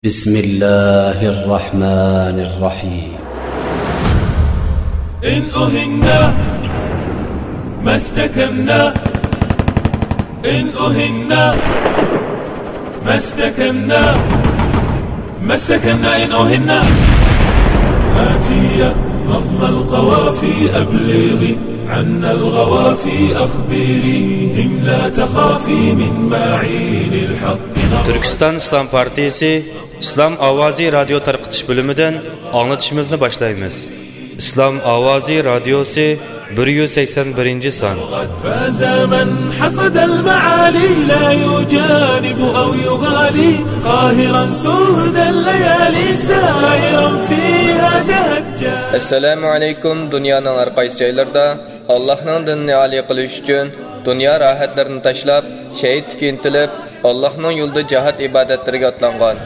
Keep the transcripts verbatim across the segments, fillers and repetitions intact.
بسم الله الرحمن الرحيم. إن أهنا ما استكنا، إن أهنا ما استكنا، ما استكنا إن أهنا. هاتي يا نظم القوافي أبلغي عنا الغوافي أخبريهم لا تخافي من معين الحق. تۈركىستان ئىسلام پارتىيىسى ئىسلام ئاۋازى رادىيو تارقىتىش بۆلۈمىدىن ئاڭلىتىشىمىزنى باشلايمىز. ئىسلام ئاۋازى رادىيوسى، بىر يۈز سەكسەن بىرىنچى سان. فاز من حصد المعالي لا يجانب أو يغالي قاهرا سود الليالي سائرا فيها تهجى. ئەسسالامۇ ئەلەيكۇم. دۇنيانىڭ ھەر قايسى جايلىرىدا ئاللاھنىڭ دىنىنى ئالىي قىلىش ئۈچۈن دۇنيا راھەتلىرىنى تاشلاپ، شېھىتلىككە ئىنتىلىپ، ئاللاھنىڭ يولىدا جىھاد ئىبادەتلىرىگە ئاتلانغان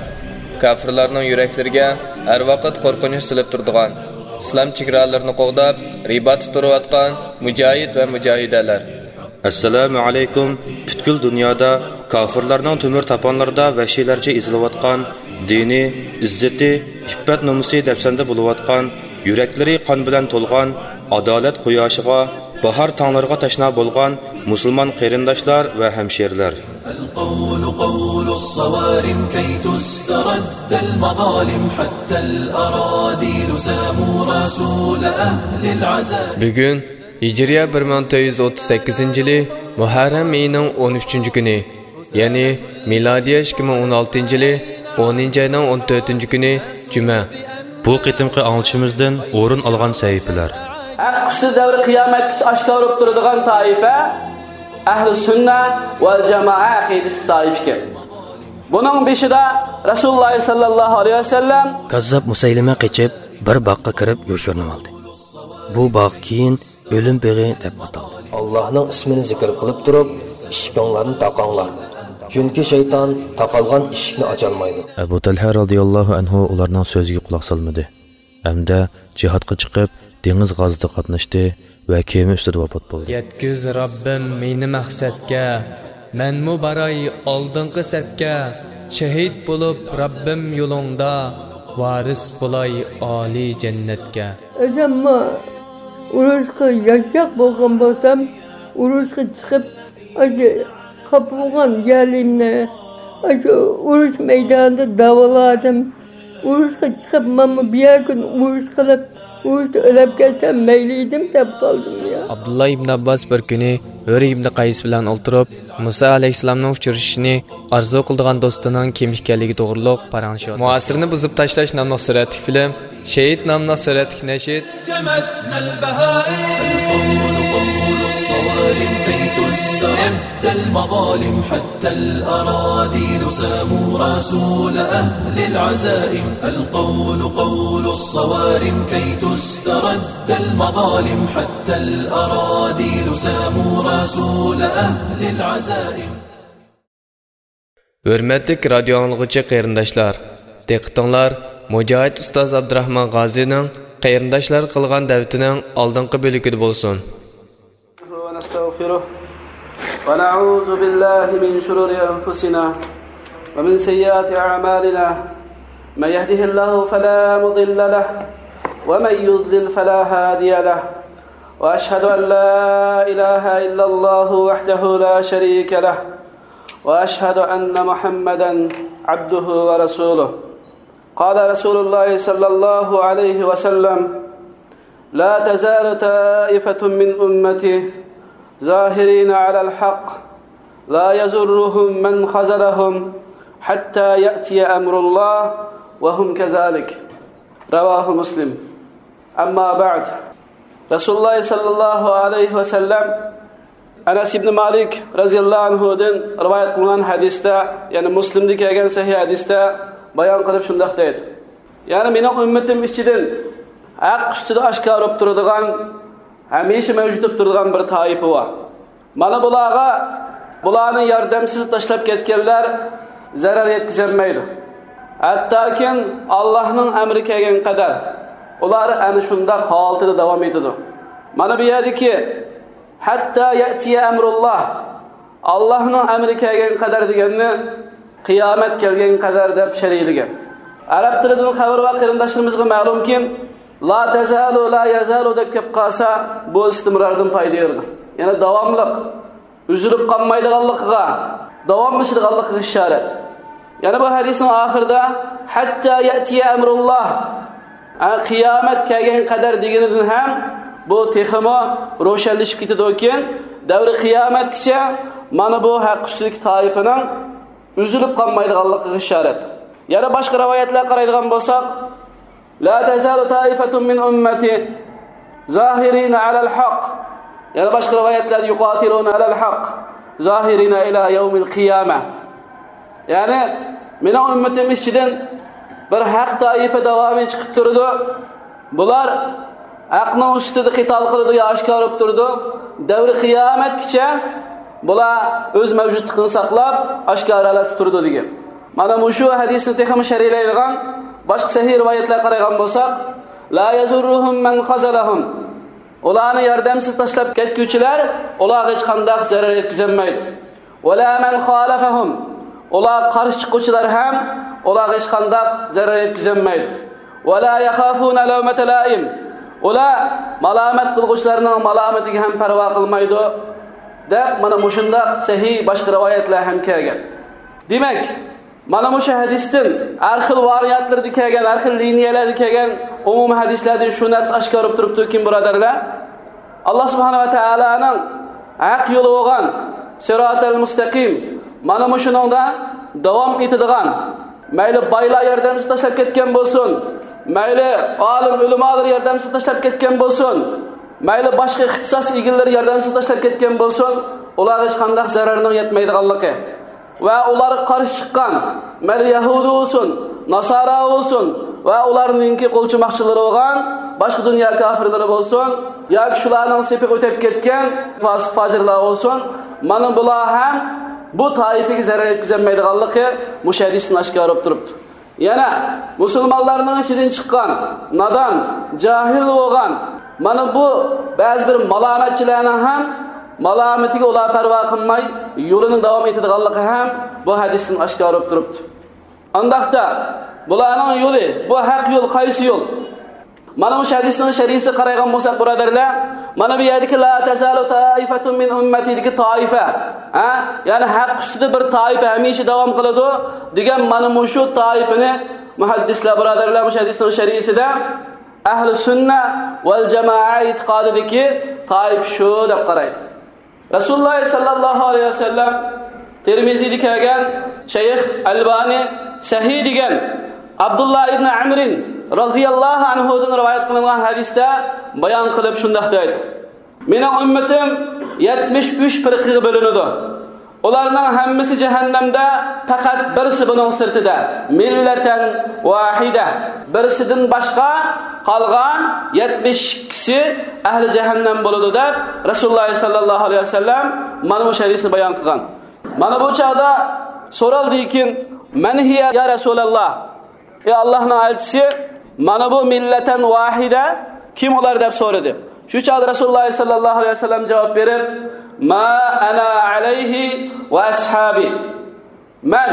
كاپىرلارنىڭ يۈرەكلىرىگە ھەر ۋاقىت قورقۇنچ سېلىپ تۇرىدىغان، ئىسلام چېگرالىرىنى قوغداپ، رىباتتا تۇرۇۋاتقان مۇجاھىد ۋە مۇجاھىدەلەر. ئەسسالامۇ ئەلەيكۇم. پۈتكۈل دۇنيادا كاپىرلارنىڭ تۆمۈر تاپانلىرىدا ۋەھشىيلەرچە ئېزىلىۋاتقان، دىنى، ئىززىتى، ئىپپەت-نومۇسى دەپسەندە بولۇۋاتقان، يۈرەكلىرى قان بىلەن تولغان، ئادالەت قۇياشىغا، باھار تاڭلىرىغا تەشنا بولغان مۇسۇلمان قېرىنداشلار ۋە ھەمشىرىلەر. القول قول الصوارم كي تسترد المظالم حتى الأراذل ساموا رسول أهل العزاء. بۈگۈن ھىجرىيە بىر مىڭ تۆت يۈز ئوتتۇز سەككىزىنچى يىلى مۇھەررەم ئېيىنىڭ ئون ئۈچىنچى كۈنى، يەنى مىلادىيە ئىككى مىڭ ئون ئالتىنچى يىلى ئونىنچى ئاينىڭ ئون تۆتىنچى كۈنى جۈمە. بۇ قېتىمقى ئاڭلىتىشىمىزدىن ئورۇن ئالغان سەھىپىلەر. ھەق ئۈستىدە دەۋر قىيامەتكىچە ئاشكارا بولۇپ تۇرىدىغان تائىپە ئەھلى سۈننە ۋەل جامائە ئەقىدىسىدىكى تائىپە ئىكەن. بۇنىڭ بېشىدا رەسۇلۇللاھ سەللەللاھۇ ئەلەيھى ۋەسەللەم. كاززاپ مۇسەيلىمە قېچىپ، بىر باغقا كىرىپ يوشۇرۇنۇۋالدى. بۇ باغ كېيىن ئۆلۈم بېغى دەپ ئاتالدى. ئاللاھنىڭ ئىسمىنى زىكىر قىلىپ تۇرۇپ، ئىشىكىڭلارنى تاقاڭلار. چۈنكى شەيتان تاقالغان ئىشىكنى ئاچالمايدۇ. ئەبۇ تەلھە رازىياللاھۇ ئەنھۇ ئۇلارنىڭ سۆزىگە قۇلاق سالمىدى ھەمدە جىھادقا چىقىپ، دېڭىز غازىتىغا قاتناشتى ۋە كېمە ئۈستىدە ۋاپات بولدى. يەتكۈز رەببىم مېنى مەقسەتكە، مەنمۇ باراي ئالدىنقى سەپكە، شېھىت بولۇپ رەببىم يولۇڭدا، ۋارىس بولاي ئالىي جەننەتكە. ئۆزۈممۇ ئۇرۇشقا ياشاق بولغان بولسام، ئۇرۇشقا چىقىپ، ئاشۇ قاپا بولغان يەلىمنى ئاشۇ ئۇرۇش مەيدانىدا داۋالادىم. ئۇرۇشقا چىقىپ، مانا بۇ يەرگە ئۇرۇش قىلىپ، ئۇرۇشتا ئۆلۈپ كەتسەم مەيلى ئىدىم دەپ قالدىم يا. ئابدۇللا ئىبن ئابباس بىر كۈنى ھۆر ئىبن قەيس بىلەن ئولتۇرۇپ، مۇسا ئەلەيھىسسالامنىڭ ئۇچرىشىشىنى ئارزۇ قىلىدىغان دوستىنىڭ كىم ئىكەنلىكى توغرۇلۇق پاراڭلىشىۋاتىدۇ. مۇھاسىرىنى بۇزۇپ تاشلاش ناملىق سۈرەتلىك فىلىم، شېھىت ناملىق سۈرەتلىك نەشىد. جمتنا البهائم. القول قول الصوارم كي تسترد المظالم حتى الأراذل ساموا رسول أهل العزائم. القول قول الصوارم كي تسترد المظالم حتى الأراذل ساموا رسول أهل العزائم. ھۆرمەتلىك رادىيو ئاڭلىغۇچى قېرىنداشلار، دىققىتىڭلار مۇجاھىد ئۇستاز ئابدۇراخمان غازىنىڭ قېرىنداشلارغا قىلغان دەۋىتىنىڭ ئالدىنقى بۆلىكىدە بولسۇن. ونستغفره ونعوذ بالله من شرور أنفسنا ومن سيئات أعمالنا. من يهده الله فلا مضل له ومن يضلل فلا هادي له. وأشهد أن لا إله إلا الله وحده لا شريك له. وأشهد أن محمدا عبده ورسوله. قال رسول الله صلى الله عليه وسلم: لا تزال طائفة من أمتي ظاهرين على الحق لا يضرهم من خذلهم حتى يأتي أمر الله وهم كذلك. رواه مسلم. أما بعد. رسول الله صلى الله عليه وسلم ئەنەس ئىبنى مالىك رەزىياللاھۇ ئەنھۇدىن رىۋايەت قىلىنغان ھەدىستە، يەنى مۇسلىمدا كەلگەن سەھىھ ھەدىستە بايان قىلىپ شۇنداق دەيدۇ: يەنى مېنىڭ ئۈممىتىم ئىچىدىن ھەق ئۈستىدە ئاشكارا بولۇپ تۇرىدىغان، ھەمىشە مەۋجۇت بولۇپ تۇرىدىغان بىر تائىپە بار. مانا بۇلارغا بۇلارنى ياردەمسىز تاشلاپ كەتكەنلەر زەرەر يەتكۈزەلمەيدۇ. ھەتتاكىن ئاللاھنىڭ ئەمرى كەلگەن قەدەر ئۇلار ئەنە شۇنداق ھالىتىدە داۋام ئېتىدۇ. مانا بۇ يەردىكى «ھەتتا يەتىيە ئەمرۇللاھ»، ئاللاھنىڭ ئەمرى كەلگەن قەدەر دېگەننى قىيامەت كەلگەن قەدەر دەپ شەرھلىگەن. ئەرەب تىلىدىن خەۋىرى بار قېرىنداشلىرىمىزغا مەلۇمكى، لا تەزالۇ، لا يەزالۇ دەپ كەپ قالسا، بۇ ئىستىمرارنىڭ پايدىسى يوق. يەنى داۋاملىق، ئۈزۈلۈپ قالمايدىغانلىقىغا، داۋاملىشىدىغانلىقىغا ئىشارەت. يەنە بۇ ھەدىسنىڭ ئاخىرىدا، ھەتتا يەتىيە ئەمرۇللاھ، ھە، قىيامەت كەلگەن قەدەر دېگىنىدىن ھەم بۇ تېخىمۇ روشەنلىشىپ كېتىدۇكى، دەۋرى قىيامەتكىچە مانا بۇ ھەق ئۈستىدىكى تائىپىنىڭ ئۈزۈلۈپ قالمايدىغانلىقىغا ئىشارەت. يەنە باشقا رىۋايەتلەرگە قارايدىغان بولساق، لا تزال طائفة من أمتي ظاهرين على الحق. يەنە باشقا رىۋايەتلەردە يقاتلون على الحق ظاهرين إلى يوم القيامة. يەنى مېنىڭ ئۈممىتىم ئىچىدىن بىر ھەق تائىپە داۋامى چىقىپ تۇرىدۇ. بۇلار ھەقنىڭ ئۈستىدە قىتال قىلىدۇ يا ئاشكارا بولۇپ تۇرىدۇ. دەۋرى قىيامەتكىچە بۇلار ئۆز مەۋجۇتلۇقىنى ساقلاپ، ئاشكارا ھالەتتە تۇرىدۇ دېگەن. مانا مۇشۇ ھەدىسنى تېخىمۇ شەرھلەيدىغان باشقا سەھىھ رىۋايەتلەرگە قارايدىغان بولساق، لا يضرهم من خذلهم. ئۇلارنى ياردەمسىز تاشلاپ كەتكۈچىلەر ئۇلارغا ھېچقانداق زەرەر يەتكۈزەلمەيدۇ. ولا من خالفهم. ئۇلارغا قارشى چىققۇچىلار ھەم ئۇلارغا ھېچقانداق زەرەر يەتكۈزەلمەيدۇ. ولا يخافون لومة لائم. ئۇلار مالامەت قىلغۇچىلارنىڭ مالامىتىگە ھەم پەرۋا قىلمايدۇ، دەپ مانا مۇشۇنداق سەھىھ باشقا رىۋايەتلەر ھەم كەلگەن. دېمەك، مانا مۇشۇ ھەدىستىن ھەر خىل ۋارىيانتلىرىدا كەلگەن، ھەر خىل لىنىيەلەردە كەلگەن ئومۇمىي ھەدىسلەردىن شۇ نەرسە ئاشكارا بولۇپ تۇرۇپتۇكى، بۇرادەرلەر، ئاللا سۇبھانەھۇ ۋە تائالانىڭ ھەق يولى بولغان سىراتەل مۇستەقىم، مانا مۇشۇنىڭدا داۋام ئېتىدىغان، مەيلى بايلار ياردەمسىز تاشلاپ كەتكەن بولسۇن، مەيلى ئالىم ئۆلىمالار ياردەمسىز تاشلاپ كەتكەن بولسۇن، مەيلى باشقا ئىختىساس ئىگىلىرى ياردەمسىز تاشلاپ كەتكەن بولسۇن، ئۇلارغا ھېچقانداق زەرەرنىڭ يەتمەيدىغانلىقى ۋە ئۇلارغا قارشى چىققان، مەيلى يەھۇدىي بولسۇن، ناسارا بولسۇن ۋە ئۇلارنىڭكى قولچۇماقچىلىرى بولغان باشقا دۇنيا كاپىرلىرى بولسۇن ياكى شۇلارنىڭ سېپىغا ئۆتۈپ كەتكەن پاسىق-پاجىرلار بولسۇن، مانا بۇلار ھەم بۇ تائىپىگە زەرەر يەتكۈزەلمەيدىغانلىقى مۇشۇ ھەدىستىن ئاشكارا بولۇپ تۇرۇپتۇ. يەنە مۇسۇلمانلارنىڭ ئىچىدىن چىققان، نادان، جاھىل بولغان، مانا بۇ بەزى بىر مالامەتچىلەرنىڭ ھەم مالامىتىگە ئۇلار پەرۋا قىلماي، يولىنى داۋام ئېتىدىغانلىقى ھەم بۇ ھەدىستىن ئاشكارا بولۇپ تۇرۇپتۇ. ئانداقتا، بۇلارنىڭ يولى، بۇ ھەق يول قايسى يول؟ مانا مۇشۇ ھەدىسنىڭ شەرھىسىگە قارايدىغان بولساق، بۇرادەرلەر، مانا بۇ يەردىكى لا تزال طائفة من أمتي دىكى تائىپە، ھە؟ يەنى ھەق ئۈستىدە بىر تائىپە ھەمىشە داۋام قىلىدۇ دېگەن مانا مۇشۇ تائىپىنى مۇھەددىسلەر، بۇرادەرلەر، مۇشۇ ھەدىسنىڭ شەرھىسىدە ئەھلى سۈننە ۋەل جامائە ئېتىقادىدىكى تائىپە شۇ دەپ قارايدۇ. رەسۇلۇللاھ سەللەللاھۇ ئەلەيھى ۋەسەللەم، تىرمىزىدە كەلگەن، شەيخ ئەلبانى سەھىھ دېگەن، ئابدۇللا ئىبنى ئەمرىن رازىياللاھۇ ئەنھۇدىن رىۋايەت قىلىنغان ھەدىستە بايان قىلىپ شۇنداق دەيدۇ: مېنىڭ ئۈممىتىم يەتمىش ئۈچ پىرقىگە بۆلۈنىدۇ. ئۇلارنىڭ ھەممىسى جەھەننەمدە، پەقەت بىرسى بۇنىڭ سىرتىدا، مىللەتەن ۋاھىدە، بىرسىدىن باشقا قالغان يەتمىش ئىككىسى ئەھلى جەھەننەم بولىدۇ دەپ، رەسۇلۇللاھ سەللەللاھۇ ئەلەيھى ۋەسەللەم مانا بۇ ھەدىسنى بايان قىلغان. مانا بۇ چاغدا سورالدىكىن، مەن ھىيە يا رەسۇلەللاھ؟ ئەي ئاللاھنىڭ ئەلچىسى، مانا بۇ مىللەتەن ۋاھىدە، كىم ئۇلار دەپ سورىدى. شۇ چاغدا رەسۇلۇللاھ سەللەللاھۇ ئەلەيھى ۋەسەللەم جاۋاب بېرىپ، ما ئەنا ئەلەيھى ۋە ئەسھابى. مەن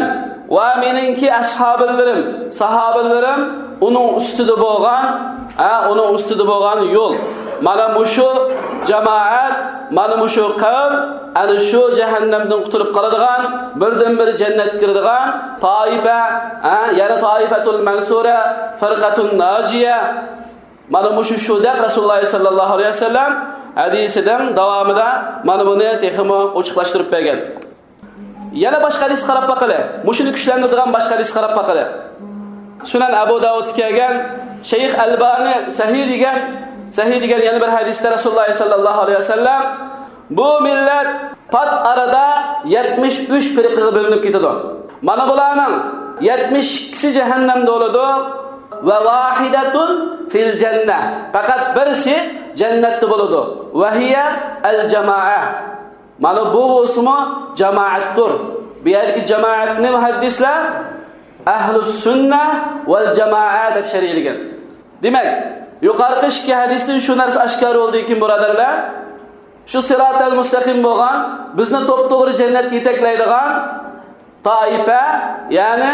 ۋە مېنىڭكى ئەسھابىلىرىم، ساھابىلىرىم ئۇنىڭ ئۈستىدە بولغان، ھە، ئۇنىڭ ئۈستىدە بولغان يول. مانا مۇشۇ جامائەت، مانا مۇشۇ قەۋم، ئەنە شۇ جەھەننەمدىن قۇتۇلۇپ قالىدىغان، بىردىنبىر جەننەتكە كىرىدىغان تائىپە، ھە، يەنى تائىپەتۇل مەنسۇرە، فىرقەتۇن ناجىيە. مانا مۇشۇ شۇ دەپ رەسۇلۇللاھ سەللەللاھۇ ئەلەيھى ۋەسەللەم ھەدىسىنىڭ داۋامىدا مانا بۇنى تېخىمۇ ئوچۇقلاشتۇرۇپ بەرگەن. يەنە باشقا ھەدىسكە قاراپ باقىلى. مۇشۇنى كۈچلەندۈرىدىغان باشقا ھەدىسكە قاراپ باقىلى. سۈنەن ئەبۇ داۋۇدتا كەلگەن، شەيخ ئەلبانى سەھىھ دېگەن، سەھىھ دېگەن يەنە بىر ھەدىستە رەسۇلۇللاھ سەللەللاھۇ ئەلەيھى ۋەسەللەم، بۇ مىللەت پات ئارىدا يەتمىش ئۈچ پىرقىگە بۆلۈنۈپ كېتىدۇ. مانا بۇلارنىڭ يەتمىش ئىككىسى جەھەننەمدە بولىدۇ. ۋە ۋاھىدەتۇن فىل جەننە. پەقەت بىرسى جەننەتتە بولىدۇ. ۋە ھىيە ئەل جامائە. مانا بۇ بولسىمۇ جامائەتتۇر. بۇ يەردىكى جامائەتنى مۇھەددىسلەر ئەھلۇ سۈننە ۋەل جامائە دەپ شەرھلىگەن. دېمەك، يۇقىرىقى ئىككى ھەدىستىن شۇ نەرسە ئاشكارا بولدىكى، بۇرادەرلەر، شۇ سىراتەل مۇستەقىم بولغان، بىزنى توپتوغرا جەننەتكە يېتەكلەيدىغان تائىپە، يەنى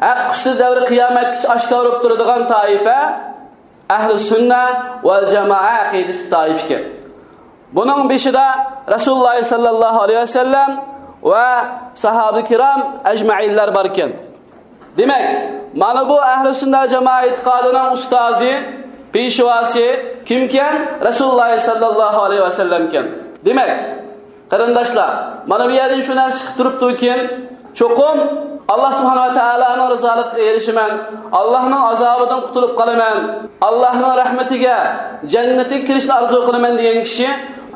ھەق ئۈستىدە دەۋر قىيامەتكىچە ئاشكارا بولۇپ تۇرىدىغان تائىپە ئەھلى سۈننە ۋەل جامائە ئەقىدىسىدىكى تائىپە ئىكەن. بۇنىڭ بېشىدا رەسۇلۇللاھ سەللەللاھۇ ئەلەيھى ۋەسەللەم ۋە ساھابە كىرام ئەجمەئىنلەر بار ئىكەن. دېمەك، مانا بۇ ئەھلى سۈننە جامائە ئېتىقادىنىڭ ئۇستازى، پېشۋاسى كىمكەن؟ رەسۇلۇللاھ سەللەللاھۇ ئەلەيھى ۋەسەللەمكەن. دېمەك، قېرىنداشلار، مانا بۇ يەردىن شۇ نەرسە چىقىپ تۇرۇپتۇكىن، چوقۇم ئاللاھ سۇبھانەھۇ ۋە تائالانىڭ رىزالىقىغا ئېرىشىمەن، ئاللاھنىڭ ئازابىدىن قۇتۇلۇپ قالىمەن، ئاللاھنىڭ رەھمىتىگە، جەننىتىگە كىرىشنى ئارزۇ قىلىمەن دېگەن كىشى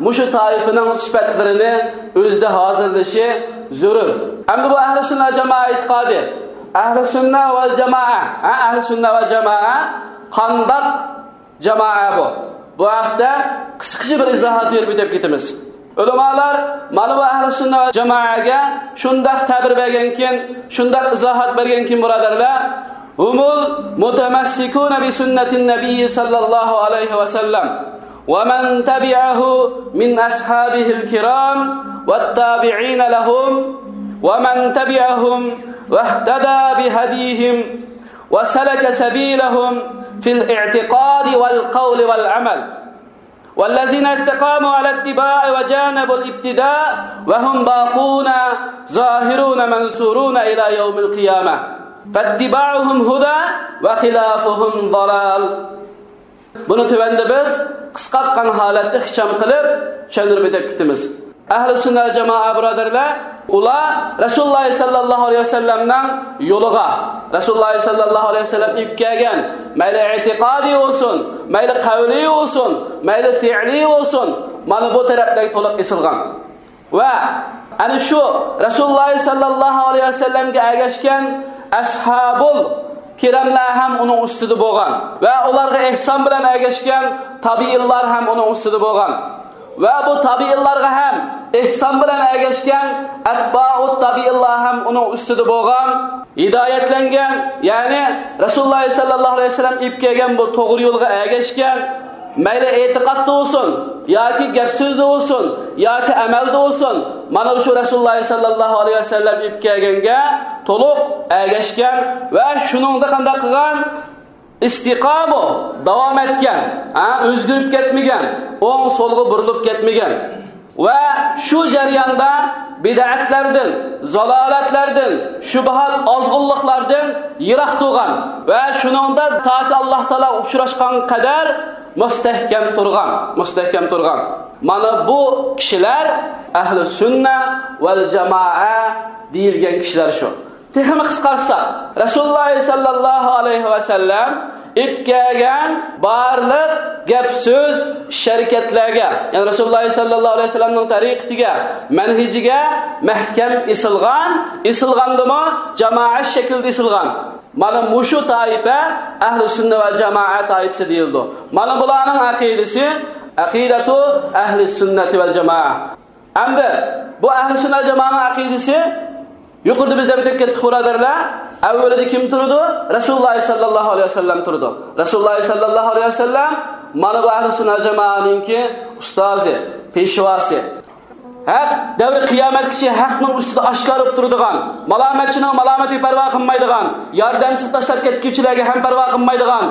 مۇشۇ تائىپىنىڭ سۈپەتلىرىنى ئۆزىدە ھازىرلىشى زۆرۈر. ئەمدى بۇ ئەھلى سۈننە جامائە ئېتىقادى، ئەھلى سۈننە ۋەل جامائە، ھە، ئەھلى سۈننە ۋەل جامائە قانداق جامائە بۇ؟ بۇ ھەقتە قىسقىچە بىر ئىزاھات بېرىپ ئۆتۈپ كېتىمىز. ئۆلىمالار مانا بۇ ئەھلى سۈننە ۋەل جامائەگە شۇنداق تەبىر بەرگەنكىن، شۇنداق ئىزاھات بەرگەنكىن، بۇرادەرلەر، هم المتمسكون بسنة النبي صلى الله عليه وسلم ومن تبعه من أصحابه الكرام والتابعين لهم ومن تبعهم واهتدى بهديهم وسلك سبيلهم في الاعتقاد والقول والعمل. والذين استقاموا على الاتباع وجانبوا الابتداع وهم باقون ظاهرون منصورون إلى يوم القيامة. فاتباعهم هدى وخلافهم ضلال. بۇنى تۆۋەندە بىز قىسقارتقان ھالەتتە ئىخچام قىلىپ چۈشەندۈرۈپ ئۆتۈپ كېتىمىز. ئەھلى سۈننە جامائە بۇرادەرلەر، ئۇلار رەسۇلۇللاھ سەللەللاھۇ ئەلەيھى ۋەسەللەمنىڭ يولىغا، رەسۇلۇللاھ سەللەللاھۇ ئەلەيھى ۋەسەللەم ئېلىپ كەلگەن، مەيلى ئېتىقادىي بولسۇن، مەيلى قەۋلىي بولسۇن، مەيلى پېئىلىي بولسۇن، مانا بۇ تەرەپلەرگە تولۇق ئېسىلغان. ۋە ئەنە شۇ رەسۇلۇللاھ سەللەللاھۇ ئەلەيھى ۋەسەللەمگە ئەگەشكەن ئەسھابۇل كىراملار ھەم ئۇنىڭ ئۈستىدە بولغان ۋە ئۇلارغا ئېھسان بىلەن ئەگەشكەن تابىئىنلار ھەم ئۇنىڭ ئۈستىدە بولغان ۋە بۇ تابىئىنلارغا ھەم ئېھسان بىلەن ئەگەشكەن ئەتبائۇت تابىئىنلار ھەم ئۇنىڭ ئۈستىدە بولغان، ھىدايەتلەنگەن، يەنى رەسۇلۇللاھ سەللەللاھۇ ئەلەيھى ۋەسەللەم ئېلىپ كەلگەن بۇ توغرا يولغا ئەگەشكەن، مەيلى ئېتىقادتا بولسۇن، ياكى گەپ سۆزدە بولسۇن، ياكى ئەمەلدە بولسۇن، مانا شۇ رەسۇلۇللاھ سەللەللاھۇ ئەلەيھى ۋەسەللەم ئېلىپ كەلگەنگە تولۇق ئەگەشكەن ۋە شۇنىڭدا قانداق قىلغان؟ ئىستىقامە، داۋام ئەتكەن، ھە، ئۆزگىرىپ كەتمىگەن، ئوڭ سولغا بۇرۇلۇپ كەتمىگەن. ۋە شۇ جەرياندا بىدئەتلەردىن، زالالەتلەردىن، شۇبھات، ئازغۇنلۇقلاردىن يىراق تۇرغان ۋە شۇنىڭدا تاكى ئاللاھ تائالاغا ئۇچراشقان قەدەر مۇستەھكەم تۇرغان، مۇستەھكەم تۇرغان. مانا بۇ كىشىلەر ئەھلى سۈننە ۋەل جامائە دېيىلگەن كىشىلەر شۇ. تېخىمۇ قىسقارتساق، رەسۇلۇللاھ سەللەللاھۇ ئەلەيھى ۋەسەللەم ئېلىپ كەلگەن بارلىق گەپ سۆز، ئىش ھەرىكەتلەرگە، يەنى رەسۇلۇللاھ سەللەللاھۇ ئەلەيھى ۋەسەللەمنىڭ تەرىقىتىگە، مەنھىجىگە مەھكەم ئېسىلغان، ئېسىلغاندىمۇ جامائەت شەكلىدە ئېسىلغان. مانا مۇشۇ تائىپە ئەھلى سۈننە ۋەل جامائە تائىپىسى دېيىلىدۇ. مانا بۇلارنىڭ ئەقىدىسى ئەقىدەتۇ ئەھلى سۈننەتى ۋەل جامائە. ئەمدى بۇ ئەھلى سۈننە جامائەنىڭ ئەقىدىسى، يۇقىرىدا بىز دەپ ئۆتۈپ كەتتۇق، بۇرادەرلەر. ئەۋۋىلىدە كىم تۇرىدۇ؟ رەسۇلۇللاھ سەللەللاھۇ ئەلەيھى ۋەسەللەم تۇرىدۇ. رەسۇلۇللاھ سەللەللاھۇ ئەلەيھى ۋەسەللەم مانا بۇ ئەھلى سۈننە جامائەنىڭكى ئۇستازى، پېشۋاسى. ھەق دەۋرى قىيامەتكىچە ھەقنىڭ ئۈستىدە ئاشكارا بولۇپ تۇرىدىغان، مالامەتچىنىڭ مالامىتىگە پەرۋا قىلمايدىغان، ياردەمسىز تاشلاپ كەتكۈچىلەرگە ھەم پەرۋا قىلمايدىغان،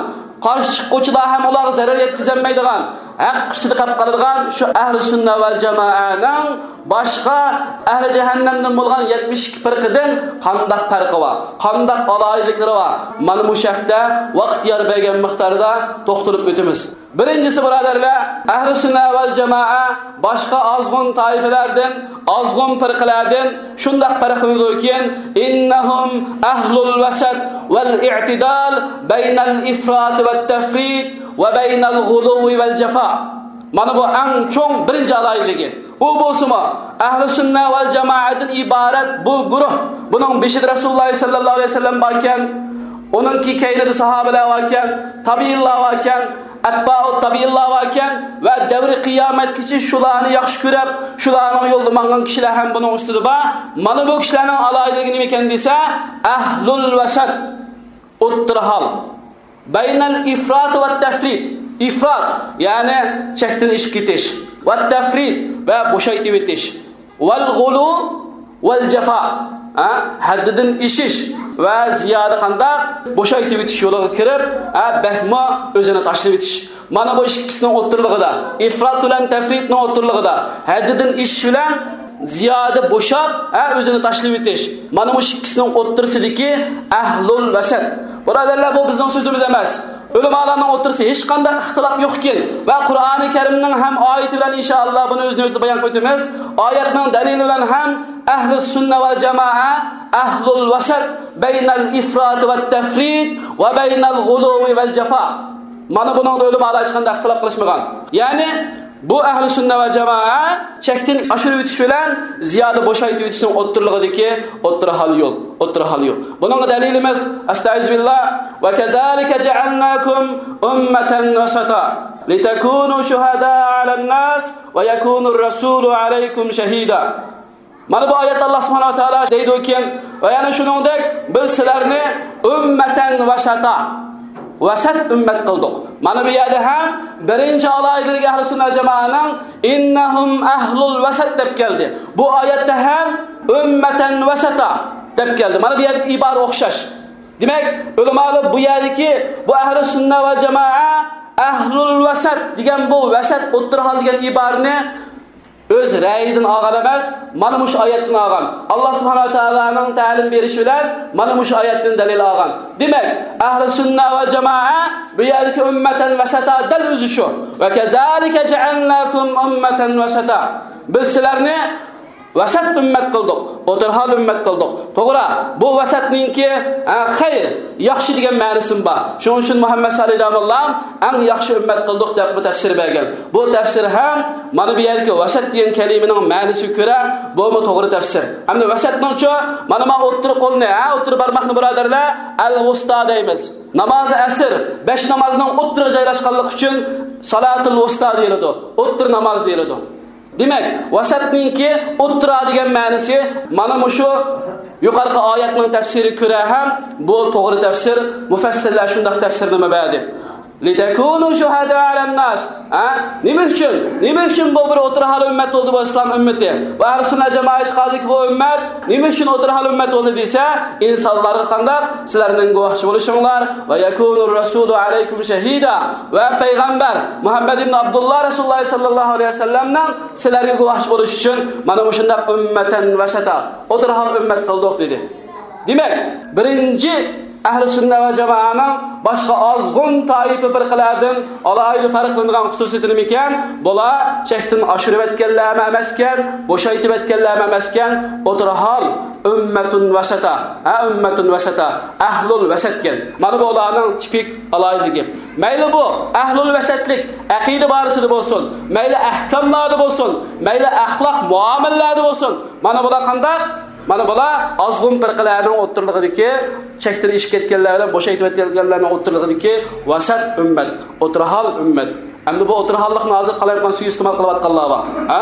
قارشى چىققۇچىلار ھەم ئۇلارغا زەرەر يەتكۈزەلمەيدىغان، ھەق ئۈستىدە قېلىپ قالىدىغان شۇ ئەھلى سۈننە ۋەل جامائەنىڭ باشقا ئەھلى جەھەننەمدىن بولغان يەتمىش ئىككى پىرقىدىن قانداق پەرقى بار، قانداق ئالاھىدىلىكلىرى بار؟ مانا مۇشۇ ھەقتە ۋاقىت يار بەرگەن مىقداردا توختىلىپ ئۆتىمىز. بىرىنچىسى، بۇرادەرلەر، ئەھلى سۈننە ۋەل جامائە باشقا ئازغۇن تائىپىلەردىن ئازغۇن پىرقىلەردىن شۇنداق پەرقلىنىدۇكى، إنهم أهل الوسط والاعتدال بين الإفراط والتفريط وبين الغلو والجفاء. مانا بۇ ئەڭ چوڭ بىرىنچى ئالاھىدىلىكى. ئۇ بولسىمۇ، ئەھلى سۈننە ۋەل جامائەدىن ئىبارەت بۇ گۇرۇھ، بۇنىڭ بېشىدا رەسۇلۇللاھ سەللەللاھۇ ئەلەيھى ۋەسەللەم باركەن، ئۇنىڭكى كەينىدە ساھابىلەر باركەن، تابىئىنلار باركەن، ئەتبائۇت تابىئىنلار باركەن ۋە دەۋرى قىيامەتكىچە شۇلارنى ياخشى كۆرۈپ، شۇلارنىڭ يولىدا ماڭغان كىشىلەر ھەم بۇنىڭ ئۈستىدە بار. مانا بۇ كىشىلەرنىڭ ئالاھىدىلىكى نېمىكەن دېسە، ئەھلۇل ۋەسەت، ئوتتۇرا ھال. بين الإفراط والتفريط، ئىفرات، يەنى چەكتىن ئېشىپ كېتىش، والتفريط، ۋە بوشايتىۋېتىش. والغلو والجفاء، ھە، ھەددىدىن ئېشىش ۋە زىيادە قانداق؟ بوشايتىۋېتىش يولىغا كىرىپ، ھە، بەكمۇ ئۆزىنى تاشلىۋېتىش. مانا بۇ ئىككىسىنىڭ ئوتتۇرىلىقىدا، ئىفرات بىلەن تەفرىتنىڭ ئوتتۇرىلىقىدا، ھەددىدىن ئېشىش بىلەن زىيادە بوشاپ، ھە، ئۆزىنى تاشلىۋېتىش. مانا مۇشۇ ئىككىسىنىڭ ئوتتۇرىسىدىكى ئەھلۇل ۋەسەت. بۇرادەرلەر، بۇ بىزنىڭ سۆزىمىز ئەمەس. ئۆلىمالارنىڭ ئوتتۇرىسى ھېچقانداق ئىختىلاپ يوقكەن ۋە قۇرئانى كەرىمنىڭ ھەم ئايىتى بىلەن ئىنشائاللا بۇنى ئۆز نۆۋىتىدە بايان قىلىپ ئۆتىمىز. ئايەتنىڭ دەلىلى بىلەن ھەم ئەھلى سۈننە ۋەل جامائە، ئەھلۇل ۋەسەت، بەينەل ئىفرات ۋەت تەفرىت ۋە بەينەل غۇلۇۋى ۋەل جافا. مانا بۇنىڭدا ئۆلىمالار ھېچقانداق ئىختىلاپ قىلىشمىغان. يەنى بۇ ئەھلى سۈننە ۋە جامائە چەكتىن ئاشۇرۇۋېتىش بىلەن زىيادە بوشايتىۋېتىشنىڭ ئوتتۇرىلىقىدىكى ئوتتۇرا ھال يول، ئوتتۇرا ھال يول. بۇنىڭغا دەلىلىمىز، ئەستەئىزۇبىللا، ۋە كەزالىكە جەئەلناكۇم ئۈممەتەن ۋەسەتا لىتەكۇنۇ شۇھەدائە ئەلەنناس ۋە يەكۇنۇر رەسۇلۇ ئەلەيكۇم شەھىدا. مانا بۇ ئايەتتە ئاللا سۇبھانەھۇ ۋە تائالا دەيدۇكى، ۋە يەنە شۇنىڭدەك بىز سىلەرنى ئۈممەتەن ۋەسەتا، ۋەسەت ئۈممەت قىلدۇق. مانا بۇ يەردە ھەم بىرىنچى ئالاھىدىلىكى ئەھلى سۈننە جامائەنىڭ ئىننەھۇم ئەھلۇل ۋەسەت دەپ كەلدى. بۇ ئايەتتە ھەم ئۈممەتەن ۋەسەتا دەپ كەلدى. مانا بۇ يەردىكى ئىبارە ئوخشاش. دېمەك، ئۆلىمالار بۇ يەردىكى بۇ ئەھلى سۈننە ۋە جامائە ئەھلۇل ۋەسەت دېگەن بۇ ۋەسەت ئوتتۇرا ھال دېگەن ئىبارىنى ئۆز رەيىدىن ئالغان ئەمەس، مانا مۇشۇ ئايەتتىن ئالغان. ئاللا سۇبھانەھۇ ۋە تائالانىڭ تەلىم بېرىشى بىلەن مانا مۇشۇ ئايەتتىن دەلىل ئالغان. دېمەك، ئەھلى سۈننە ۋە جامائە بۇ يەردىكى ئۈممەتەن ۋەسەتا دەل ئۆزى شۇ. ۋە كەزالىكە جەئەلناكۇم ئۈممەتەن ۋەسەتا. بىز سىلەرنى ۋەسەت ئۈممەت قىلدۇق، ئوتتۇرا ھال ئۈممەت قىلدۇق. توغرا، بۇ ۋەسەتنىڭكى، ئە، خەير، ياخشى دېگەن مەنىسىمۇ بار. شۇنىڭ ئۈچۈن مۇھەممەد سالىھ داموللام ئەڭ ياخشى ئۈممەت قىلدۇق دەپ بۇ تەپسىر بەرگەن. بۇ تەپسىر ھەم مانا بۇ يەردىكى ۋەسەت دېگەن كەلىمىنىڭ مەنىسىگە كۆرە بۇمۇ توغرا تەپسىر. ئەمدى ۋەسەتنىڭچۇ، مانا ما ئوتتۇرا قولنى، ھە، ئوتتۇرا بارماقنى بۇرادەرلەر ئەل ۋۇستا دەيمىز. نامازى ئەسر، بەش نامازنىڭ ئوتتۇرىغا جايلاشقانلىقى ئۈچۈن سالاتۇل ۋۇستا دېيىلىدۇ، ئوتتۇرا ناماز دېيىلىدۇ. دېمەك، ۋەسەتنىڭكى ئوتتۇرا دېگەن مەنىسى مانا مۇشۇ يۇقىرىقى ئايەتنىڭ تەپسىرىگە كۆرە ھەم بۇ توغرا تەپسىر، مۇفەسسىرلەر شۇنداق تەپسىرنامە بەردى. لىتەكۇنۇ شۇھەدائە ئەلەنناس. ھە؟ نېمە ئۈچۈن؟ نېمە ئۈچۈن بۇ بىر ئوتتۇرا ھال ئۈممەت بولدى بۇ ئىسلام ئۈممىتى؟ ۋە ئەھلى سۈننە جامائەت ئېتىقادىدىكى بۇ ئۈممەت نېمە ئۈچۈن ئوتتۇرا ھال ئۈممەت بولدى دېسە، ئىنسانلارغا قانداق؟ سىلەرنىڭ گۇۋاھچى بولۇشۇڭلار، ۋە يەكۇنۇر رەسۇلۇ ئەلەيكۇم شەھىدا، ۋە پەيغەمبەر مۇھەممەد ئىبن ئابدۇللا رەسۇلۇللا ساللاللاھۇ ئەلەيھى ۋەسەللەمنىڭ سىلەرگە گۇۋاھچى بولۇش ئۈچۈن مانا مۇشۇنداق ئۈممەتەن ۋەسەتا، ئوتتۇرا ھال ئۈممەت قىلدۇق، دېدى. دېمەك، بىرىنچى ئەھلى سۈننە ۋە جامائەنىڭ باشقا ئازغۇن تائىپە پىرقىلەردىن ئالاھىدە پەرقلىنىدىغان خۇسۇسىيىتى نېمىكەن؟ بۇلار چەكتىن ئاشۇرۇۋەتكەنلەرمۇ ئەمەسكەن، بوشايتىۋەتكەنلەرمۇ ئەمەسكەن، ئوتتۇرا ھال، ئۈممەتۇن ۋەسەتا، ھە، ئۈممەتۇن ۋەسەتا، ئەھلۇل ۋەسەتكەن. مانا بۇ ئۇلارنىڭ تىپىك ئالاھىدىلىكى. مەيلى بۇ ئەھلۇل ۋەسەتلىك ئەقىدە بارىسىدا بولسۇن، مەيلى ئەھكاملاردا بولسۇن، مەيلى ئەخلاق مۇئامىلىلەردە بولسۇن. مانا بۇلار قانداق؟ مانا بۇلار ئازغۇن پىرقىلەرنىڭ ئوتتۇرىلىقىدىكى، چەكتىن ئېشىپ كەتكەنلەر بىلەن بوشايتىۋەتكەنلەرنىڭ ئوتتۇرىلىقىدىكى ۋەسەت ئۈممەت، ئوتتۇرا ھال ئۈممەت. ئەمدى بۇ ئوتتۇرا ھاللىقنى ھازىر قالايمىقان سۇيىئىستېمال قىلىۋاتقانلار بار. ھە؟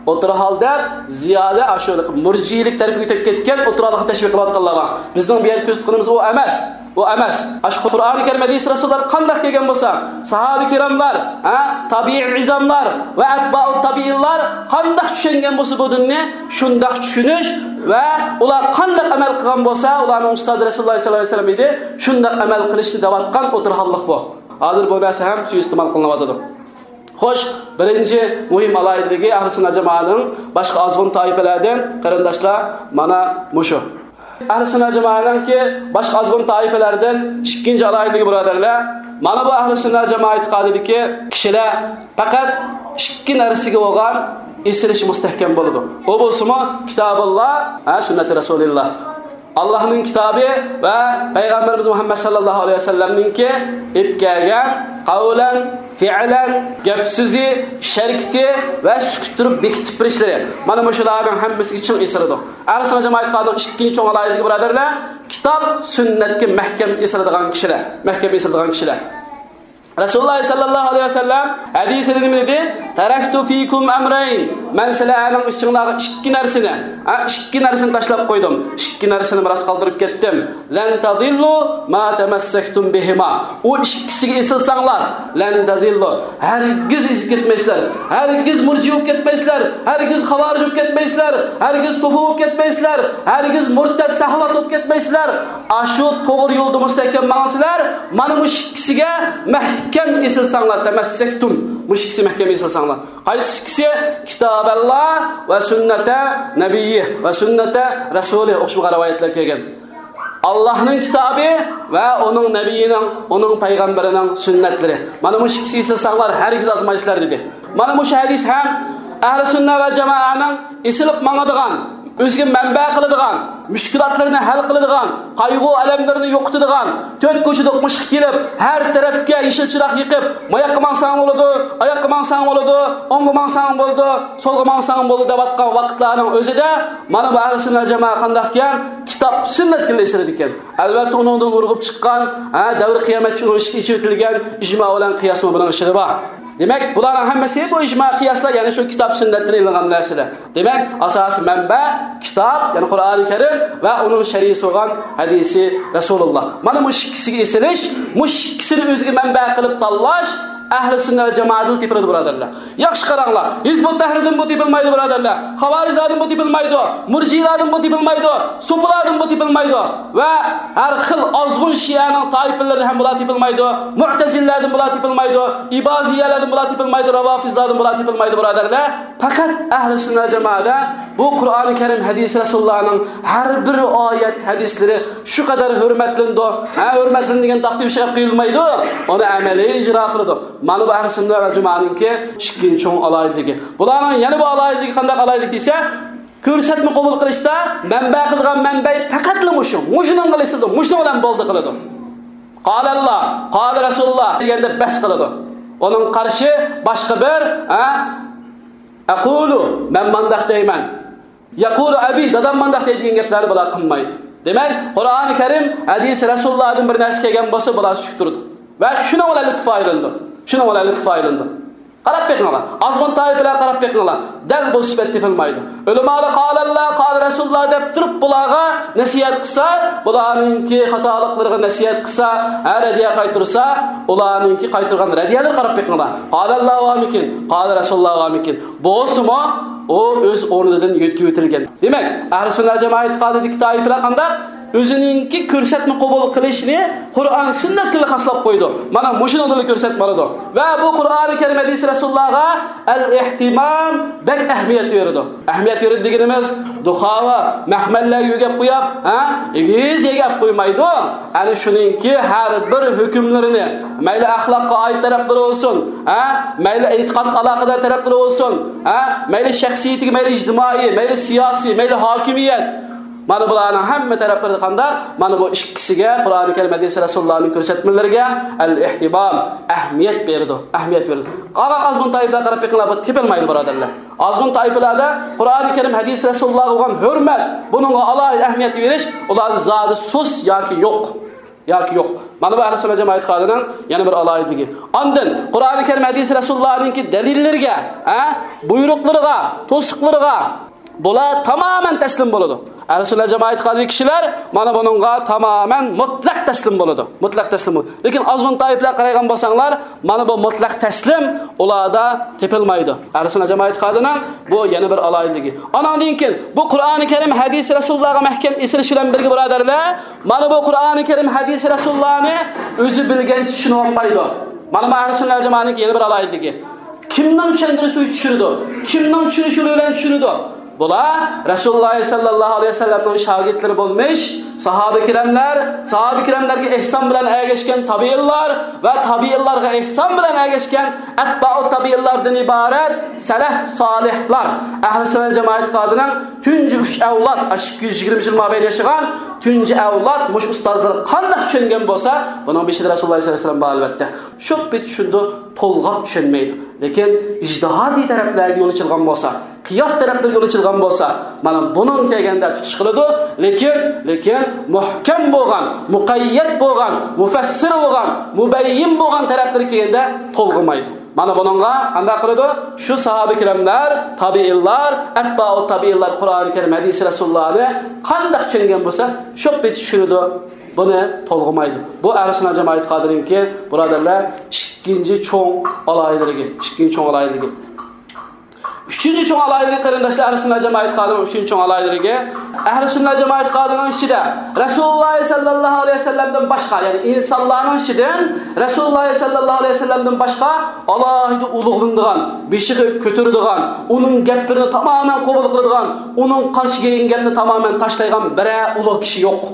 ئوتتۇرا ھال دەپ زىيادە ئاشۇ مۇرجىئىلىك تەرىپىگە ئۆتۈپ كەتكەن ئوتتۇرا ھاللىقنى تەشۋىق قىلىۋاتقانلار بار. بىزنىڭ بۇ يەردە كۆرسىتىۋاتقىنىمىز ئۇ ئەمەس. ئۇ ئەمەس. ئاشۇ قۇرئانى كەرىم ھەدىسى رەسۇللار قانداق كەلگەن بولسا، ساھابە كىراملار، ھە، تابىئىي ئىزاملار ۋە ئەتبائۇ تابىئىنلار قانداق چۈشەنگەن بولسا بۇ دىننى، شۇنداق چۈشىنىش ۋە ئۇلار قانداق ئەمەل قىلغان بولسا، ئۇلارنىڭ ئۇستازى رەسۇلۇللا ساللاللاھۇ ئەلەيھى ۋەسەللەم ئىدى، شۇنداق ئەمەل قىلىشنى دەۋاتقان ئوتتۇرا ھاللىق بۇ. ھازىر بۇ نەرسە ھەم سۇيىئىستېمال قىلىنىۋاتىدۇ. خوش، بىرىنچى مۇھىم ئالاھىدىلىكى ئەھلى سۈننە جامائەنىڭ باشقا ئازغۇن تائىپىلەردىن، قېرىنداشلار، مانا مۇشۇ. ئەھلى سۈننە جامائەنىڭكى باشقا ئازغۇن تائىپىلەردىن ئىككىنچى ئالاھىدىلىكى، بۇرادەرلەر، مانا بۇ ئەھلى سۈننە جامائەت ئېتىقادىدىكى كىشىلەر پەقەت ئىككى نەرسىگە بولغان ئېسىلىشى مۇستەھكەم بولىدۇ. ئۇ بولسىمۇ كىتابۇللا، ھە، سۈننەتى رەسۇلىللا. ئاللاھنىڭ كىتابى ۋە پەيغەمبىرىمىز مۇھەممەد ساللاللاھۇ ئەلەيھى ۋەسەللەمنىڭكى ئېلىپ كەلگەن قەۋلەن، فىئلەن، گەپ سۆزى، ئىش ھەرىكىتى ۋە سۈكۈت تۇرۇپ بېكىتىپ بېرىشلىرى. مانا مۇشۇلارنىڭ ھەممىسىگە چىڭ ئېسىلىدۇ. ئەھلى سۈننە جامائەت ئېتىقادىنىڭ ئىككىنچى چوڭ ئالاھىدىلىكى، بۇرادەرلەر، كىتاب، سۈننەتكە مەھكەم ئېسىلىدىغان كىشىلەر، مەھكەم ئېسىلىدىغان كىشىلەر. رەسۇلۇللا ساللاللاھۇ ئەلەيھى ۋەسەللەم ھەدىسىدە نېمە دېدى؟ تەرەكتۇ فىكۇم ئەمرەين. مەن سىلەرنىڭ ئىچىڭلارغا ئىككى نەرسىنى، ھە، ئىككى نەرسىنى تاشلاپ قويدۇم. ئىككى نەرسىنى مىراس قالدۇرۇپ كەتتىم. لەن تەزىللۇ ما تەمەسسەكتۇم بىھىما. ئۇ ئىككىسىگە ئېسىلساڭلار، لەن تەزىللۇ، ھەرگىز ئېزىپ كەتمەيسىلەر. ھەرگىز مۇرجىئە بولۇپ كەتمەيسىلەر. ھەرگىز خاۋارىج بولۇپ كەتمەيسىلەر. ھەرگىز سوفى بولۇپ كەتمەيسىلەر. ھەرگىز مۇرتەد سەھۋات بولۇپ كەتمەيسىلەر. ئاشۇ توغرا يولدا مۇستەھكەم ماڭىسىلەر، مانا مۇشۇ ئىككىسىگە مەھكەم ئېسىلساڭلار، تەمەسسەكتۇم، مۇشۇ ئىككىسى مەھكەم ئېسىلساڭلار. قايسى ئىككىسى؟ كىتابەللا ۋە سۈننەتە نەبىيي ۋە سۈننەتە رەسۇلى، ئوخشىمىغان رىۋايەتلەر كەلگەن. ئاللاھنىڭ كىتابى ۋە ئۇنىڭ نەبىيىنىڭ، ئۇنىڭ پەيغەمبىرىنىڭ سۈننەتلىرى. مانا مۇشۇ ئىككىسى ئېسىلساڭلار، ھەرگىز ئازمايسىلەر، دېدى. مانا مۇشۇ ھەدىس ھەم ئەھلى سۈننە ۋە جامائەنىڭ ئېسىلىپ ماڭىدىغان، ئۆزىگە مەنبە قىلىدىغان، مۈشكۈلاتلىرىنى ھەل قىلىدىغان، قايغۇ-ئەلەملىرىنى يوقىتىدىغان، تۆت كوچىدا قوشۇققا كېلىپ، ھەر تەرەپكە يېشىل چىراغ يېقىپ، ماياققا ماڭساڭ بولىدۇ، ئاياققا ماڭساڭ بولىدۇ، ئوڭغا ماڭساڭ بولىدۇ، سولغا ماڭساڭ بولىدۇ دەۋاتقان ۋاقىتلارنىڭ ئۆزىدە مانا بۇ ئەھلى سۈننە جامائەت قانداقكەن؟ كىتاب، سۈننەتكە ئېسىلىدىكەن. ئەلۋەتتە، ئۇنىڭدىن ئۇرغۇپ چىققان، ھە، دەۋر قىيامەتچە ئۇنىڭ ئىشىكى ئېچىۋېتىلگەن ئىجما بىلەن قىياسمۇ بۇنىڭ ئىچىدە بار. دېمەك، بۇلارنىڭ ھەممىسى بۇ ئىجما قىياسلار، يەنى شۇ كىتاب سۈننەتتىن ئېلىنغان نەرسىلەر. دېمەك، ئاساسىي مەنبە كىتاب، يەنى قۇرئانى كەرىم ۋە ئۇنىڭ شەرھىسى بولغان ھەدىسى رەسۇلۇللا. مانا مۇشۇ ئىككىسىگە ئېسىلىش، مۇشۇ ئىككىسىنى ئۆزىگە مەنبە قىلىپ تاللاش ئەھلى سۈننە ۋە جامائەتتىن تېپىلىدۇ، بۇرادەرلەر. ياخشى قاراڭلار، ھىزبۇت تەھرىردىن بۇ تېپىلمايدۇ، بۇرادەرلەر. خاۋارىجلاردىن بۇ تېپىلمايدۇ، مۇرجىئىلاردىن بۇ تېپىلمايدۇ، سوپىلاردىن بۇ تېپىلمايدۇ ۋە ھەر خىل ئازغۇن شىئەنىڭ تائىپىلىرىدىن ھەم بۇلار تېپىلمايدۇ، مۇئتەزىلىلەردىن بۇلار تېپىلمايدۇ، ئىبازىيەلەردىن بۇلار تېپىلمايدۇ، راۋافىزلاردىن بۇلار تېپىلمايدۇ، بۇرادەرلەر. پەقەت ئەھلى سۈننە جامائەتتە بۇ قۇرئانى كەرىم، ھەدىسى رەسۇلۇللانىڭ ھەر بىر ئايەت، ھەدىسلىرى شۇ قەدەر ھۆرمەتلىنىدۇ. ھە، ھۆرمەتلىنىدۇ دېگەن تاختا يۈرۈشى قىلىنمايدۇ، ئۇنى ئەمەلىي ئىجرا قىلىدۇ. مانا بۇ ئەھلى سۈننە ۋە جامائەتنىڭكى ئىككىنچى چوڭ ئالاھىدىلىكى. بۇلارنىڭ يەنە بىر ئالاھىدىلىكى قانداق ئالاھىدىلىك دېسە، كۆرسەتمە قوبۇل قىلىشتا مەنبە قىلىدىغان مەنبەي پەقەتلا مۇشۇ. مۇشۇنىڭغا ئېسىلىدۇ، مۇشۇنىڭ بىلەن بولدى قىلىدۇ. قالەللا، قالە رەسۇلۇللا دېگەندە بەس قىلىدۇ. ئۇنىڭ قارشى باشقا بىر، ھە، ئەقۇلۇ، مەن مانداق دەيمەن، يەقۇلۇ ئەبى، دادام مانداق دەيدۇ دېگەن گەپلەرنى بۇلار قىلمايدۇ. دېمەك، قۇرئانى كەرىم، ھەدىسى رەسۇلۇللادىن بىر نەرسە كەلگەن بولسا، بۇلار سۈكۈتتۈرىدۇ. ۋە شۇنىڭ بىلەن كۇپايىلىنىدۇ. شۇنىڭ بىلەن كۇپايىلىنىدۇ. قاراپ بېقىڭلار. ئازغۇن تائىپىلەرگە قاراپ بېقىڭلار. دەل بۇ سۈپەت تېپىلمايدۇ. ئۆلىمالار قالەللا، قالە رەسۇلۇللا دەپ تۇرۇپ بۇلارغا نەسىھەت قىلسا، بۇلارنىڭكى خاتالىقلىرىغا نەسىھەت قىلسا، ھە، رەددىيە قايتۇرسا، ئۇلارنىڭكى قايتۇرغان رەددىيەلىرىگە قاراپ بېقىڭلار. قالەللا ۋامىكىن، قالە رەسۇلۇللا ۋامىكىن. بولسىمۇ، ئۇ ئۆز ئورنىدىن يۆتكىۋېتىلگەن. دېمەك، ئەھلى سۈننە جامائەت ئېتىقادىدىكى تائىپىلەر قانداق؟ ئۆزىنىڭكى كۆرسەتمە قوبۇل قىلىشنى قۇرئان سۈننەت بىلەن خاسلاپ قويىدۇ. مانا مۇشۇنىڭدىنلا كۆرسەتمە ئالىدۇ. ۋە بۇ قۇرئانى كەرىم ھەدىسى رەسۇلۇللاغا ئەل ئېھتىمام، بەك ئەھمىيەت بېرىدۇ. ئەھمىيەت بېرىدۇ دېگىنىمىز، دۇخاۋا، مەخمەللەرگە يۆگەپ قويۇپ، ھە، ئېگىز يۆگەپ قويمايدۇ. ئەنە شۇنىڭكى ھەر بىر ھۆكۈملىرىنى، مەيلى ئەخلاققا ئائىت تەرەپلىرى بولسۇن، ھە، مەيلى ئېتىقادقا ئالاقىدار تەرەپلىرى بولسۇن، ھە، مەيلى شەخسىيىتىگە، مەيلى ئىجتىمائىي، مەيلى سىياسىي، مەيلى ھاكىمىيەت، مانا بۇلارنىڭ ھەممە تەرەپلىرىدە قانداق؟ مانا بۇ ئىككىسىگە، قۇرئانى كەرىم، ھەدىسى رەسۇلۇللانىڭ كۆرسەتمىلىرىگە ئەل ئېھتىمام، ئەھمىيەت بېرىدۇ، ئەھمىيەت بېرىدۇ. قالغان ئازغۇن تائىپىلەرگە قاراپ بېقىڭلار، بۇ تېپىلمايدۇ، بۇرادەرلەر. ئازغۇن تائىپىلەردە قۇرئانى كەرىم، ھەدىسى رەسۇلۇللاغا بولغان ھۆرمەت، بۇنىڭغا ئالاھىدە ئەھمىيەت بېرىش، ئۇلاردا زادى سۇس ياكى يوق. ياكى يوق. مانا بۇ ئەھلى سۈننە جامائەت ئېتىقادىنىڭ يەنە بىر ئالاھىدىلىكى. ئاندىن قۇرئانى كەرىم، ھەدىسى رەسۇلۇللانىڭكى دەلىللىرىگە، ھە، بۇيرۇقلىرىغا، توسۇقلىرىغا بۇلار تامامەن تەسلىم بولىدۇ. ئەھلى سۈننە جامائەت ئېتىقادىدىكى كىشىلەر مانا بۇنىڭغا تامامەن مۇتلەق تەسلىم بولىدۇ. مۇتلەق تەسلىم بولىدۇ. لېكىن ئازغۇن تائىپىلەرگە قارايدىغان بولساڭلار، مانا بۇ مۇتلەق تەسلىم ئۇلاردا تېپىلمايدۇ. ئەھلى سۈننە جامائەت ئېتىقادىنىڭ بۇ يەنە بىر ئالاھىدىلىكى. ئاناندىن كېيىن بۇ قۇرئانى كەرىم، ھەدىسى رەسۇلۇللاغا مەھكەم ئېسىلىش بىلەن بىرگە، بۇرادەرلەر، مانا بۇ قۇرئانى كەرىم، ھەدىسى رەسۇلۇللانى ئۆزى بىلگەنچە چۈشىنىۋالمايدۇ. مانا بۇ ئەھلى سۈننە جامائەتنىڭكى يەنە بىر ئالاھىدىلىكى. كىمنىڭ چۈشەندۈرۈشى بىلەن چۈشىنىدۇ؟ كىمنىڭ چۈشىنىشى بىلەن چۈشىنىدۇ؟ بۇلار رەسۇلۇللا سەللەللاھۇ ئەلەيھى ۋەسەللەمنىڭ شاگىرتلىرى بولمىش ساھابە كىراملار، ساھابە كىراملارغا ئېھسان بىلەن ئەگەشكەن تابىئىنلار ۋە تابىئىنلارغا ئېھسان بىلەن ئەگەشكەن ئەتبائۇ تابىئىنلاردىن ئىبارەت سەلەف سالىھلار. ئەھلى سۈننە جامائەت ئېتىقادىنىڭ تۇنجى ئۈچ ئەۋلاد، ئاشۇ ئىككى يۈز يىگىرمە يىل مابەينى ياشىغان تۇنجى ئەۋلاد مۇشۇ ئۇستازلىرى قانداق چۈشەنگەن بولسا، بۇنىڭ بېشىدا رەسۇلۇللا سەللەللاھۇ ئەلەيھى ۋەسەللەم بار، ئەلۋەتتە. شۇ پېتى چۈشىنىدۇ، تولغاپ چۈشەنمەيدۇ. لېكىن ئىجتىھادىي تەرەپلەرگە يول ئېچىلغان بولسا، قىياس تەرەپلىرىگە يول ئېچىلغان بولسا، مانا بۇنىڭ كەلگەندە تۇتۇش قىلىدۇ. لېكىن، لېكىن مۇھكەم بولغان، مۇقەييەت بولغان، مۇفەسسىر بولغان، مۇبەييىن بولغان تەرەپلىرى كەلگەندە تولغىمايدۇ. مانا بۇنىڭغا قانداق قىلىدۇ؟ شۇ ساھابە كىراملار، تابىئىنلار، ئەتبائۇ تابىئىنلار قۇرئانى كەرىم، ھەدىسى رەسۇلۇللانى قانداق چۈشەنگەن بولسا، شۇ پېتى چۈشىنىدۇ. بۇنى تولغىمايدۇ. بۇ ئەھلى سۈننە جامائەت ئېتىقادىنىڭكى، بۇرادەرلەر، ئىككىنچى چوڭ ئالاھىدىلىكى، ئىككىنچى چوڭ ئالاھىدىلىكى. ئۈچىنچى چوڭ ئالاھىدىلىكى، قېرىنداشلار، ئەھلى سۈننە جامائەت ئېتىقادىنىڭ ئۈچىنچى چوڭ ئالاھىدىلىكى، ئەھلى سۈننە جامائەت ئېتىقادىنىڭ ئىچىدە رەسۇلۇللاھ سەللەللاھۇ ئەلەيھى ۋەسەللەمدىن باشقا، يەنى ئىنسانلارنىڭ ئىچىدىن رەسۇلۇللاھ سەللەللاھۇ ئەلەيھى ۋەسەللەمدىن باشقا ئالاھىدە ئۇلۇغلىنىدىغان، بېشىغا كۆتۈرىدىغان، ئۇنىڭ گەپلىرىنى تامامەن قوبۇل قىلىدىغان، ئۇنىڭ قارشى كەلگەن گەپنى تامامەن تاشلايدىغان بىرەر ئۇلۇغ كىشى يوق.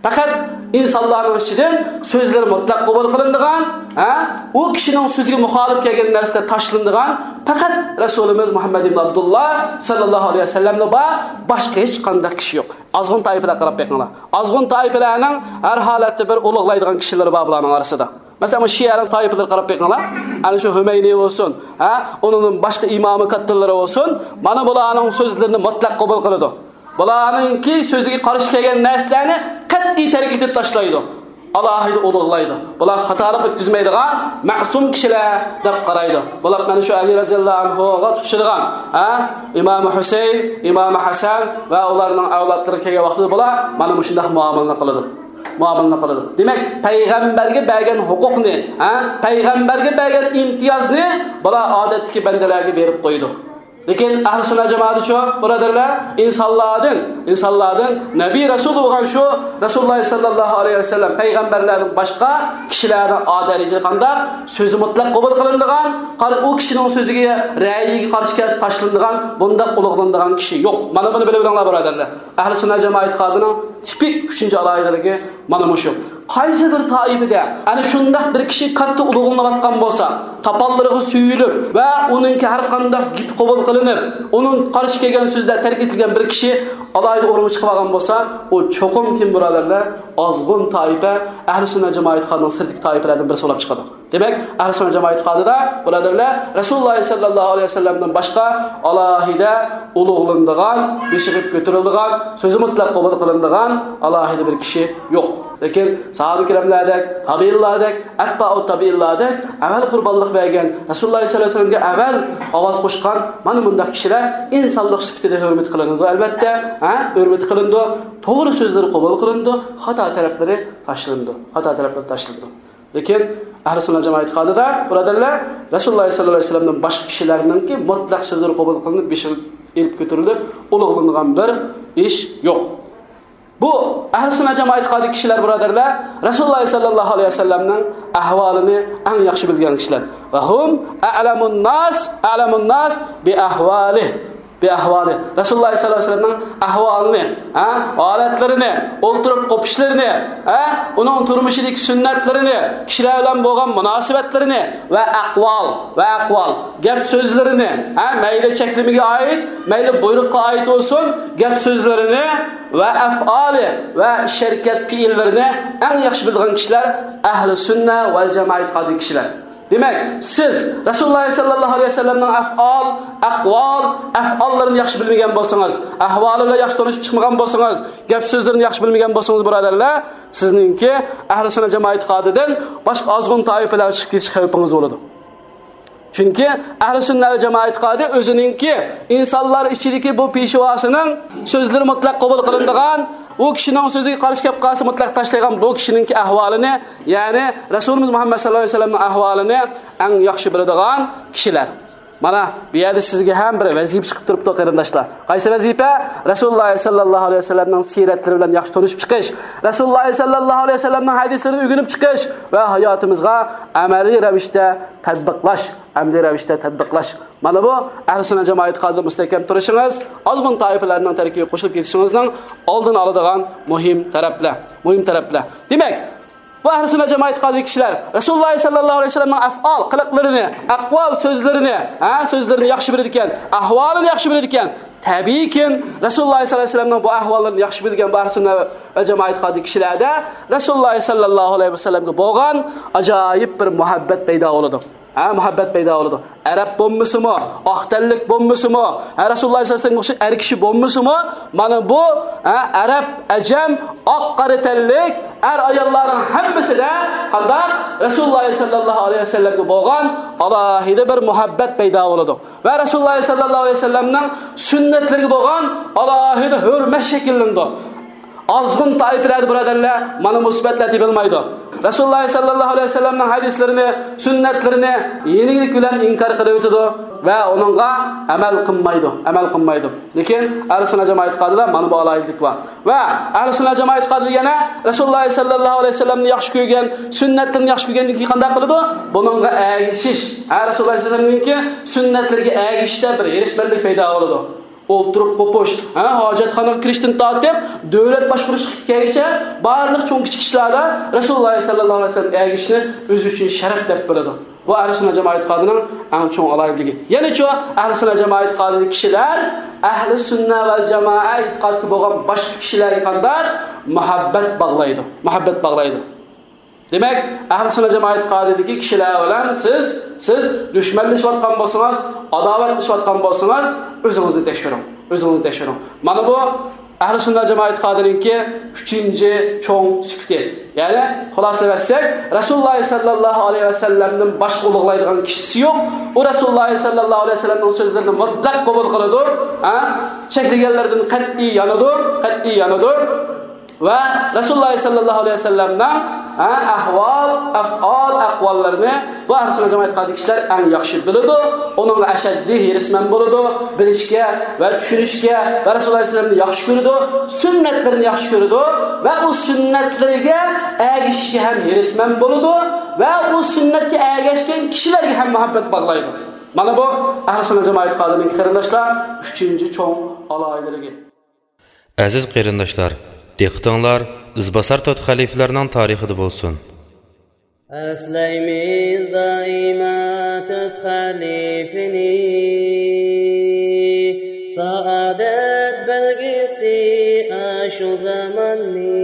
پەقەت ئىنسانلارنىڭ ئىچىدىن سۆزلىرى مۇتلەق قوبۇل قىلىنىدىغان، ھە، ئۇ كىشىنىڭ سۆزىگە مۇخالىپ كەلگەن نەرسىلەر تاشلىنىدىغان پەقەت رەسۇلىمىز مۇھەممەد ئىبن ئابدۇللا سەللەللاھۇ ئەلەيھى ۋەسەللەملا بار، باشقا ھېچقانداق كىشى يوق. ئازغۇن تائىپىلەرگە قاراپ بېقىڭلار. ئازغۇن تائىپىلەرنىڭ ھەر ھالەتتە بىر ئۇلۇغلايدىغان كىشىلىرى بار بۇلارنىڭ ئارىسىدا. مەسىلەن، بۇ شىئەنىڭ تائىپىلىرىگە قاراپ بېقىڭلار. ئەنە شۇ ھۈمەينى بولسۇن، ھە، ئۇنىڭدىن باشقا ئىمامى كاتتىلىرى بولسۇن، مانا بۇلارنىڭ سۆزلىرىنى مۇتلەق قوبۇل قىلىدۇ. بۇلارنىڭكى سۆزىگە قارشى كەلگەن نەرسىلەرنى قەتئىي تەرك ئېتىپ تاشلايدۇ. ئالاھىدە ئۇلۇغلايدۇ. بۇلار خاتالىق ئۆتكۈزمەيدىغان مەسۇم كىشىلەر دەپ قارايدۇ. بۇلار مانا شۇ ئەلى رەزىياللاھۇ ئەنھۇغا تۇتىشىدىغان، ھە، ئىمام ھۈسەيىن، ئىمام ھەسەن ۋە ئۇلارنىڭ ئەۋلادلىرىغا كەلگەن ۋاقتىدا بۇلار مانا مۇشۇنداق مۇئامىلىنى قىلىدۇ. مۇئامىلىنى قىلىدۇ. دېمەك، پەيغەمبەرگە بەرگەن ھوقۇقنى، ھە، پەيغەمبەرگە بەرگەن ئىمتىيازنى بۇلار ئادەتتىكى بەندىلەرگە بېرىپ قويىدۇ. لېكىن ئەھلى سۈننە جامائەتچۇ، بۇرادەرلەر، ئىنسانلاردىن، ئىنسانلاردىن نەبىي رەسۇل بولغان شۇ رەسۇلۇللاھ سەللەللاھۇ ئەلەيھى ۋەسەللەم پەيغەمبەرلەردىن باشقا كىشىلەرنىڭ ئا دەرىجىدە قانداق سۆزى مۇتلەق قوبۇل قىلىنىدىغان، قار-، ئۇ كىشىنىڭ سۆزىگە، رەئيىگە قارشى كەلسە تاشلىنىدىغان، بۇنداق ئۇلۇغلىنىدىغان كىشى يوق. مانا بۇنى بىلىۋېلىڭلار، بۇرادەرلەر. ئەھلى سۈننە جامائەت ئېتىقادىنىڭ تىپىك ئۈچىنچى ئالاھىدىلىكى مانا مۇشۇ. قايسى بىر تائىپىدە ئەنە شۇنداق بىر كىشى كاتتا ئۇلۇغلىنىۋاتقان بولسا، تاپانلىرىغا سۆيۈلۈپ ۋە ئۇنىڭكى ھەر قانداق گېپى قوبۇل قىلىنىپ، ئۇنىڭ قارشى كەلگەن سۆزلەر تەرك ئېتىلگەن بىر كىشى ئالاھىدە ئورۇنغا چىقىپ ئالغان بولسا، ئۇ چوقۇم كىم، بۇرادەرلەر؟ ئازغۇن تائىپە، ئەھلى سۈننە جامائەت ئېتىقادىنىڭ سىرتىدىكى تائىپىلەردىن بىرسى بولۇپ چىقىدۇ. دېمەك، ئەھلى سۈننە جامائەت ئېتىقادىدا، بۇرادەرلەر، رەسۇلۇللاھ سەللەللاھۇ ئەلەيھى ۋەسەللەمدىن باشقا ئالاھىدە ئۇلۇغلىنىدىغان، بېشىغا كۆتۈرۈلىدىغان، سۆزى مۇتلەق قوبۇل قىلىنىدىغان ئالاھىدە بىر كىشى يوق. لېكىن ساھابە كىراملاردەك، تابىئىنلاردەك، ئەتبائۇ تابىئىنلاردەك ئەۋۋەل قۇربانلىق بەرگەن، رەسۇلۇللاھ سەللەللاھۇ ئەلەيھى ۋەسەللەمگە ئەۋۋەل ئاۋاز قوشقان مانا مۇنداق كىشىلەر ئىنسانلىق سۈپىتىدە ھۆرمەت قىلىنىدۇ، ئەلۋەتتە، ھە، ھۆرمەت قىلىنىدۇ. توغرا سۆزلىرى قوبۇل قىلىنىدۇ، خاتا تەرەپلىرى تاشلىنىدۇ، خاتا تەرەپلىرى تاشلىنىدۇ. لېكىن ئەھلى سۈننە جامائەت ئېتىقادىدا، بۇرادەرلەر، رەسۇلۇللاھ سەللەللاھۇ ئەلەيھى ۋەسەللەمدىن باشقا كىشىلەرنىڭكى مۇتلەق سۆزلىرى قوبۇل قىلىنىپ، بېشى ئېلىپ كۆتۈرۈلۈپ، ئۇلۇغلىنىدىغان بىر ئىش يوق. بۇ ئەھلى سۈننە جامائەت ئېتىقادىدىكى كىشىلەر، بۇرادەرلەر، رەسۇلۇللاھ سەللەللاھۇ ئەلەيھى ۋەسەللەمنىڭ ئەھۋالىنى ئەڭ ياخشى بىلگەن كىشىلەر. ۋە ھۇم ئەلەمۇن ناس، ئەلەمۇن ناس بىئەھۋالىھ. بىئەھۋالىھ. رەسۇلۇللاھ سەللەللاھۇ ئەلەيھى ۋەسەللەمنىڭ ئەھۋالىنى، ھە، ھالەتلىرىنى، ئولتۇرۇپ قوپۇشلىرىنى، ھە، ئۇنىڭ تۇرمۇشىدىكى سۈننەتلىرىنى، كىشىلەر بىلەن بولغان مۇناسىۋەتلىرىنى ۋە ئەقۋال، ۋە ئەقۋال، گەپ سۆزلىرىنى، ھە، مەيلى چەكلىمىگە ئائىت، مەيلى بۇيرۇققا ئائىت بولسۇن، گەپ سۆزلىرىنى ۋە ئەفئالى ۋە ئىش ھەرىكەت پېئىللىرىنى ئەڭ ياخشى بىلىدىغان كىشىلەر ئەھلى سۈننە ۋەل جامائە ئېتىقادىدىكى كىشىلەر. دېمەك، سىز رەسۇلۇللاھ سەللەللاھۇ ئەلەيھى ۋەسەللەمنىڭ ئەفئال، ئەقۋال، ئەفئاللىرىنى ياخشى بىلمىگەن بولسىڭىز، ئەھۋالى بىلەن ياخشى تونۇشۇپ چىقمىغان بولسىڭىز، گەپ سۆزلىرىنى ياخشى بىلمىگەن بولسىڭىز، بۇرادەرلەر، سىزنىڭكى ئەھلى سۈننە جامائە ئېتىقادىدىن باشقا ئازغۇن تائىپىلەرگە چىقىپ كېتىش خەۋپىڭىز بولىدۇ. چۈنكى ئەھلى سۈننە ۋەل جامائە ئېتىقادى ئۆزىنىڭكى ئىنسانلار ئىچىدىكى بۇ پېشۋاسىنىڭ سۆزلىرى مۇتلەق قوبۇل قىلىنىدىغان، ئۇ كىشىنىڭ سۆزىگە قارشى كەپ قالسا مۇتلەق تاشلايدىغان بۇ كىشىنىڭكى ئەھۋالىنى، يەنى رەسۇلىمىز مۇھەممەد سەللەللاھۇ ئەلەيھى ۋەسەللەمنىڭ ئەھۋالىنى ئەڭ ياخشى بىلىدىغان كىشىلەر. مانا بۇ يەردە سىزگە ھەم بىر ۋەزىپە چىقىپ تۇرۇپتۇ، قېرىنداشلار. قايسى ۋەزىپە؟ رەسۇلۇللاھ سەللەللاھۇ ئەلەيھى ۋەسەللەمنىڭ سىرەتلىرى بىلەن ياخشى تونۇشۇپ چىقىش، رەسۇلۇللاھ سەللەللاھۇ ئەلەيھى ۋەسەللەمنىڭ ھەدىسلىرىنى ئۆگىنىپ چىقىش ۋە ھاياتىمىزغا ئەمەلىي رەۋىشتە تەتبىقلاش، ئەمەلىي رەۋىشتە تەتبىقلاش. مانا بۇ ئەھلى سۈننە جامائە ئېتىقادىدا مۇستەھكەم تۇرۇشىڭىز، ئازغۇن تائىپىلەرنىڭ تەركىبىگە قوشۇلۇپ كېتىشىڭىزنىڭ ئالدىنى ئالىدىغان مۇھىم تەرەپلەر، مۇھىم تەرەپلەر. دېمەك، بۇ ئەھلى سۈننە جامائە ئېتىقادىدىكى كىشىلەر رەسۇلۇللاھ سەللەللاھۇ ئەلەيھى ۋەسەللەمنىڭ ئەفئال، قىلىقلىرىنى، ئەقۋال، سۆزلىرىنى، ھە، سۆزلىرىنى ياخشى بىلىدىكەن، ئەھۋالىنى ياخشى بىلىدىكەن. تەبىئىيكى، رەسۇلۇللاھ سەللەللاھۇ ئەلەيھى ۋەسەللەمنىڭ بۇ ئەھۋاللىرىنى ياخشى بىلگەن بۇ ئەھلى سۈننە ۋەل جامائە ئېتىقادىدىكى كىشىلەردە رەسۇلۇللاھ سەللەللاھۇ ئەلەيھى ۋەسەللەمگە بولغان ئاجايىپ بىر مۇھەببەت پەيدا بولىدۇ. ھە، مۇھەببەت پەيدا بولىدۇ. ئەرەب بولمىسىمۇ، ئاق تەنلىك بولمىسىمۇ، ھە، رەسۇلۇللاھ سەللەللاھۇ ئەلەيھى ۋەسەللەمگە ئوخشاش ئەر كىشى بولمىسىمۇ، مانا بۇ، ھە، ئەرەب، ئەجەم، ئاق قارا تەنلىك ئەر ئاياللارنىڭ ھەممىسىدە قانداق؟ رەسۇلۇللاھ سەللەللاھۇ ئەلەيھى ۋەسەللەمگە بولغان ئالاھىدە بىر مۇھەببەت پەيدا بولىدۇ. ۋە رەسۇلۇللاھ سەللەللاھۇ ئەلەيھى ۋەسەللەمنىڭ سۈننەتلىرىگە بولغان ئالاھىدە ھۆرمەت شەكىللىنىدۇ. ئازغۇن تائىپىلەردە، بۇرادەرلەر، مانا بۇ سۈپەتلەر تېپىلمايدۇ. رەسۇلۇللا سەللەللاھۇ ئەلەيھى ۋەسەللەمنىڭ ھەدىسلىرىنى، سۈننەتلىرىنى يېنىكلىك بىلەن ئىنكار قىلىۋېتىدۇ ۋە ئۇنىڭغا ئەمەل قىلمايدۇ، ئەمەل قىلمايدۇ. لېكىن ئەھلى سۈننە جامائەت ئېتىقادىدا مانا بۇ ئالاھىدىلىك بار. ۋە ئەھلى سۈننە جامائەت ئېتىقادىدا يەنە رەسۇلۇللا سەللەللاھۇ ئەلەيھى ۋەسەللەمنى ياخشى كۆرگەن، سۈننەتلىرىنى ياخشى كۆرگەندىن كېيىن قانداق قىلىدۇ؟ بۇنىڭغا ئەگىشىش، ھە، رەسۇلۇللا ئەلەيھىسسالامنىڭكى سۈننەتلىرىگە ئەگىشىشتە بىر ھېرىسمەنلىك پەيدا بولىدۇ. ئولتۇرۇپ قوپۇش، ھە، ھاجەتخانىغا كىرىشتىن تارتىپ، دۆلەت باشقۇرۇشقا كەلگۈچە بارلىق چوڭ كىچىك ئىشلاردا رەسۇلۇللا سەللەللاھۇ ئەلەيھى ۋەسەللەمگە ئەگىشىشنى ئۆزى ئۈچۈن شەرەپ دەپ بىلىدۇ. بۇ ئەھلى سۈننە جامائەت ئېتىقادىنىڭ ئەڭ چوڭ ئالاھىدىلىكى. يەنىچۇ، ئەھلى سۈننە جامائەت ئېتىقادىدىكى كىشىلەر ئەھلى سۈننە ۋەل جامائە ئېتىقادىدىكى بولغان باشقا كىشىلەرگە قانداق؟ مۇھەببەت باغلايدۇ. مۇھەببەت باغلايدۇ. دېمەك، ئەھلى سۈننە جامائەت ئېتىقادىدىكى كىشىلەر بىلەن سىز، سىز دۈشمەنلىشىۋاتقان بولسىڭىز، ئاداۋەتلىشىۋاتقان بولسىڭىز، ئۆزىڭىزنى تەكشۈرۈڭ. ئۆزىڭىزنى تەكشۈرۈڭ. مانا بۇ ئەھلى سۈننە جامائەت ئېتىقادىنىڭكى ئۈچىنچى چوڭ سۈپىتى. يەنى خۇلاسىلىۋەتسەك، رەسۇلۇللا سەللەللاھۇ ئەلەيھى ۋەسەللەمدىن باشقا ئۇلۇغلايدىغان كىشىسى يوق. ئۇ رەسۇلۇللا سەللەللاھۇ ئەلەيھى ۋەسەللەمنىڭ سۆزلىرىنى مۇتلەق قوبۇل قىلىدۇ. ھە؟ چەكلىگەنلىرىدىن قەتئىي يانىدۇ، قەتئىي يانىدۇ. ۋە رەسۇلۇللا سەللەللاھۇ ئەلەيھى ۋەسەللەمنىڭ، ھە، ئەھۋال، ئەفئال، ئەقۋاللىرىنى بۇ ئەھلى سۈننە جامائەت ئېتىقادىدىكى كىشىلەر ئەڭ ياخشى بىلىدۇ. ئۇنىڭغا ئەشەددىي ھېرىسمەن بولىدۇ، بىلىشكە ۋە چۈشىنىشكە ۋە رەسۇلۇللا ئەلەيھىسسالامنى ياخشى كۆرىدۇ، سۈننەتلىرىنى ياخشى كۆرىدۇ ۋە ئۇ سۈننەتلىرىگە ئەگىشىشكە ھەم ھېرىسمەن بولىدۇ ۋە ئۇ سۈننەتكە ئەگەشكەن كىشىلەرگە ھەم مۇھەببەت باغلايدۇ. مانا بۇ ئەھلى سۈننە جامائەت ئېتىقادىنىڭكى قېرىنداشلار ئۈچىنچى چوڭ ئالاھىدىلىكى. ئەزىز قېرىنداشلار، دىققىتىڭلار ئىزباسار تۆت خەلىپىلەرنىڭ تارىخىدا بولسۇن. ئەسلەيمىز دائىما تۆت خەلىپىنى، سائادەت بەلگىسى ئاشۇ زاماننى.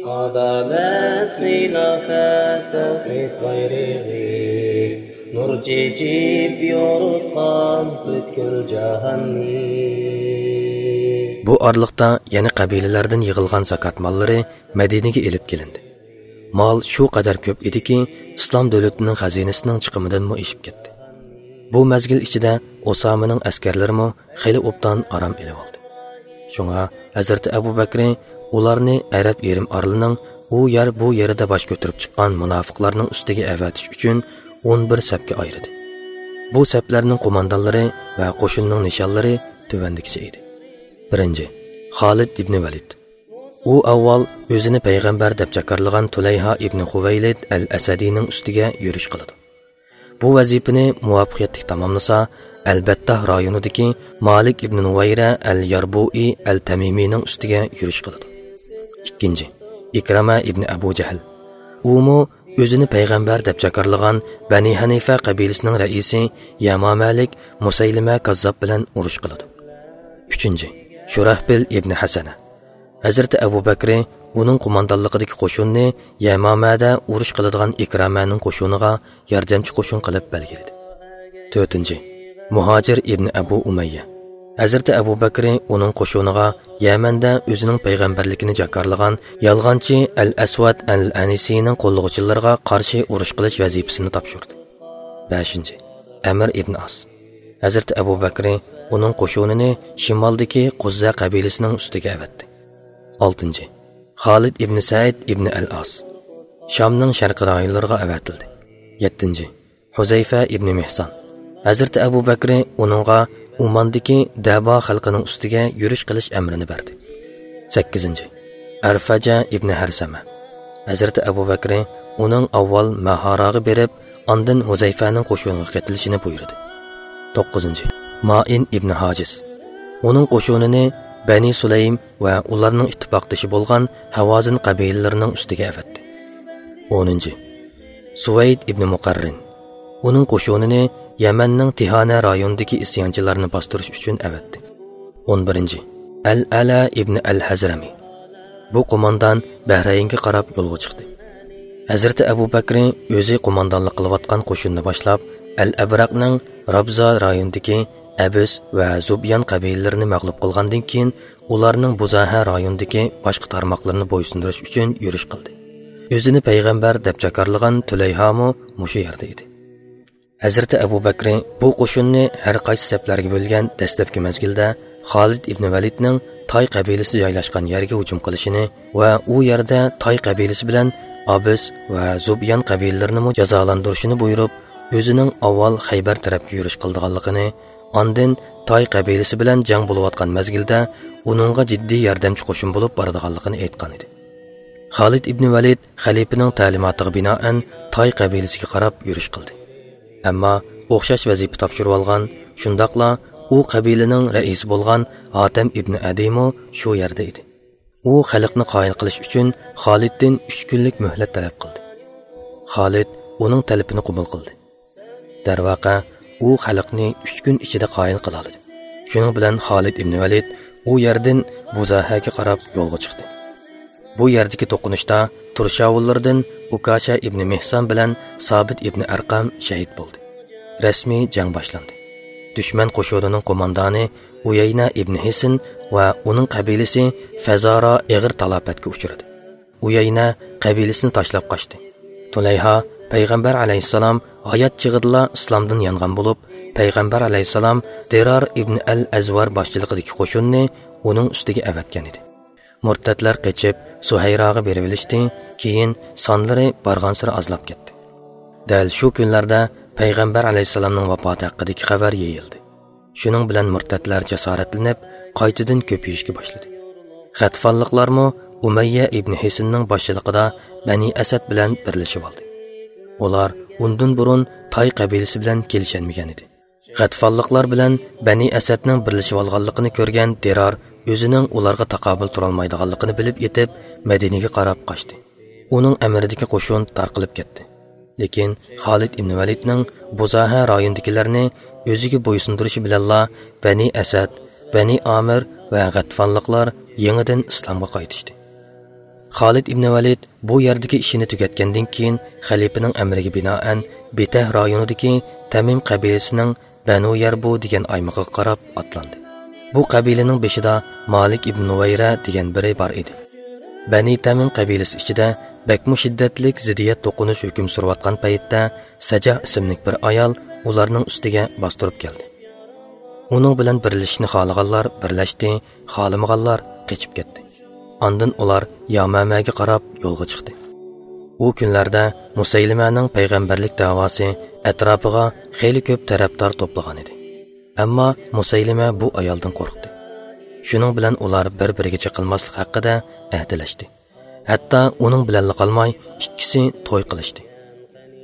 ئادالەت، خىلاپەت، تەۋھىد بايرىقى، نۇر چېچىپ يورۇتقان پۈتكۈل جاھاننى. بۇ ئارىلىقتا يەنە قەبىلىلەردىن يىغىلغان زاكات ماللىرى مەدىنىگە ئېلىپ كېلىندى. مال شۇ قەدەر كۆپ ئىدىكى، ئىسلام دۆلىتىنىڭ خەزىنىسىنىڭ چىقىمىدىنمۇ ئېشىپ كەتتى. بۇ مەزگىل ئىچىدە ئۇسامىنىڭ ئەسكەرلىرىمۇ خېلى ئوبدان ئارام ئېلىۋالدى. شۇڭا ھەزرىتى ئەبۇ بەكرى ئۇلارنى ئەرەب يېرىم ئارىلىنىڭ ئۇ يەر، بۇ يېرىدە باش كۆتۈرۈپ چىققان مۇناپىقلارنىڭ ئۈستىگە ئەۋەتىش ئۈچۈن ئون بىر سەپكە ئايرىدى. بۇ سەپلەرنىڭ قوماندانلىرى ۋە قوشۇننىڭ نىشانلىرى تۆۋەندىكىچە ئىدى. بىرىنچى، خالىد ئىبنى ۋەلىد. ئۇ ئاۋۋال ئۆزىنى پەيغەمبەر دەپ جاكارلىغان تۇلەيھا ئىبنى خۇۋەيلىد ئەل ئەسەدىنىڭ ئۈستىگە يۈرۈش قىلىدۇ. بۇ ۋەزىپىنى مۇۋەپپەقىيەتلىك تاماملىسا، ئەلبەتتاھ رايونىدىكى مالىك ئىبنى نۇۋەيرە ئەل ياربۇئى ئەل تەمىمىنىڭ ئۈستىگە يۈرۈش قىلىدۇ. ئىككىنچى، ئىكرامە ئىبنى ئەبۇ جەھل. ئۇمۇ ئۆزىنى پەيغەمبەر دەپ جاكارلىغان بەنى ھەنىفە قەبىلىسىنىڭ رەئىسى يەمامەلىك مۇسەيلىمە كاززاپ بىلەن ئۇرۇش قىلىدۇ. ئۈچىنچى، شۇراھبىل ئىبنى ھەسەنە. ھەزرىتى ئەبۇ بەكرى ئۇنىڭ قوماندانلىقىدىكى قوشۇننى يەمامەدە ئۇرۇش قىلىدىغان ئىكرامەنىڭ قوشۇنىغا ياردەمچى قوشۇن قىلىپ بەلگىلىدى. تۆتىنچى، مۇھاجىر ئىبنى ئەبۇ ئۇمەييە. ھەزرىتى ئەبۇ بەكرى ئۇنىڭ قوشۇنىغا يەمەندە ئۆزىنىڭ پەيغەمبەرلىكىنى جاكارلىغان يالغانچى ئەل ئەسۋەد ئەل ئەنىسىنىڭ قوللىغۇچىلىرىغا قارشى ئۇرۇش قىلىش ۋەزىپىسىنى تاپشۇردى. بەشىنچى، ئەمىر ئىبنى ئاس. ھەزرىتى ئەبۇ بەكرى ئۇنىڭ قوشۇنىنى شىمالدىكى قۇززە قەبىلىسىنىڭ ئۈستىگە ئەۋەتتى. ئالتىنچى، خالىد ئىبنى سەئىد ئىبنى ئەل ئاس. شامنىڭ شەرقىي رايونلىرىغا ئەۋەتىلدى. يەتتىنچى، ھۇزەيفە ئىبنى مىھسان. ھەزرىتى ئەبۇ بەكرى ئۇنىڭغا ئۇماندىكى دەبا خەلقىنىڭ ئۈستىگە يۈرۈش قىلىش ئەمرىنى بەردى. سەككىزىنچى، ئەرفەجە ئىبنى ھەرسەمە. ھەزرىتى ئەبۇ بەكرى ئۇنىڭ ئاۋۋال مەھاراغا بېرىپ، ئاندىن ھۇزەيفەنىڭ قوشۇنىغا قېتىلىشىنى بۇيرۇدى. توققۇزىنچى، مائىن ئىبنى ھاجىس. ئۇنىڭ قوشۇنىنى بەنى سۇلەيم ۋە ئۇلارنىڭ ئىتتىپاقدىشى بولغان ھاۋازىن قەبىلىلىرىنىڭ ئۈستىگە ئەۋەتتى. ئونىنچى، سۇۋەيد ئىبنى مۇقەررىن. ئۇنىڭ قوشۇنىنى يەمەننىڭ تىھانە رايونىدىكى ئىسيانچىلارنى باستۇرۇش ئۈچۈن ئەۋەتتى. ئون بىرىنچى، ئەل ئەلا ئىبنى ئەل ھەزرەمى. بۇ قوماندان بەھرەينگە قاراپ يولغا چىقتى. ھەزرىتى ئەبۇ بەكرى ئۆزى قوماندانلىق قىلىۋاتقان قوشۇننى باشلاپ، ئەل ئەبرەقنىڭ رابزا رايونىدىكى ئەبىس ۋە زۇبيان قەبىلىلىرىنى مەغلۇپ قىلغاندىن كېيىن، ئۇلارنىڭ بۇزاھە رايونىدىكى باشقا تارماقلىرىنى بويسۇندۇرۇش ئۈچۈن يۈرۈش قىلدى. ئۆزىنى پەيغەمبەر دەپ جاكارلىغان تۈلەيھامۇ مۇشۇ يەردە ئىدى. ھەزرىتى ئەبۇ بەكرى بۇ قوشۇننى ھەر قايسى سەپلەرگە بۆلگەن دەسلەپكى مەزگىلدە، خالىد ئىبنى ۋەلىدنىڭ تاي قەبىلىسى جايلاشقان يەرگە ھۇجۇم قىلىشىنى ۋە ئۇ يەردە تاي قەبىلىسى بىلەن ئابىس ۋە زۇبيان قەبىلىلىرىنىمۇ جازالەندۈرۈشىنى بۇيرۇپ، ئۆزىنىڭ ئاۋۋال خەيبەر تەرەپكە يۈرۈش قىلىدىغانلىقىنى، ئاندىن تاي قەبىلىسى بىلەن جەڭ بولۇۋاتقان مەزگىلدە ئۇنىڭغا جىددىي ياردەمچى قوشۇن بولۇپ بارىدىغانلىقىنى ئېيتقان ئىدى. خالىد ئىبنى ۋەلىد خەلىپىنىڭ تەلىماتىغا بىنائەن تاي قەبىلىسىگە قاراپ يۈرۈش قىلدى. ئەمما ئوخشاش ۋەزىپە تاپشۇرۇۋالغان، شۇنداقلا ئۇ قەبىلىنىڭ رەئىسى بولغان ھاتەم ئىبنى ئەدىمۇ شۇ يەردە ئىدى. ئۇ خەلقنى قايىل قىلىش ئۈچۈن خالىدتىن ئۈچ كۈنلۈك مۆھلەت تەلەپ قىلدى. خالىد ئۇنىڭ تەلىپىنى قوبۇل قىلدى. دەرۋەقە، ئۇ خەلقنى ئۈچ كۈن ئىچىدە قايىل قىلالىدى. شۇنىڭ بىلەن خالىد ئىبنى ۋەلىد ئۇ يەردىن بۇزاھەگە قاراپ يولغا چىقتى. بۇ يەردىكى توقۇنۇشتا تۇرشاۋۇللىرىدىن ئۇكاشە ئىبنى مېھسان بىلەن سابىت ئىبنى ئەرقەم شەھىت بولدى. رەسمىي جەڭ باشلاندى. دۈشمەن قوشۇنىنىڭ قوماندانى ئۇيەينە ئىبنى ھېسن ۋە ئۇنىڭ قەبىلىسى فەزارا ئېغىر تالاپەتكە ئۇچرىدى. ئۇيەينە قەبىلىسىنى تاشلاپ قاچتى. تۇلەيھا پەيغەمبەر ئەلەيھىسسالام ھايات چېغىدىلا ئىسلامدىن يانغان بولۇپ، پەيغەمبەر ئەلەيھىسسالام دىرار ئىبن ئەل ئەزۋار باشچىلىقىدىكى قوشۇننى ئۇنىڭ ئۈستىگە ئەۋەتكەن ئىدى. مۇرتەتلەر قېچىپ، سۇھەيراغا بېرىۋېلىشتى، كېيىن سانلىرى بارغانسېرى ئازلاپ كەتتى. دەل شۇ كۈنلەردە پەيغەمبەر ئەلەيھىسسالامنىڭ ۋاپاتى ھەققىدىكى خەۋەر يېيىلدى. شۇنىڭ بىلەن مۇرتەتلەر جاسارەتلىنىپ، قايتىدىن كۆپىيىشكە باشلىدى. غەتفانلىقلارمۇ ئۇمەييە ئىبنى ھېسننىڭ باشچىلىقىدا بەنى ئەسەد بىلەن بىرلىشىۋالدى. ئۇلار ئۇندىن بۇرۇن تاي قەبىلىسى بىلەن كېلىشەلمىگەن ئىدى. غەتفانلىقلار بىلەن بەنى ئەسەدنىڭ بىرلىشىۋالغانلىقىنى كۆرگەن دىرار ئۆزىنىڭ ئۇلارغا تاقابىل تۇرالمايدىغانلىقىنى بىلىپ يېتىپ، مەدىنىگە قاراپ قاچتى. ئۇنىڭ ئەمرىدىكى قوشۇن تارقىلىپ كەتتى. لېكىن خالىد ئىبن ۋەلىدنىڭ بۇزاھە رايونىدىكىلەرنى ئۆزىگە بويسۇندۇرۇشى بىلەنلا بەنى ئەسەد، بەنى ئامىر ۋە غەتفانلىقلار يېڭىدىن ئىسلامغا قايتىشتى. خالىد ئىبن ۋەلىد بۇ يەردىكى ئىشىنى تۈگەتكەندىن كېيىن، خەلىپىنىڭ ئەمرىگە بىنائەن، بېتەھ رايونىدىكى تەمىم قەبىلىسىنىڭ بەنۇ يەربۇ دېگەن ئايمىقىغا قاراپ ئاتلاندى. بۇ قەبىلىنىڭ بېشىدا مالىك ئىبن نۇۋەيرە دېگەن بىرى بار ئىدى. بەنى تەمىم قەبىلىسى ئىچىدە بەكمۇ شىددەتلىك زىددىيەت توقۇنۇش ھۆكۈم سۈرۈۋاتقان پەيتتە، سەجاھ ئىسىملىك بىر ئايال ئۇلارنىڭ ئۈستىگە باستۇرۇپ كەلدى. ئۇنىڭ بىلەن بىرلىشىشنى خالىغانلار بىرلەشتى، خالىمىغانلار قېچىپ كەتتى. ئاندىن ئۇلار يامامەگە قاراپ يولغا چىقتى. ئۇ كۈنلەردە مۇسەيلىمەنىڭ پەيغەمبەرلىك دەۋاسى ئەتراپىغا خېلى كۆپ تەرەپدار توپلىغان ئىدى. ئەمما مۇسەيلىمە بۇ ئايالدىن قورقتى. شۇنىڭ بىلەن ئۇلار بىر-بىرىگە چېقىلماسلىق ھەققىدە ئەھدىلەشتى. ھەتتا ئۇنىڭ بىلەنلا قالماي، ئىككىسى توي قىلىشتى.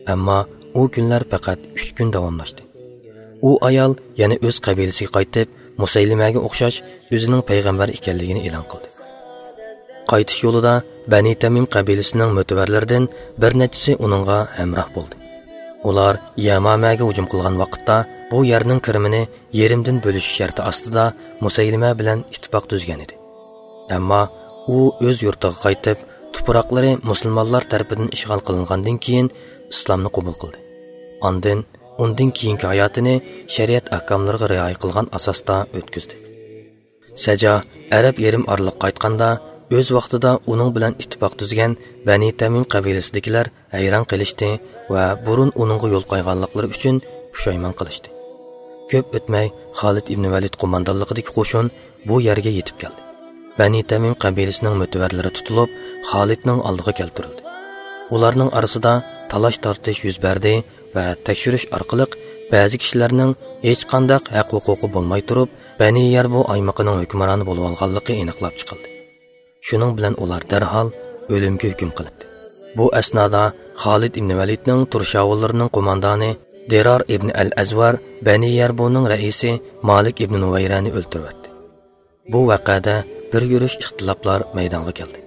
ئەمما ئۇ كۈنلەر پەقەت ئۈچ كۈن داۋاملاشتى. ئۇ ئايال يەنە ئۆز قەبىلىسىگە قايتىپ، مۇسەيلىمەگە ئوخشاش ئۆزىنىڭ پەيغەمبەر ئىكەنلىكىنى ئېلان قىلدى. قايتىش يولىدا بەنى تەمىم قەبىلىسىنىڭ مۆتىۋەرلىرىدىن بىر نەچچىسى ئۇنىڭغا ھەمراھ بولدى. ئۇلار يەمامەگە ھۇجۇم قىلغان ۋاقىتتا، بۇ يەرنىڭ كىرىمىنى يېرىمدىن بۆلۈش شەرتى ئاستىدا مۇسەيلىمە بىلەن ئىتتىپاق تۈزگەن ئىدى. ئەمما ئۇ ئۆز يۇرتىغا قايتىپ، تۇپراقلىرى مۇسۇلمانلار تەرىپىدىن ئىشغال قىلىنغاندىن كېيىن ئىسلامنى قوبۇل قىلدى. ئاندىن ئۇندىن كېيىنكى ھاياتىنى شەرىئەت ئەھكاملىرىغا رىئايە قىلغان ئاساستا ئۆتكۈزدى. سەجا ئەرەب يېرىم ئارىلىغا قايتقاندا، ئۆز ۋاقتىدا ئۇنىڭ بىلەن ئىتتىپاق تۈزگەن بەنى تەمىم قەبىلىسىدىكىلەر ھەيران قېلىشتى ۋە بۇرۇن ئۇنىڭغا يول قويغانلىقلىرى ئۈچۈن پۇشايمان قىلىشتى. كۆپ ئۆتمەي خالىد ئىبن ۋەلىد قوماندانلىقىدىكى قوشۇن بۇ يەرگە يېتىپ كەلدى. بەنى تەمىم قەبىلىسىنىڭ مۆتىۋەرلىرى تۇتۇلۇپ، خالىدنىڭ ئالدىغا كەلتۈرۈلدى. ئۇلارنىڭ ئارىسىدا تالاش-تارتىش يۈز بەردى ۋە تەكشۈرۈش ئارقىلىق بەزى كىشىلەرنىڭ ھېچقانداق ھەق-ھوقۇقى بولماي تۇرۇپ، بەنى يەربۇ ئايمىقىنىڭ ھۆكۈمرانى بولۇۋالغانلىقى ئېنىقلاپ چىقىلدى. شۇنىڭ بىلەن ئۇلار دەرھال ئۆلۈمگە ھۆكۈم قىلىندى. بۇ ئەسنادا خالىد ئىبن ۋەلىدنىڭ تۇرشاۋۇللىرىنىڭ قوماندانى دىرار ئىبن ئەل ئەزۋار بەنى يەربۇنىڭ رەئىسى مالىك ئىبن نۇۋەيرەنى ئۆلتۈرۈۋەتتى. بۇ ۋەقەدە بىر يۈرۈش ئىختىلاپلار مەيدانغا كەلدى.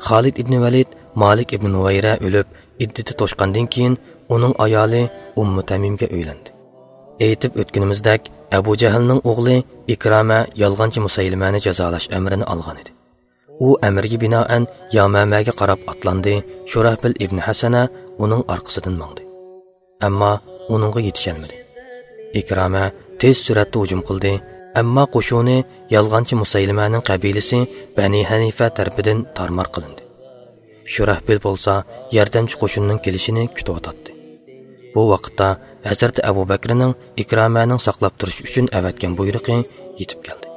خالىد ئىبن ۋەلىد مالىك ئىبن نۇۋەيرە ئۆلۈپ، ئىددىتى توشقاندىن كېيىن ئۇنىڭ ئايالى ئۇممۇ تەمىمگە ئۆيلەندى. ئېيتىپ ئۆتكىنىمىزدەك، ئەبۇ جەھلنىڭ ئوغلى ئىكرامە يالغانچى مۇسەيلىمەنى جازالاش ئەمرىنى ئالغان ئىدى. ئۇ ئەمرگە بىنائەن يامامەگە قاراپ ئاتلاندى، شۇراھبىل ئىبن ھەسەنە ئۇنىڭ ئارقىسىدىن ماڭدى. ئەمما ئۇنىڭغا يېتىشەلمىدى. ئىكرامە تېز سۈرئەتتە ھۇجۇم قىلدى، ئەمما قوشۇنى يالغانچى مۇسەيلىمەنىڭ قەبىلىسى بەنى ھەنىفە تەرىپىدىن تارمار قىلىندى. شۇراھبىل بولسا ياردەمچى قوشۇننىڭ كېلىشىنى كۈتۈۋاتاتتى. بۇ ۋاقىتتا ھەزرىتى ئەبۇ بەكرىنىڭ ئىكرامەنىڭ ساقلاپ تۇرۇش ئۈچۈن ئەۋەتكەن بۇيرۇقى يېتىپ كەلدى.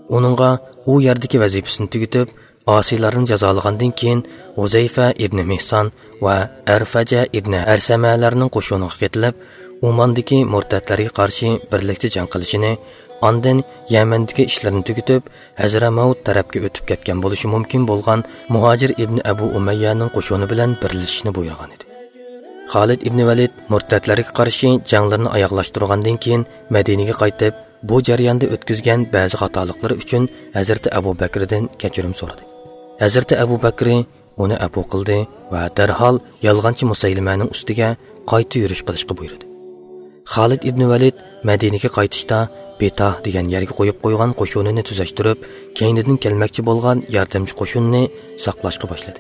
ئۇنىڭغا ئۇ يەردىكى ۋەزىپىسىنى تۈگىتىپ، ئاسىيلارنى جازالىغاندىن كېيىن، ھۇزەيفە ئىبنى مىھسان ۋە ئەرفەجە ئىبنى ھەرسەمەلەرنىڭ قوشۇنىغا قېتىلىپ، ئوماندىكى مۇرتەتلەرگە قارشى بىرلىكتە جەڭ قىلىشىنى، ئاندىن يەمەندىكى ئىشلىرىنى تۈگىتىپ، ھەزرەمەۋت تەرەپكە ئۆتۈپ كەتكەن بولۇشى مۇمكىن بولغان مۇھاجىر ئىبنى ئەبۇ ئۇمەييەنىڭ قوشۇنى بىلەن بىرلىشىشنى بۇيرۇغان ئىدى. خالىد ئىبنى ۋەلىد مۇرتەتلەرگە قارشى جەڭلىرىنى ئاياغلاشتۇرغاندىن كېيىن، مەدىنىگە قايتىپ، بۇ جەرياندا ئۆتكۈزگەن بەزى خاتالىقلىرى ئۈچۈن ھەزرىتى ئەبۇ بەكرىدىن كەچۈرۈم سورىدى. ھەزرىتى ئەبۇ بەكرى ئۇنى ئەپۇ قىلدى ۋە دەرھال يالغانچى مۇسەيلىمەنىڭ ئۈستىگە قايتا يۈرۈش قىلىشقا بۇيرۇدى. خالىد ئىبنى ۋەلىد مەدىنىگە قايتىشتا بىتاھ دېگەن يەرگە قويۇپ قويغان قوشۇنىنى تۈزەشتۈرۈپ، كەينىدىن كەلمەكچى بولغان ياردەمچى قوشۇننى ساقلاشقا باشلىدى.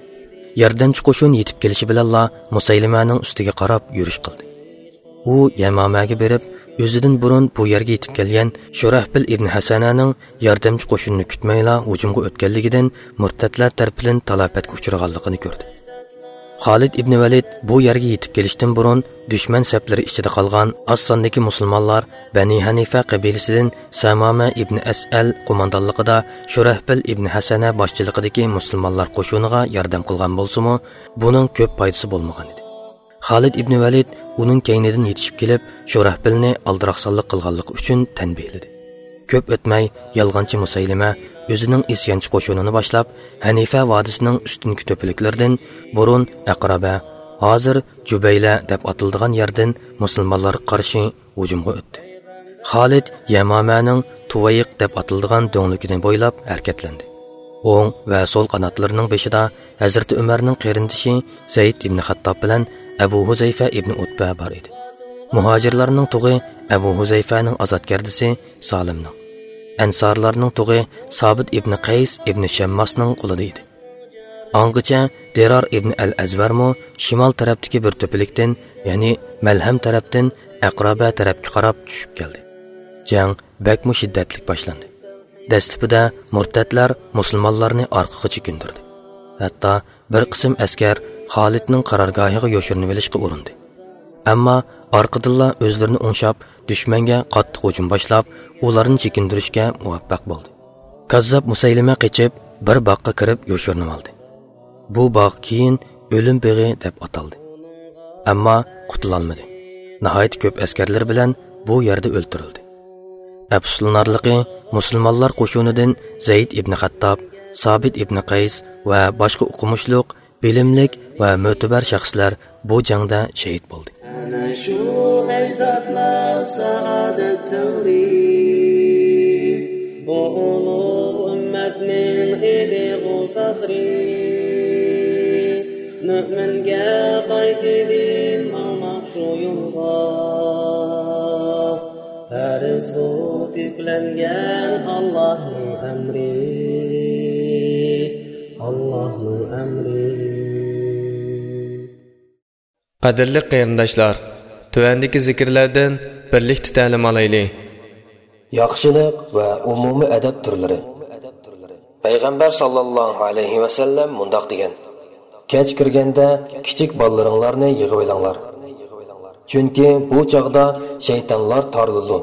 ياردەمچى قوشۇن يېتىپ كېلىشى بىلەنلا مۇسەيلىمەنىڭ ئۈستىگە قاراپ يۈرۈش قىلدى. ئۇ يەمامەگە بېرىپ، ئۆزىدىن بۇرۇن بۇ يەرگە يېتىپ كەلگەن شۇرەھبىل ئىبنى ھەسەنەنىڭ ياردەمچى قوشۇننى كۈتمەيلا ھۇجۇمغا ئۆتكەنلىكىدىن مۇرتەتلەر تەرىپىدىن تالاپەتكە ئۇچرىغانلىقىنى كۆردى. خالىد ئىبنى ۋەلىد بۇ يەرگە يېتىپ كېلىشتىن بۇرۇن، دۈشمەن سەپلىرى ئىچىدە قالغان ئاز ساندىكى مۇسۇلمانلار بەنى ھەنىفە قەبىلىسىدىن سەمامە ئىبنى ئەسئەل قوماندانلىقىدا شۇرەھبىل ئىبنى ھەسەنە باشچىلىقىدىكى مۇسۇلمانلار قوشۇنىغا ياردەم قىلغان بولسىمۇ، بۇنىڭ كۆپ پايدىسى بولمىغان ئىدى. خالىد ئىبنى ۋەلىد ئۇنىڭ كەينىدىن يېتىشىپ كېلىپ، شۇرەھبىلنى ئالدىراقسانلىق قىلغانلىقى ئۈچۈن تەنبىھلىدى. كۆپ ئۆتمەي، يالغانچى مۇسەيلىمە ئۆزىنىڭ ئىسيانچى قوشۇنىنى باشلاپ، ھەنىفە ۋادىسىنىڭ ئۈستۈنكى تۆپىلىكلىرىدىن، بۇرۇن ئەقرەبە، ھازىر جۇبەيلە دەپ ئاتىلىدىغان يەردىن مۇسۇلمانلارغا قارشى ھۇجۇمغا ئۆتتى. خالىد يەمامەنىڭ تۇۋەيق دەپ ئاتىلىدىغان دۆڭلۈكىنى بويلاپ ھەرىكەتلەندى. ئوڭ ۋە سول قاناتلىرىنىڭ بېشىدا ھەزرىتى ئۆمەرنىڭ قېرىندىشى زەيد ئىبنى خەتتاب بىلەن ئەبۇ ھۇزەيفە ئىبنى ئۇتبە بار ئىدى. مۇھاجىرلارنىڭ تۇغى ئەبۇ ھۇزەيفەنىڭ ئازادگەردىسى سالىمنىڭ، ئەنسارلارنىڭ تۇغى سابىت ئىبنى قەيس ئىبنى شەمماسنىڭ قولىدا ئىدى. ئاڭغىچە دىرار ئىبنى ئەل ئەزۋەرمۇ شىمال تەرەپتىكى بىر تۆپىلىكتىن، يەنى مەلھەم تەرەپتىن ئەقرابە تەرەپكە قاراپ چۈشۈپ كەلدى. جەڭ بەكمۇ شىددەتلىك باشلاندى. دەسلىپىدە مۇرتەتلەر مۇسۇلمانلارنى ئارقىغا چېكىندۈردى. ھەتتا بىر قىسىم ئەسكەر خالىدنىڭ قارارگاھىغا يوشۇرۇنۇۋېلىشقا ئۇرۇندى. ئەمما ئارقىدىنلا ئۆزلىرىنى ئوڭشاپ، دۈشمەنگە قاتتىق ھۇجۇم باشلاپ، ئۇلارنى چېكىندۈرۈشكە مۇۋەپپەق بولدى. كاززاپ مۇسەيلىمە قېچىپ، بىر باغقا كىرىپ يوشۇرۇنۇۋالدى. بۇ باغ كېيىن ئۆلۈم بېغى دەپ ئاتالدى. ئەمما قۇتۇلالمىدى. ناھايىتى كۆپ ئەسكەرلىرى بىلەن بۇ يەردە ئۆلتۈرۈلدى. ئەپسۇسلىنارلىقى، مۇسۇلمانلار قوشۇنىدىن زەيد ئىبنى خەتتاب، سابىت ئىبنى قەيس ۋە باشقا ئوقۇمۇشلۇق، بىلىملىك ۋە مۆتىبەر شەخسلەر بۇ جەڭدە شېھىت بولدى. ئەنە شۇ ئەجدادلار سائادەت دەۋرى، بۇ ئۇلۇغ ئۈممەتنىڭ ئىدىغۇ پەخرى. مۆمىنگە قايتىدىن ماڭماق شۇ يولغا، پەرز بولۇپ يۈكلەنگەن ئاللاھنىڭ ئەمرى، ئاللاھنىڭ ئەمرى. قەدىرلىك قېرىنداشلار، تۆۋەندىكى زىكىرلەردىن بىرلىكتە تەلىم ئالايلى. ياخشىلىق ۋە ئومۇمىي ئەدەپ تۈرلىرى. پەيغەمبەر ساللاللاھۇ ئەلەيھى ۋەسەللەم مۇنداق دېگەن: كەچ كىرگەندە كىچىك بالىلىرىڭلارنى يىغىۋېلىڭلار. چۈنكى بۇ چاغدا شەيتانلار تارىلىدۇ.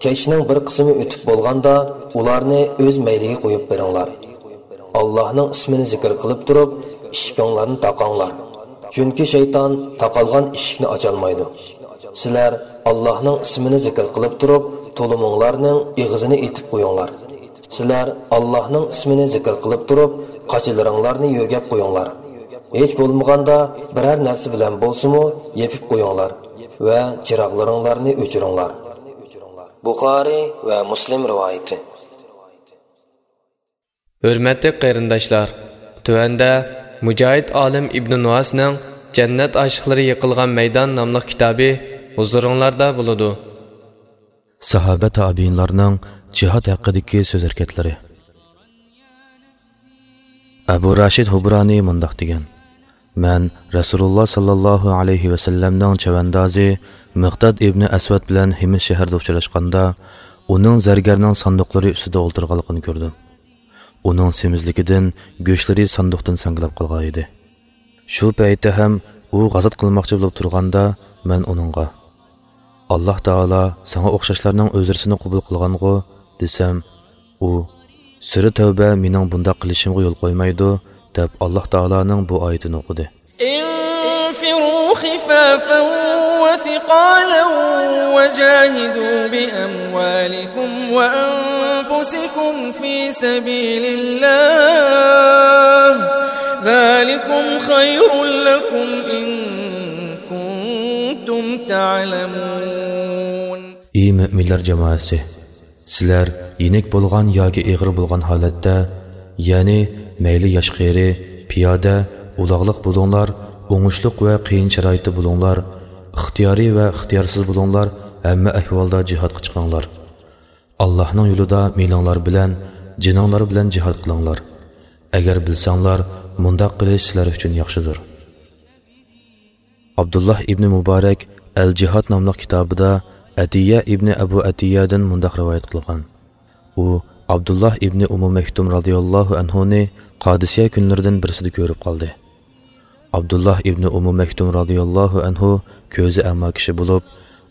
كەچنىڭ بىر قىسمى ئۆتۈپ بولغاندا، ئۇلارنى ئۆز مەيلىگە قويۇپ بېرىڭلار. ئاللاھنىڭ ئىسمىنى زىكىر قىلىپ تۇرۇپ، ئىشىكىڭلارنى تاقاڭلار. چۈنكى شەيتان تاقالغان ئىشىكنى ئاچالمايدۇ. سىلەر ئاللاھنىڭ ئىسمىنى زىكىر قىلىپ تۇرۇپ، تۇلۇمۇڭلارنىڭ ئېغىزىنى ئېتىپ قويۇڭلار. سىلەر ئاللاھنىڭ ئىسمىنى زىكىر قىلىپ تۇرۇپ، قاچىلىرىڭلارنى يۆگەپ قويۇڭلار. ھېچ بولمىغاندا بىرەر نەرسە بىلەن بولسىمۇ يېپىپ قويۇڭلار ۋە چىراغلىرىڭلارنى ئۆچۈرۈڭلار. بۇخارىي ۋە مۇسلىم رىۋايىتى. ھۆرمەتلىك قېرىنداشلار، تۆۋەندە مۇجاھىد ئالىم ئىبنى نۇئاسنىڭ جەننەت ئاشىقلىرى يىقىلغان مەيدان ناملىق كىتابى ھۇزۇرۇڭلاردا بولىدۇ. ساھابە تابىئىنلارنىڭ جىھاد ھەققىدىكى سۆز ھەرىكەتلىرى. ئەبۇ راشىد ھۇبرانى مۇنداق دېگەن: مەن رەسۇلۇللا ساللاللاھۇ ئەلەيھى ۋەسەللەمنىڭ چەۋەندازى مىقداد ئىبنى ئەسۋەد بىلەن ھىمس شەھىرىدە ئۇچراشقاندا، ئۇنىڭ زەرگەرنىڭ ساندۇقلىرى ئۈستىدە ئولتۇرغانلىقىنى كۆردۈم. ئۇنىڭ سېمىزلىكىدىن گۆشلىرى ساندۇقتىن ساڭگىلاپ قالغانىدى. شۇ پەيتتە ھەم ئۇ غازات قىلماقچى بولۇپ تۇرغاندا، مەن ئۇنىڭغا: «ئاللاھ تائالا ساڭا ئوخشاشلارنىڭ ئۆزرىسىنى قوبۇل قىلغانغۇ؟» دېسەم، ئۇ، «سۈرە تەۋبە مېنىڭ بۇنداق قىلىشىمغا يول قويمايدۇ» دەپ، ئاللاھ تائالانىڭ بۇ ئايىتىنى ئوقۇدى. انفروا خفافا وثقالا وجاهدوا بأموالكم وأنفسكم في سبيل الله، ذلكم خير لكم إن كنتم تعلمون. ئى مۆمىنلەر جامائەسى! سىلەر يېنىك بولغان ياكى ئېغىر بولغان ھالەتتە، يەنى مەيلى ياش-قېرى، پىيادە، ئۇلاغلىق بولۇڭلار، ئوڭۇشلۇق ۋە قىيىن شارائىتتا بولۇڭلار، ئىختىيارىي ۋە ئىختىيارسىز بولۇڭلار، ھەممە ئەھۋالدا جىھادقا چىقىڭلار. ئاللاھنىڭ يولىدا مېلىڭلار بىلەن، جېنىڭلار بىلەن جىھاد قىلىڭلار. ئەگەر بىلسەڭلار، مۇنداق قىلىش سىلەر ئۈچۈن ياخشىدۇر. ئابدۇللاھ ئىبنى مۇبارەك ئەل-جىھاد ناملىق كىتابىدا ئەتىيە ئىبنى ئەبۇ ئەتىيەدىن مۇنداق رىۋايەت قىلغان. ئۇ ئابدۇللاھ ئىبنى ئۇممۇ مەكتۇم رازىياللاھۇ ئەنھۇنى قادىسىيە كۈنلىرىدىن بىرسىدە كۆرۈپ قالدى. ئابدۇللاھ ئىبنى ئۇممۇ مەكتۇم رازىياللاھۇ ئەنھۇ كۆزى ئەما كىشى بولۇپ،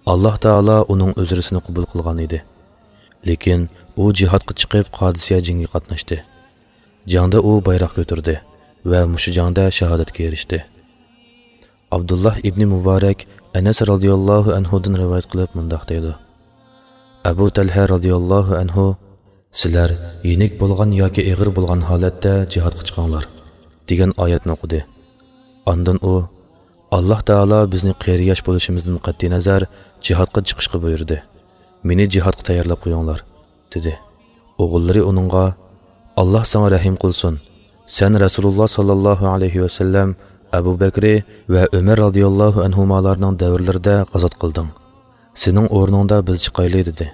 ئاللاھ تائالا ئۇنىڭ ئۆزرىسىنى قوبۇل قىلغان ئىدى. لېكىن ئۇ جىھادقا چىقىپ، قادىسىيە جەڭگە قاتناشتى. جەڭدە ئۇ بايراق كۆتۈردى ۋە مۇشۇ جەڭدە شاھادەتكە ئېرىشتى. ئابدۇللاھ ئىبنى مۇبارەك ئەنەس رازىياللاھۇ ئەنھۇدىن رىۋايەت قىلىپ مۇنداق دەيدۇ: ئەبۇ تەلھە رازىياللاھۇ ئەنھۇ، «سىلەر يېنىك بولغان ياكى ئېغىر بولغان ھالەتتە جىھادقا چىقىڭلار» دېگەن ئايەتنى ئوقۇدى. ئاندىن ئۇ، «ئاللاھ تائالا بىزنى قېرى-ياش بولۇشىمىزدىن قەتئىينەزەر جىھادقا چىقىشقا بۇيرۇدى. مېنى جىھادقا تەييارلاپ قويۇڭلار» دېدى. ئوغۇللىرى ئۇنىڭغا، «ئاللاھ ساڭا رەھىم قىلسۇن. سەن رەسۇلۇللاھ ساللاللاھۇ ئەلەيھى ۋەسەللەم، ئەبۇ بەكرى ۋە ئۆمەر رازىياللاھۇ ئەنھۇمالارنىڭ دەۋرلىرىدە غازات قىلدىڭ. سېنىڭ ئورنۇڭدا بىز چىقايلى» دېدى.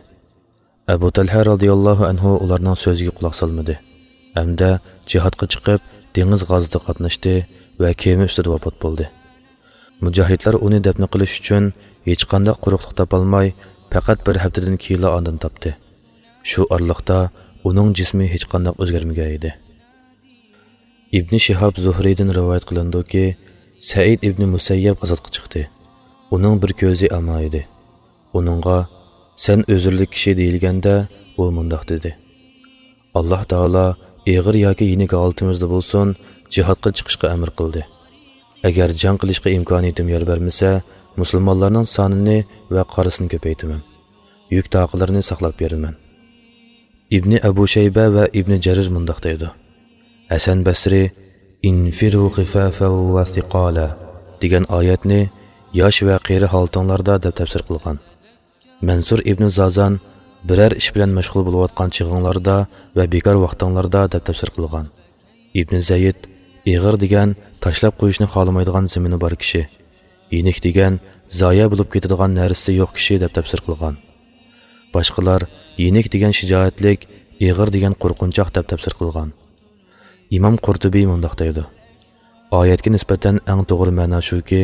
ئەبۇ تەلھە رازىياللاھۇ ئەنھۇ ئۇلارنىڭ سۆزىگە قۇلاق سالمىدى ھەمدە جىھادقا چىقىپ، دېڭىز غازىتىغا قاتناشتى ۋە كېمە ئۈستىدە ۋاپات بولدى. مۇجاھىدلار ئۇنى دەپنە قىلىش ئۈچۈن ھېچقانداق قۇرۇقلۇق تاپالماي، پەقەت بىر ھەپتىدىن كېيىنلا ئاندىن تاپتى. شۇ ئارىلىقتا ئۇنىڭ جىسمى ھېچقانداق ئۆزگەرمىگەن ئىدى. ئىبنى شىھاب زۇھرىدىن رىۋايەت قىلىنىدۇكى، سەئىد ئىبنى مۇسەييەب غازاتقا چىقتى. ئۇنىڭ بىر كۆزى ئەما ئىدى. ئۇنىڭغا، «سەن ئۆزۈرلۈك كىشى» دېيىلگەندە، ئۇ مۇنداق دېدى: «ئاللاھ تائالا ئېغىر ياكى يېنىك ھالىتىمىزدە بولسۇن، جىھادقا چىقىشقا ئەمر قىلدى. ئەگەر جەڭ قىلىشقا ئىمكانىيىتىم يار بەرمىسە، مۇسۇلمانلارنىڭ سانىنى ۋە قارىسىنى كۆپەيتىمەن. يۈك تاقىلىرىنى ساقلاپ بېرىمەن.» ئىبنى ئەبۇ شەيبە ۋە ئىبنى جەرىر مۇنداق دەيدۇ: ھەسەن بەسرى «انفروا خفافا وثقالا» دېگەن ئايەتنى «ياش ۋە قېرى ھالىتىڭلاردا» دەپ تەپسىر قىلغان. مەنسۇر ئىبنى زازان «بىرەر ئىش بىلەن مەشغۇل بولۇۋاتقان چېغىڭلاردا ۋە بىكار ۋاقتىڭلاردا» دەپ تەپسىر قىلغان. ئىبنى زەيد «ئېغىر دېگەن تاشلاپ قويۇشنى خالىمايدىغان زېمىنى بار كىشى، يېنىك دېگەن زايە بولۇپ كېتىدىغان نەرسىسى يوق كىشى» دەپ تەپسىر قىلغان. باشقىلار «يېنىك دېگەن شىجائەتلىك، ئېغىر دېگەن قورقۇنچاق» دەپ تەپسىر قىلغان. ئىمام قۇرتۇبى مۇنداق دەيدۇ: ئايەتكە نىسبەتەن ئەڭ توغرا مەنا شۇكى،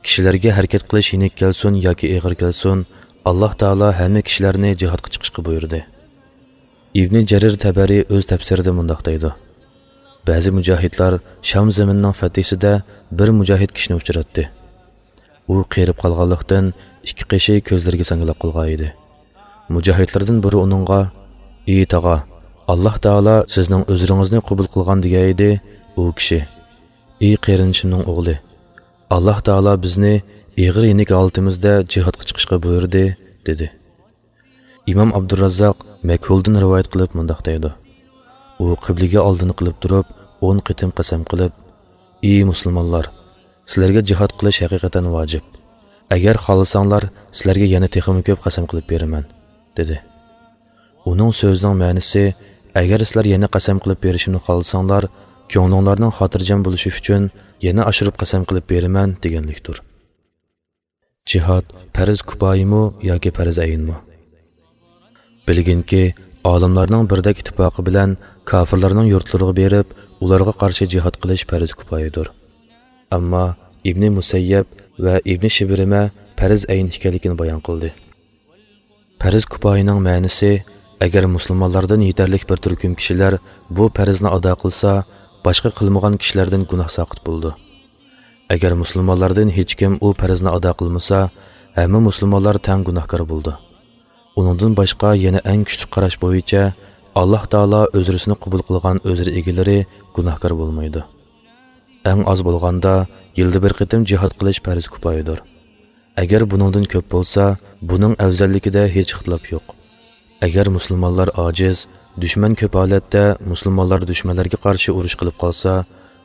كىشىلەرگە ھەرىكەت قىلىش يېنىك كەلسۇن ياكى ئېغىر كەلسۇن، ئاللاھ تائالا ھەممە كىشىلەرنى جىھادقا چىقىشقا بۇيرۇدى. ئىبنى جەرىر تەبەرى ئۆز تەپسىرىدە مۇنداق دەيدۇ: بەزى مۇجاھىدلار شام زېمىنىنىڭ فەتھىسىدە بىر مۇجاھىد كىشىنى ئۇچراتتى. ئۇ قېرىپ قالغانلىقتىن، ئىككى قېشى كۆزلىرىگە ساڭگىلاپ قالغان ئىدى. مۇجاھىدلاردىن بىرى ئۇنىڭغا، «ئى تاغا، ئاللاھ تائالا سىزنىڭ ئۆزرىڭىزنى قوبۇل قىلغان» دېگەن ئىدى. ئۇ كىشى، «ئى قېرىندىشىمنىڭ ئوغلى، ئاللاھ تائالا بىزنى ئېغىر يېنىك ھالىتىمىزدە جىھادقا چىقىشقا بۇيرۇدى» دېدى. ئىمام ئابدۇراززاق مەكھۇلدىن رىۋايەت قىلىپ مۇنداق دەيدۇ: ئۇ قىبلىگە ئالدىنى قىلىپ تۇرۇپ، ئون قېتىم قەسەم قىلىپ، «ئى مۇسۇلمانلار، سىلەرگە جىھاد قىلىش ھەقىقەتەن ۋاجىپ. ئەگەر خالىساڭلار، سىلەرگە يەنە تېخىمۇ كۆپ قەسەم قىلىپ بېرىمەن» دېدى. ئۇنىڭ سۆزىنىڭ مەنىسى، «ئەگەر سىلەر يەنە قەسەم قىلىپ بېرىشىمنى خالىساڭلار، كۆڭلۈڭلارنىڭ خاتىرجەم بولۇشى ئۈچۈن يەنە ئاشۇرۇپ قەسەم قىلىپ بېرىمەن» دېگەنلىكتۇر. جىھاد پەرز كۇپايىمۇ ياكى پەرز ئەينمۇ؟ بىلگىنكى، ئالىملارنىڭ بىردەك ئىتتىپاقى بىلەن كاپىرلارنىڭ يۇرتلىرىغا بېرىپ، ئۇلارغا قارشى جىھاد قىلىش پەرز كۇپايىدۇر. ئەمما ئىبنى مۇسەييەب ۋە ئىبنى شىبرىمە پەرز ئەين ئىكەنلىكىنى بايان قىلدى. پەرز كۇپايىنىڭ مەنىسى، ئەگەر مۇسۇلمانلاردىن يېتەرلىك بىر تۈركۈم كىشىلەر بۇ پەرزنى ئادا قىلسا، باشقا قىلمىغان كىشىلەردىن گۇناھ ساقىت بولىدۇ. ئەگەر مۇسۇلمانلاردىن ھېچكىم ئۇ پەرزنى ئادا قىلمىسا، ھەممە مۇسۇلمانلار تەڭ گۇناھكار بولىدۇ. ئۇنىڭدىن باشقا يەنە ئەڭ كۈچلۈك قاراش بويىچە، ئاللاھ تائالا ئۆزرىسىنى قوبۇل قىلغان ئۆزرە ئىگىلىرى گۇناھكار بولمايدۇ. ئەڭ ئاز بولغاندا يىلدا بىر قېتىم جىھاد قىلىش پەرز كۇپايىدۇر. ئەگەر بۇنىڭدىن كۆپ بولسا، بۇنىڭ ئەۋزەللىكىدە ھېچ ئىختىلاپ يوق. ئەگەر مۇسۇلمانلار ئاجىز، دۈشمەن كۆپ ھالەتتە مۇسۇلمانلار دۈشمەنلەرگە قارشى ئۇرۇش قىلىپ قالسا،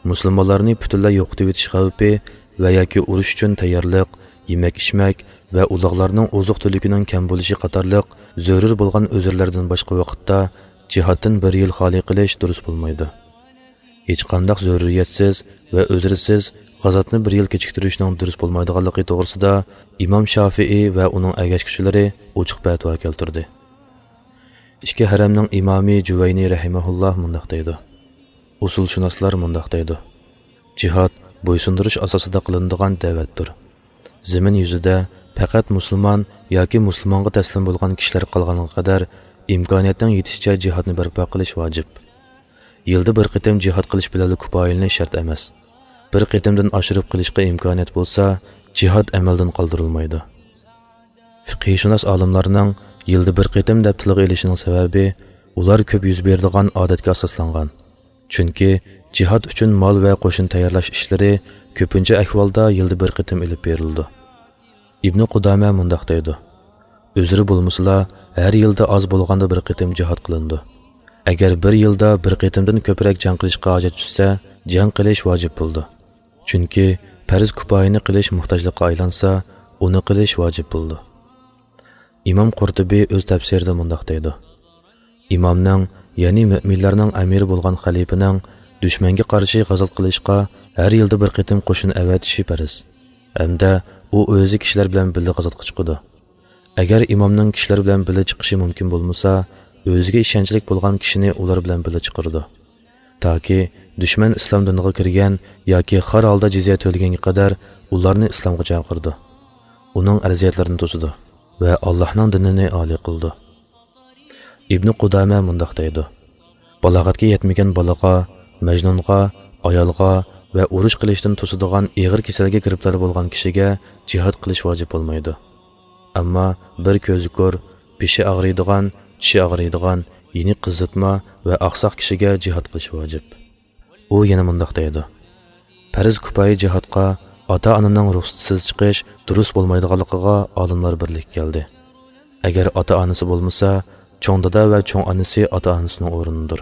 مۇسۇلمانلارنى پۈتۈنلەي يوقىتىۋېتىش خەۋپى ۋە ياكى ئۇرۇش ئۈچۈن تەييارلىق، يېمەك-ئىچمەك ۋە ئۇلاغلارنىڭ ئوزۇق-تۈلۈكىنىڭ كەم بولۇشى قاتارلىق زۆرۈر بولغان ئۆزرىلەردىن باشقا ۋاقىتتا جىھادتىن بىر يىل خالىي قىلىش دۇرۇس بولمايدۇ. ھېچقانداق زۆرۈرىيەتسىز ۋە ئۆزرىسىز غازاتنى بىر يىل كېچىكتۈرۈشنىڭ دۇرۇس بولمايدىغانلىقى توغرىسىدا ئىمام شافىئى ۋە ئۇنىڭ ئەگەشكۈچىلىرى ئوچۇق پەتىۋا كەلتۈردى. ئىككى ھەرەمنىڭ ئىمامى جۇۋەينى رەھىمەھۇللاھ مۇنداق دەيدۇ، ئۇسۇلشۇناسلار مۇنداق دەيدۇ: جىھاد بويسۇندۇرۇش ئاساسىدا قىلىنىدىغان دەۋەتتۇر. زېمىن يۈزىدە پەقەت مۇسۇلمان ياكى مۇسۇلمانغا تەسلىم بولغان كىشىلەر قالغانغا قەدەر ئىمكانىيەتنىڭ يېتىشىچە جىھادنى بەرپا قىلىش ۋاجىپ. يىلدا بىر قېتىم جىھاد قىلىش بىلەنلا كۇپايىلىنىش شەرت ئەمەس. بىر قېتىمدىن ئاشۇرۇپ قىلىشقا ئىمكانىيەت بولسا، جىھاد ئەمەلدىن قالدۇرۇلمايدۇ. فىقھىيشۇناس ئالىملارنىڭ يىلدا بىر قېتىم دەپ تىلغا ئېلىشىنىڭ سەۋەبى، ئۇلار كۆپ يۈز بېرىدىغان ئادەتكە ئاساسلانغان. چۈنكى جىھاد ئۈچۈن مال ۋە قوشۇن تەييارلاش ئىشلىرى كۆپىنچە ئەھۋالدا يىلدا بىر قېتىم ئېلىپ بېرىلىدۇ. ئىبنى قۇدامە مۇنداق دەيدۇ: ئۆزرە بولمىسىلا، ھەر يىلدا ئاز بولغاندا بىر قېتىم جىھاد قىلىنىدۇ. ئەگەر بىر يىلدا بىر قېتىمدىن كۆپرەك جەڭ قىلىشقا ھاجەت چۈشسە، جەڭ قىلىش ۋاجىپ بولىدۇ. چۈنكى پەرز كۇپايىنى قىلىش موھتاجلىققا ئايلانسا، ئۇنى قىلىش ۋاجىپ بولىدۇ. ئىمام قۇرتۇبى ئۆز تەپسىرىدە مۇنداق دەيدۇ: ئىمامنىڭ، يەنى مۆمىنلەرنىڭ ئەمىرى بولغان خەلىپىنىڭ دۈشمەنگە قارشى غازات قىلىشقا ھەر يىلدا بىر قېتىم قوشۇن ئەۋەتىشى پەرز ھەمدە ئۇ ئۆزى كىشىلەر بىلەن بىللە غازاتقا چىقىدۇ. ئەگەر ئىمامنىڭ كىشىلەر بىلەن بىللە چىقىشى مۇمكىن بولمىسا، ئۆزىگە ئىشەنچلىك بولغان كىشىنى ئۇلار بىلەن بىللە چىقىرىدۇ. تاكى دۈشمەن ئىسلام دىنىغا كىرگەن ياكى خار ھالدا جىزيە تۆلىگەنگە قەدەر ئۇلارنى ئىسلامغا چاقىرىدۇ. ئۇنىڭ ئەرزىيەتلىرىنى توسىدۇ ۋە ئاللاھنىڭ دىنىنى ئالىي قىلىدۇ. ئىبنى قۇدامە مۇنداق دەيدۇ: بالاغەتكە يەتمىگەن بالىغا، مەجنۇنغا، ئايالغا ۋە ئۇرۇش قىلىشتىن توسىدىغان ئېغىر كېسەلگە گىرىپتار بولغان كىشىگە جىھاد قىلىش ۋاجىپ بولمايدۇ. ئەمما بىر كۆزى كور، بېشى ئاغرىيدىغان، چىشى ئاغرىيدىغان، يېنى قىزىتما ۋە ئاقساق كىشىگە جىھاد قىلىش ۋاجىپ. ئۇ يەنە مۇنداق دەيدۇ: پەرز كۇپايە جىھادقا ئاتا-ئانىنىڭ رۇخسىتىسىز چىقىش دۇرۇس بولمايدىغانلىقىغا ئالىملار بىرلىككە كەلدى. ئەگەر ئاتا-ئانىسى بولمىسا، چوڭ دادا ۋە چوڭ ئانىسى ئاتا-ئانىسىنىڭ ئورنىدۇر.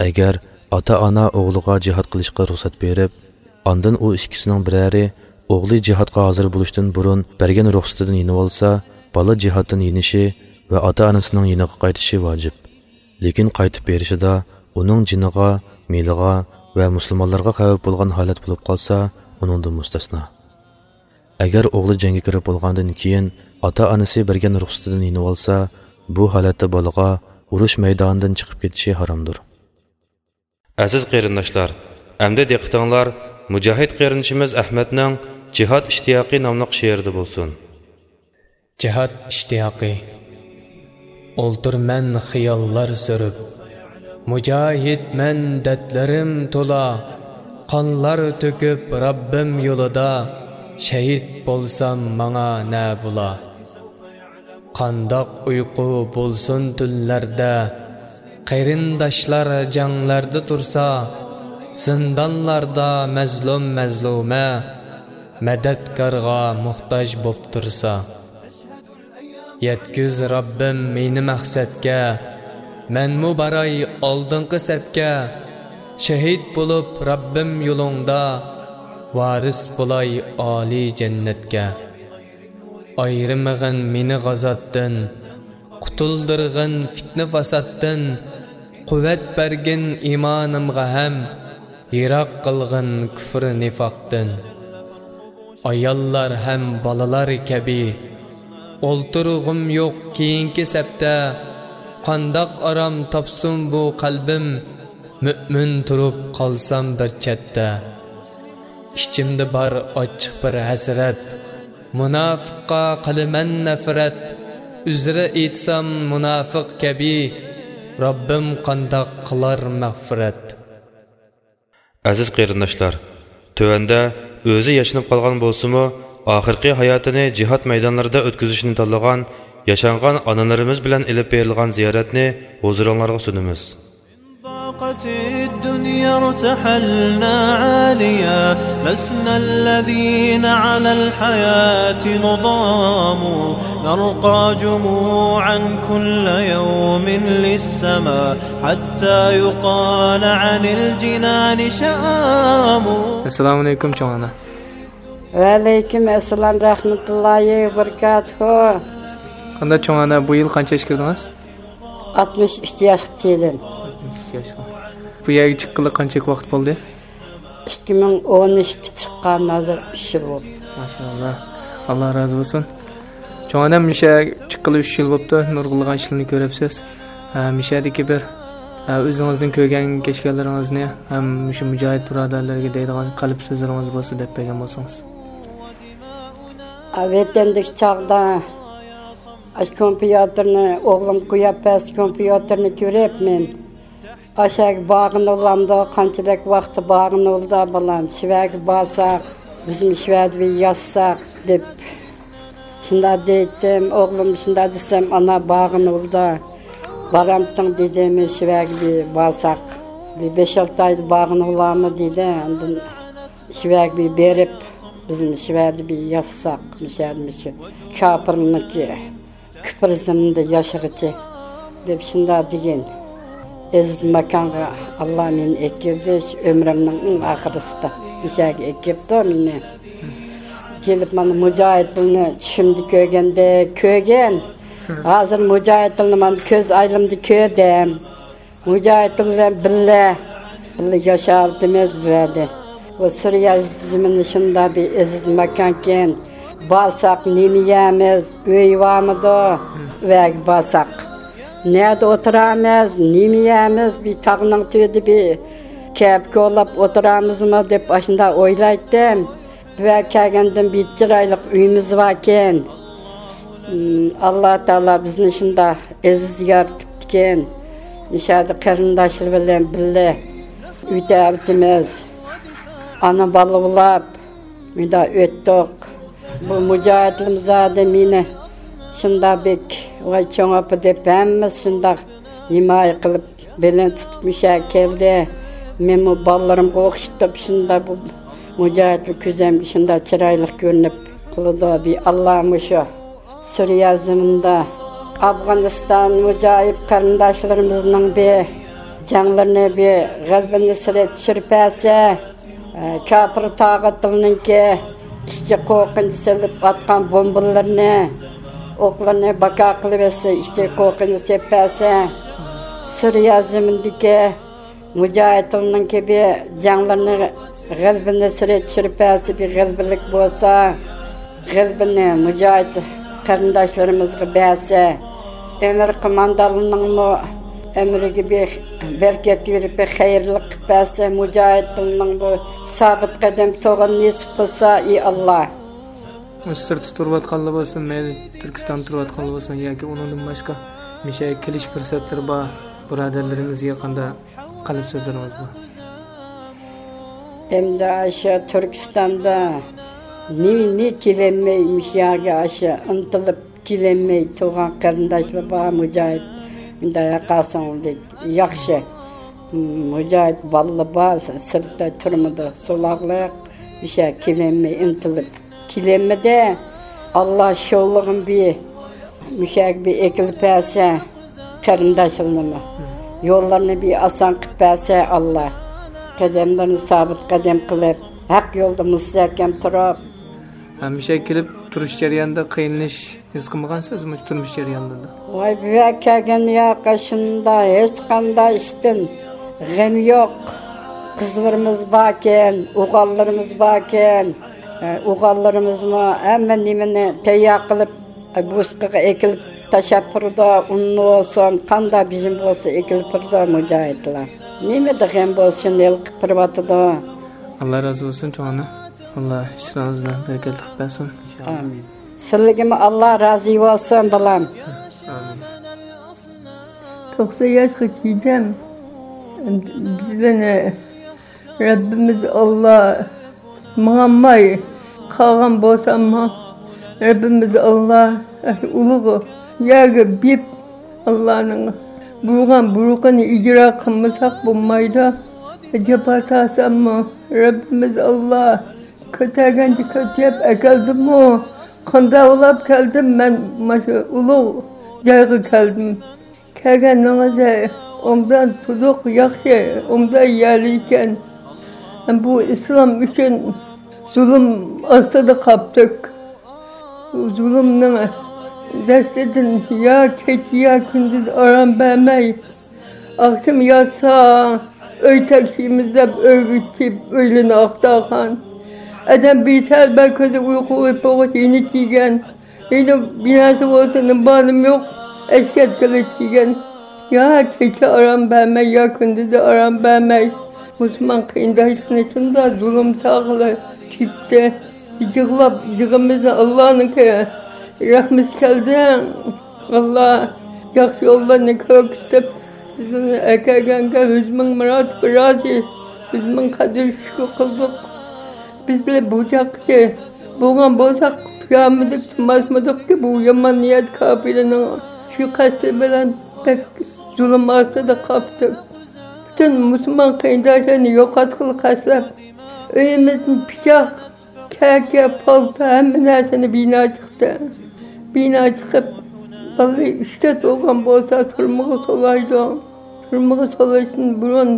ئەگەر ئاتا-ئانا ئوغلىغا جىھاد قىلىشقا رۇخسەت بېرىپ، ئاندىن ئۇ ئىككىسىنىڭ بىرەرى ئوغلى جىھادقا ھازىر بولۇشتىن بۇرۇن بەرگەن رۇخسىتىدىن يېنىۋالسا، بالا جىھادتىن يېنىشى ۋە ئاتا-ئانىسىنىڭ يېنىغا قايتىشى ۋاجىپ. لېكىن قايتىپ بېرىشىدا ئۇنىڭ جېنىغا، مېلىغا ۋە مۇسۇلمانلارغا خەۋپ بولغان ھالەت بولۇپ قالسا، ئۇنىڭدىن مۇستەسنا. ئەگەر ئوغلى جەڭگە كىرىپ بولغاندىن كېيىن ئاتا-ئانىسى بەرگەن رۇخسىتىدىن يېنىۋالسا، بۇ ھالەتتە بالىغا ئۇرۇش مەيدانىدىن چىقىپ كېتىشى ھارامدۇر. ئەزىز قېرىنداشلار، ئەمدى دىققىتىڭلار مۇجاھىد قېرىندىشىمىز ئەھمەتنىڭ جىھاد ئىشتىياقى ناملىق شېئىرىدە بولسۇن. جىھاد ئىشتىياقى. ئولتۇرمەن خىياللار سۈرۈپ، مۇجاھىدمەن دەردلىرىم تولا، قانلار تۆكۈپ رەببىم يولىدا، شەھىت بولسام ماڭا نە بولا؟ قانداق ئۇيقۇ بولسۇن تۈنلەردە، قېرىنداشلار جەڭلەردە تۇرسا، زىندانلاردا مەزلۇم مەزلۇمە، مەدەتكارغا موھتاج بوپ تۇرسا. يەتكۈز رەببىم مېنى مەقسەتكە، مەنمۇ باراي ئالدىنقى سەپكە. شەھىت بولۇپ رەببىم يولۇڭدا، ۋارىس بولاي ئالىي جەننەتكە. ئايرىمىغىن مېنى غازاتتىن، قۇتۇلدۇرغىن پىتنە-پاساتتىن. قۇۋۋەت بەرگىن ئىمانىمغا ھەم، يىراق قىلغىن كۇفر-نىفاقتىن. ئاياللار ھەم بالىلار كەبى، ئولتۇرغۇم يوق كېيىنكى سەپتە. قانداق ئارام تاپسۇن بۇ قەلبىم، مۆمىن تۇرۇپ قالسام بىر چەتتە. ئىچىمدە بار ئاچچىق بىر ھەسرەت، مۇناپىققا قىلىمەن نەپرەت. ئۆزرە ئېيتسام مۇناپىق كەبى، رەببىم قانداق قىلار مەغپىرەت. ئەزىز قېرىنداشلار، تۆۋەندە ئۆزى ياشىنىپ قالغان بولسىمۇ، ئاخىرقى ھاياتىنى جىھاد مەيدانلىرىدا ئۆتكۈزۈشنى تاللىغان ياشانغان ئانىلىرىمىز بىلەن ئېلىپ بېرىلغان زىيارەتنى ھۇزۇرۇڭلارغا سۇنىمىز. ضاقت الدنيا ارتحلنا عاليا، لسنا الذين على الحياة نضام، نرقى جموعا كل يوم للسما، حتى يقال عن الجنان شآم. ئەسسالامۇ ئەلەيكۇم، چوڭ ئانا. ۋەئەلەيكۇم ئەسسالام، رەھمەتۇللاھى ۋەبەرىكاتۇھۇ. قانداق چوڭ ئانا، بۇ يىل قانچە ياشقا كىردىڭىز؟ ئاتمىش ئۈچ ياشقا كىردىم. ئاتمىش ئۈچ ياشقا. بۇ يەرگە چىققىلى قانچە ۋاقىت بولدى؟ ئىككى مىڭ ئون ئۈچتە چىققان، ھازىر ئۈچ يىل بولدى. ماشائاللا. ئاللا رازى بولسۇن. چوڭ ئانام، مۇشۇ يەرگە چىققىلى ئۈچ يىل بوپتۇ، نۇرغۇنلىغان ئىشلارنى كۆرۈپسىز. ھە، مۇشۇ يەردىكى بىر، ھە، ئۆزىڭىزنىڭ كۆرگەن كەچكەنلىرىڭىزنى ھەم مۇشۇ مۇجاھىد بۇرادەرلەرگە دەيدىغان قەلب سۆزلىرىڭىز بولسا دەپ بەرگەن بولسىڭىز. ۋەتەندىكى چاغدا ئاشۇ كومپيۇتېرنى ئوغلۇم قويۇپ بەرسە، كومپيۇتېرنى كۆرۈپ مەن، ئاشۇ يەرگە بارغىنى بولامدۇ، قانچىلىك ۋاقتى بارغىنى بولدى بالام، شۇ يەرگە بارساق، بىزمۇ شۇ يەردە بىر ياتساق دەپ. شۇنداق دەيتتىم، ئوغلۇم شۇنداق دېسەم، ئانا بارغىنى بولدى، بارامتىڭ دېدىم، شۇ يەرگە بىر بارساق، بىر بەش-ئالتە ئايدا بارغىنى بولامدۇ دېدى. ئاندىن شۇ يەرگە بىر بېرىپ، بىزمۇ شۇ يەردە بىر ياتساق، مۇشۇ يەردە مۇشۇ كاپىرنىڭكى كۇپرىزمدا ياشىغىچە دەپ شۇنداق دېگەن. ئەزىز ماكانغا ئاللا مېنى ئەكىردى، شۇ ئۆمرۈمنىڭ ئەڭ ئاخىرىسىدا مۇشۇ يەرگە ئەكىرىپتۇ مېنى. كېلىپ مانا مۇجاھىدلارنى چۈشۈمدە كۆرگەندەك كۆرگەن. ھازىر مۇجاھىدلارنى مانا كۆز ئايلىمدا كۆردۈم. مۇجاھىدلار بىلەن بىللە، بىللە ياشاۋاتىمىز بۇ يەردە. بۇ سۈرىيە زېمىنى شۇنداق بىر ئەزىز ماكانكەن. بارساق نېمە يەيمىز؟ ئۆي بارمىدۇ؟ ئۆيگە بارساق. نەدە ئولتۇرامىز؟ نېمە يەيمىز؟ بىر تاغنىڭ تۈۋىدە بىر كەپە كولاپ ئولتۇرامىزمۇ دەپ ئاشۇنداق ئويلايتتىم. ۋە كەلگەندىن بىر چىرايلىق ئۆيىمىز باركەن. ئىم، ئاللا تائالا بىزنى شۇنداق ئەزىز يارىتىپتىكەن. مۇشۇ يەردە قېرىنداشلار بىلەن بىللە ئۆتەۋاتىمىز. ئانا بالا بولاپ مۇنداق ئۆتتۇق. بۇ مۇجاھىدلىرىمىز زادى مېنى شۇنداق بەك، ۋاي چوڭ ئاپا دەپ ھەممىسى شۇنداق ھىمايە قىلىپ، بېلىنى تۇتۇپ مۇشۇ يەرگە كەلدى. مەنمۇ بالىلىرىمغا ئوخشىتىپ شۇنداق بۇ مۇجاھىدلار كۆزۈمگە شۇنداق چىرايلىق كۆرۈنۈپ قالىدۇ. بىر ئاللا مۇشۇ سۈرىيە زېمىنىدا ئافغانىستان مۇجاھىد قېرىنداشلىرىمىزنىڭ بىر جەڭلىرىنى بىر غەلىبە نۇسرەت چۈشۈرۈپ بەرسە، كاپىر تاغۇتلىرىنىڭكى ئىچكى قورقۇنچ سېلىپ ئاتقان بومبىلىرىنى، ئوقلىرىنى باكا قىلىۋەتسە، ئىچكى قورقۇنچ سېلىپ بەرسە، سۈرىيە زېمىنىدىكى مۇجاھىدلارنىڭكى بىر جەڭلىرىنى غەلىبە نۇسرەت چۈشۈرۈپ بەرسە، بىر غەلىبىلىك بولسا، غەلىبىنى مۇجاھىد قېرىنداشلىرىمىزغا بەرسە، ئەمىر قوماندانلىرىنىڭمۇ ئەمرىگە بىر بەرىكەت بېرىپ، بىر خەيرلىك قىلىپ بەرسە، مۇجاھىدلارنىڭ بۇ سابىت قەدەم تۇرغىنى نېسىپ قىلسا، ئى ئاللا. مۇشۇ سىرتتا تۇرۇۋاتقانلار بولسۇن، مەيلى تۈركىستاندا تۇرۇۋاتقانلار بولسۇن ياكى ئۇنىڭدىن باشقا مۇشۇ يەرگە كېلىش پۇرسەتلىرى بار بۇرادەرلىرىمىزگە قانداق قەلب سۆزلىرىڭىز بار؟ ئەمدى ئاشۇ تۈركىستاندا نى، نى كېلەلمەي، مۇشۇ يەرگە ئاشۇ ئىنتىلىپ كېلەلمەي تۇرغان قېرىنداشلار بار، مۇجاھىد، مۇنداق ياقاسىڭدەك ياخشى. مۇجاھىد بالىلار بار، سىرتتا تۈرمىدە سولاقلىق، مۇشۇ يەرگە كېلەلمەي ئىنتىلىپ كېلەلمىدى. ئاللا شولىغىن بىر مۇشەگە بىر ئېكىلىپ بەرسە، قېرىنداشلىرىنىمۇ يوللىرىنى بىر ئاسان قىلىپ بەرسە، ئاللا قەدەملىرىنى سابىت قەدەم قىلىپ، ھەق يولدا مۇستەھكەم تۇرۇپ. ھەمىشە كېلىپ تۇرۇش جەريانىدا قىينىلىش ھېس قىلمىغانسىز مۇشۇ تۇرمۇش جەريانىدا؟ ۋاي، بۇ يەرگە كەلگەن ياقى شۇنداق ھېچقانداق ئىشتىن غەم يوق. قىزلىرىمىز باركەن، ئوغۇللىرىمىز باركەن. ئوغۇللىرىمىزمۇ ھەممە نېمىنى تەييار قىلىپ، بوسقىغا ئېكىلىپ تاشلاپ بېرىدۇ. ئۇن بولسۇن، قانداق بېجىم بولسا ئېكىلىپ بېرىدۇ مۇجاھىدلار. نېمىدە غەم بولسا شۇنى ھېلىقىپ بېرىۋاتىدۇ. ئاللا رازى بولسۇن چوڭ ئانا. ئاللا ئىشلىرىڭىزنى بەرىكەتلىك قىلىپ بەرسۇن. ئامىن. سىلىگىمۇ ئاللا رازى بولسۇن، بالام. ئامىن. توقسان ياشقا كىردىم. بىزنى رەببىمىز ئاللا ماڭالماي قالغان بولساممۇ، رەببىمىز ئاللا ئۇلۇغ يەرگە بېيىپ، ئاللانىڭ بۇيرۇغان بۇيرۇقىنى ئىجرا قىلمىساق بولمايدۇ. جاپا تارتساممۇ، رەببىمىز ئاللا كۆتەرگەنچە كۆتۈرۈپ ئەكەلدىمۇ، قانداق بولاپ كەلدىم مەن، مانا شۇ ئۇلۇغ جايغا كەلدىم. كەلگەننىڭىزدە ئوبدان تۇزۇق، ياخشى، ئوبدان يەرلىكەن. بۇ ئىسلام ئۈچۈن زۇلۇم ئاستىدا قاپتۇق. زۇلۇمنىڭ دەستىدىن يا كېچە، يا كۈندۈز ئارام بەرمەي، ئاخشىمى ياتسا، ئۆي تەكشىمىز دەپ ئۆيگە كېلىپ ئۆيلىرىنى ئاختارغان. ئادەم بىسەل بەر كۆزى ئۇيقۇ ئۇيقۇغا يېنىك كىيگەن. ھېلى بىناسى بولسا نېمە بار نېمە يوق، ئەشكەت قىلىچ دېگەن. يا كېچە ئارام بەرمەي، يا كۈندۈزى ئارام بەرمەي، مۇسۇلمان قېرىنداشلىرىنى شۇنداق زۇلۇم چاغلار چېكتى. يىغلاپ، يىغىمىزنى ئاللانىڭكى رەھمىتى كەلدى. ئاللا ياخشى يوللارنى كۆرسىتىپ، بىزنى ئەكەلگەنگە يۈز مىڭ مۇراتىپ رازى، يۈز مىڭ قەدىر شۈكۈر قىلدۇق. بىز بىلە بۇ چاغقىچە بولغان بولساق، پۇشامىدۇق، تۇماسمىدۇقكى، بۇ يامان نىيەت كاپىرنىڭ شۇ قەستى بىلەن بەك زۇلۇم ئاستىدا قاپتۇق. پۈتۈن مۇسۇلمان قېرىنداشلارنى يوقاتقىلى قەستلەپ، ئۆيىمىزدىن پىچاق، كەكە، پالتا، ھەممە نەرسىنى بىنا چىقتى. بىنا چىقىپ، بالىلار ئۈچ تۆت بولغان بولسا، تۈرمىگە سولايدۇ. تۈرمىگە سولاشتىن بۇرۇن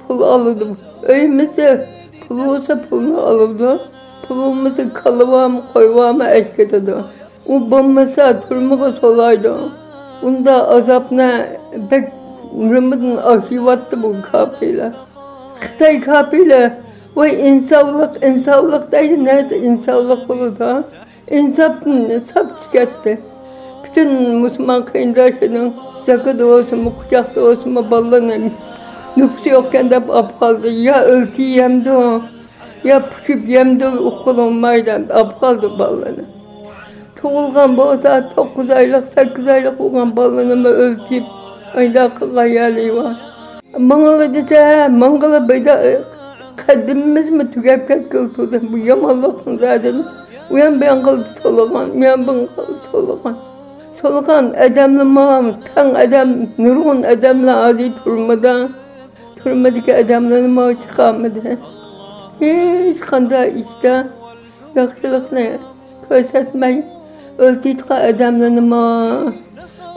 پۇل ئالىدۇ. ئۆيىمىزدە پۇل بولسا، پۇلنى ئالىدۇ. پۇل بولمىسا، كالا بارمۇ، قوي بارمۇ، ئەشكىتىدۇ. ئۇ بولمىسا، تۈرمىگە سولايدۇ. ئۇنداق ئازابنى بەك نېمىدىن ئاشىۋاتتى بۇ كاپىرلار. خىتاي كاپىرلار، ۋاي ئىنسافلىق، ئىنسافلىق دەيدۇ، نەرسە ئىنسافلىق بولىدۇ؟ ئىنساپتىن ساپ چىقاتتى. پۈتۈن مۇسۇلمان قېرىنداشلىرىنىڭ زاكىدا بولسىمۇ، قۇچاقتا بولسىمۇ، بالىلىرىنى نوپۇسى يوقكەن دەپ ئاپ قالدى. يا ئۆلتە يەمدۇ، يا پۇشۇپ يەمدۇ، ئۇققىلى بولماي دەپ ئاپ قالدى بالىلىرىنى. تۇغۇلغان بولسا، توققۇز ئايلىق، سەككىز ئايلىق بولغان بالىلىرىنىمۇ ئۆلتۈرۈپ، ئايدا قىلغان يەرلىرى بار. ماڭىلا دېسە، ماڭغىلى بەيدا، قەدىمىمىزمۇ تۈگەپ كەتكىلى تۇردى. بۇ يامانلىقنىڭ دەردىنى ئۇيان بۇيان قىلدى سولىغان، ئۇيان بۇيان قىلدى سولىغان. سولىغان ئادەملىرىمۇ تەڭ ئادەم، نۇرغۇن ئادەملەر ھازىر تۈرمىدە. تۈرمىدىكى ئادەملەرنىمۇ چىقارمىدى. ھېچقانداق ئىشتا ياخشىلىقنى كۆرسەتمەي، ئۆلتۈرۈۋاتقان ئادەملىرىنىمۇ،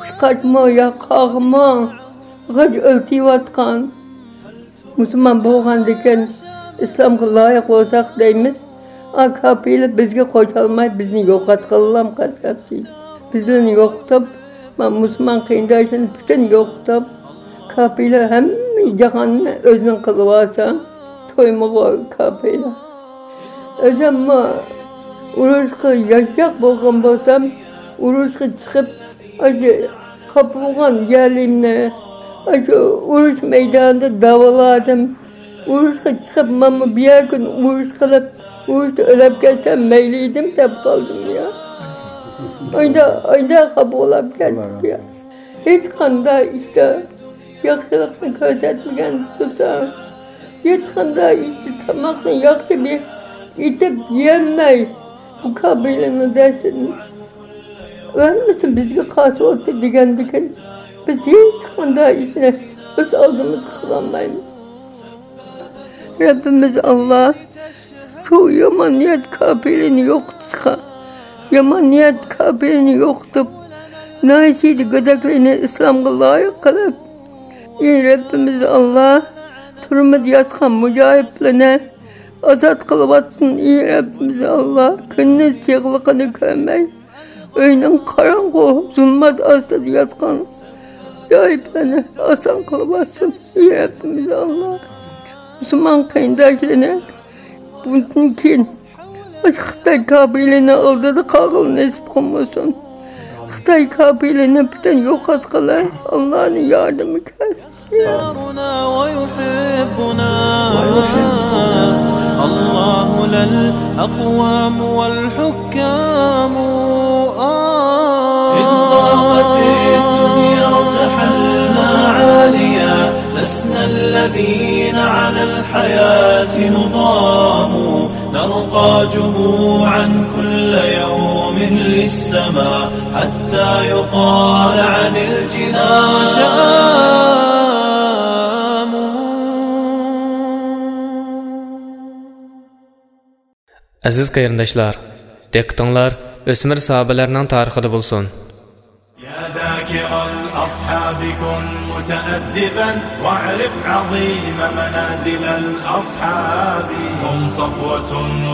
قۇشقاچمۇ يا قاغىمۇ غاج ئۆلتۈرۈۋاتقان. مۇسۇلمان بولغاندىكىن ئىسلامغا لايىق بولساق دەيمىز. ئا، كاپىرلار بىزگە قوشالماي، بىزنى يوقاتقىلىلا قەسەتسى. بىزلەرنى يوقىتىپ، ما-، مۇسۇلمان قېرىنداشلىرىنى پۈتۈن يوقىتىپ، كاپىرلار ھەممە جاھاننى ئۆزىنىڭ قىلىۋالسا، تويمىغۇ كاپىرلار. ئۆزۈممۇ ئۇرۇشقا ياشاق بولغان بولسام، ئۇرۇشقا چىقىپ، ئاشۇ قاپىغان يەرلىرىمنى ئاشۇ ئۇرۇش مەيدانىدا داۋالادىم. ئۇرۇشقا چىقىپ، مانا بىر كۈن ئۇرۇش قىلىپ، ئۇرۇشتا ئۆلۈپ كەتسەم مەيلى ئىدىم دەپ قالدىم يا. ئايدا، ئايدا خاپا بولاپ كەتتىم يا. ھېچقانداق ئىشتا ياخشىلىقنى كۆرسەتمىگەن تۇرسا، ھېچقانداق ئىشتا تاماقنى ياخشى بىر ئېتىپ يېيەلمەي، بۇ كابىلىنى دەسسىدىن ھەممىسى بىزگە قارشى بولدى دېگەندىكىن، بىز ھېچقانداق ئىشنى ئۆز ئالدىمىزغا قىلالمايمىز. رەببىمىز ئاللا شۇ يامان نىيەت كاپىرىنى يوقىتىشقا، يامان نىيەت كاپىرىنى يوقىتىپ، ناھىسىدە گۆدەكلىرىنى ئىسلامغا لايىق قىلىپ، ئى رەببىمىز ئاللا، تۈرمىدە ياتقان مۇجاھىدلىرىنى ئازاد قىلىۋاتسۇن، ئى رەببىمىز ئاللا، كۈندۈز يىغلىقىنى كۆرمەي، ئۆينىڭ قاراڭغۇ زۇلمەت ئاستىدا ياتقان مۇجاھىدلارنى ئاسان قىلىۋاتسۇن، ئى رەببىمىز ئاللا. مۇسۇلمان قېرىنداشلىرىنى بۇندىن كېيىن خىتاي كاپىرلىرىنىڭ ئالدىدا قالغىلى نېسىپ قىلمىسۇن. خىتاي كاپىرلىرىنى پۈتۈن يوقاتقىلى ئاللانىڭ ياردىمى كەلسۇن. دارنا ويحبنا. الله لا الأقوام والحكام. آه. إن ضاقت الدنيا ارتحلنا عاليا، لسنا الذين على الحياة نضام، نرقى جموعا كل يوم. للسماء حتى يقال عن الجنان. ئەزىز قېرىنداشلار، دىققىتىڭلار ئۆسمۈر ساھابىلەرنىڭ تارىخىدا بولسۇن. يا ذاكر الأصحاب كن متأدبا واعرف عظيم منازل الأصحاب. هم صفوة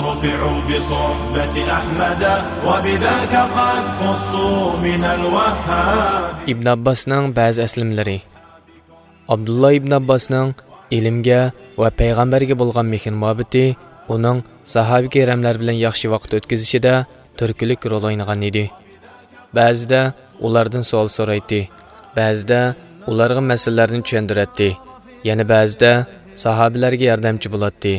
رفعوا بصحبة أحمد وبذاك قد خصوا من الوهاب. ئىبن ئابباسنىڭ بەزى ئەسلىمىلىرى. ئابدۇللا ئىبن ئابباسنىڭ ئىلىمگە ۋە پەيغەمبەرگە بولغان مېھىر-مۇھەببىتى ئۇنىڭ ساھابە كىراملار بىلەن ياخشى ۋاقىت ئۆتكۈزۈشىدە تۈرتكىلىك رول ئوينىغان ئىدى. بەزىدە ئۇلاردىن سوئال سورايتتى، بەزىدە ئۇلارغا مەسىلىلەرنى چۈشەندۈرەتتى، يەنە بەزىدە ساھابىلەرگە ياردەمچى بولاتتى.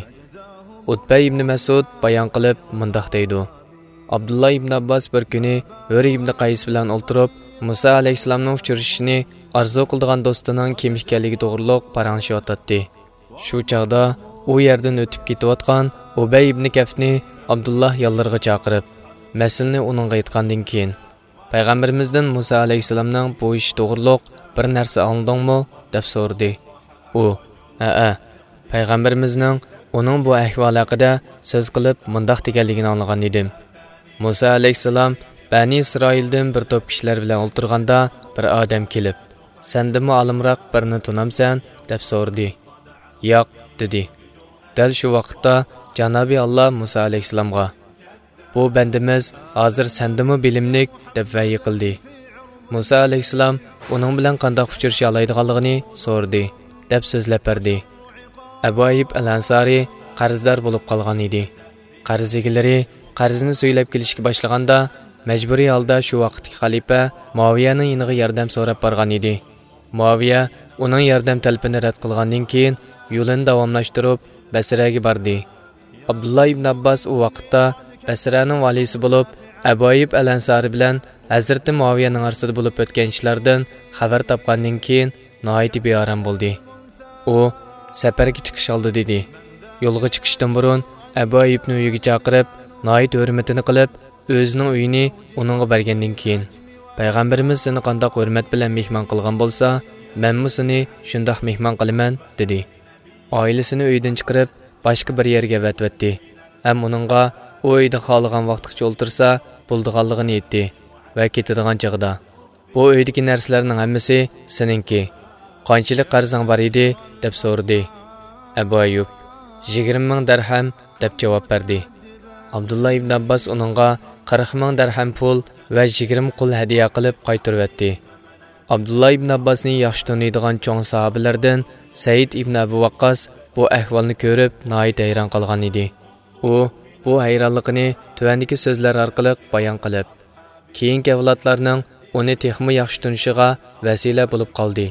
ئۇتبە ئىبنى مەسئۇد بايان قىلىپ مۇنداق دەيدۇ: ئابدۇللا ئىبن ئابباس بىر كۈنى ھۆر ئىبن قەيس بىلەن ئولتۇرۇپ، مۇسا ئەلەيھىسسالامنىڭ ئۇچرىشىشىنى ئارزۇ قىلىدىغان دوستىنىڭ كىم ئىكەنلىكى توغرۇلۇق پاراڭلىشىۋاتاتتى. شۇ چاغدا ئۇ يەردىن ئۆتۈپ كېتىۋاتقان ئۇبەي ئىبنى كەفنى ئابدۇللا يانلىرىغا چاقىرىپ، مەسىلىنى ئۇنىڭغا ئېيتقاندىن كېيىن، پەيغەمبىرىمىزدىن مۇسا ئەلەيھىسسالامنىڭ بۇ ئىشى توغرۇلۇق بىر نەرسە ئاڭلىدىڭمۇ؟ دەپ سورىدى. ئۇ، ھەئە، پەيغەمبىرىمىزنىڭ ئۇنىڭ بۇ ئەھۋالى ھەققىدە سۆز قىلىپ مۇنداق دېگەنلىكىنى ئاڭلىغان ئىدىم. مۇسا ئەلەيھىسسالام بەنى ئىسرائىلدىن بىر توپ كىشىلەر بىلەن ئولتۇرغاندا، بىر ئادەم كېلىپ، سەندىنمۇ ئالىمراق بىرنى تونامسەن؟ دەپ سورىدى. ياق، دېدى. دەل شۇ ۋاقىتتا جانابى ئاللا مۇسا ئەلەيھىسسالامغا، بۇ بەندىمىز ھازىر سەندىنمۇ بىلىملىك، دەپ ۋەھىي قىلدى. مۇسا ئەلەيھىسسالام ئۇنىڭ بىلەن قانداق ئۇچرىشالايدىغانلىقىنى سورىدى، دەپ سۆزلەپ بەردى. ئەبۇ ئەييۇب ئەل ئەنسارى قەرزدار بولۇپ قالغان ئىدى. قەرز ئىگىلىرى قەرزىنى سۈيلەپ كېلىشكە باشلىغاندا، مەجبۇرىي ھالدا شۇ ۋاقىتتىكى خەلىپە مۇئاۋىيەنىڭ يېنىغا ياردەم سوراپ بارغان ئىدى. مۇئاۋىيە ئۇنىڭ ياردەم تەلىپىنى رەت قىلغاندىن كېيىن، يولىنى داۋاملاشتۇرۇپ، بەسرەگە باردى. ئابدۇللا ئىبن ئابباس ئۇ ۋاقىتتا بەسرەنىڭ ۋالىيسى بولۇپ، ئەبۇ ئەييۇب ئەل ئەنسارى بىلەن ھەزرىتى مۇئاۋىيەنىڭ ئارىسىدا بولۇپ ئۆتكەن ئىشلاردىن خەۋەر تاپقاندىن كېيىن، ناھايىتى بىئارام بولدى. ئۇ سەپەرگە چىقىش ئالدىدا ئىدى. يولغا چىقىشتىن بۇرۇن ئەبۇ ئەييۇبنى ئۆيىگە چاقىرىپ، ناھايىتى ھۆرمىتىنى قىلىپ، ئۆزىنىڭ ئۆيىنى ئۇنىڭغا بەرگەندىن كېيىن، پەيغەمبىرىمىز سېنى قانداق ھۆرمەت بىلەن مېھمان قىلغان بولسا، مەنمۇ سېنى شۇنداق مېھمان قىلىمەن، دېدى. ئائىلىسىنى ئۆيدىن چىقىرىپ، باشقا بىر يەرگە ئەۋەتىۋەتتى ھەم ئۇنىڭغا ئۇ ئۆيدە خالىغان ۋاقىتقىچە ئولتۇرسا بولىدىغانلىقىنى ئېيتتى ۋە كېتىدىغان چېغىدا، بۇ ئۆيدىكى نەرسىلەرنىڭ ھەممىسى سېنىڭكى. قانچىلىك قەرزىڭ بار ئىدى؟ دەپ سورىدى. ئەبۇ ئەييۇب، يىگىرمە مىڭ دەرھەم، دەپ جاۋاب بەردى. ئابدۇللا ئىبن ئابباس ئۇنىڭغا قىرىق مىڭ دەرھەم پۇل ۋە يىگىرمە قۇل ھەدىيە قىلىپ قايتۇرۇۋەتتى. ئابدۇللا ئىبن ئابباسنى ياخشى تونۇيدىغان چوڭ ساھابىلەردىن سەئىد ئىبن ئەبۇ ۋەققاس بۇ ئەھۋالنى كۆرۈپ، ناھايىتى ھەيران قالغان ئىدى. ئۇ بۇ ھەيرانلىقىنى تۆۋەندىكى سۆزلەر ئارقىلىق بايان قىلىپ، كېيىنكى ئەۋلادلارنىڭ ئۇنى تېخىمۇ ياخشى تونۇشىغا ۋەسىلە بولۇپ قالدى.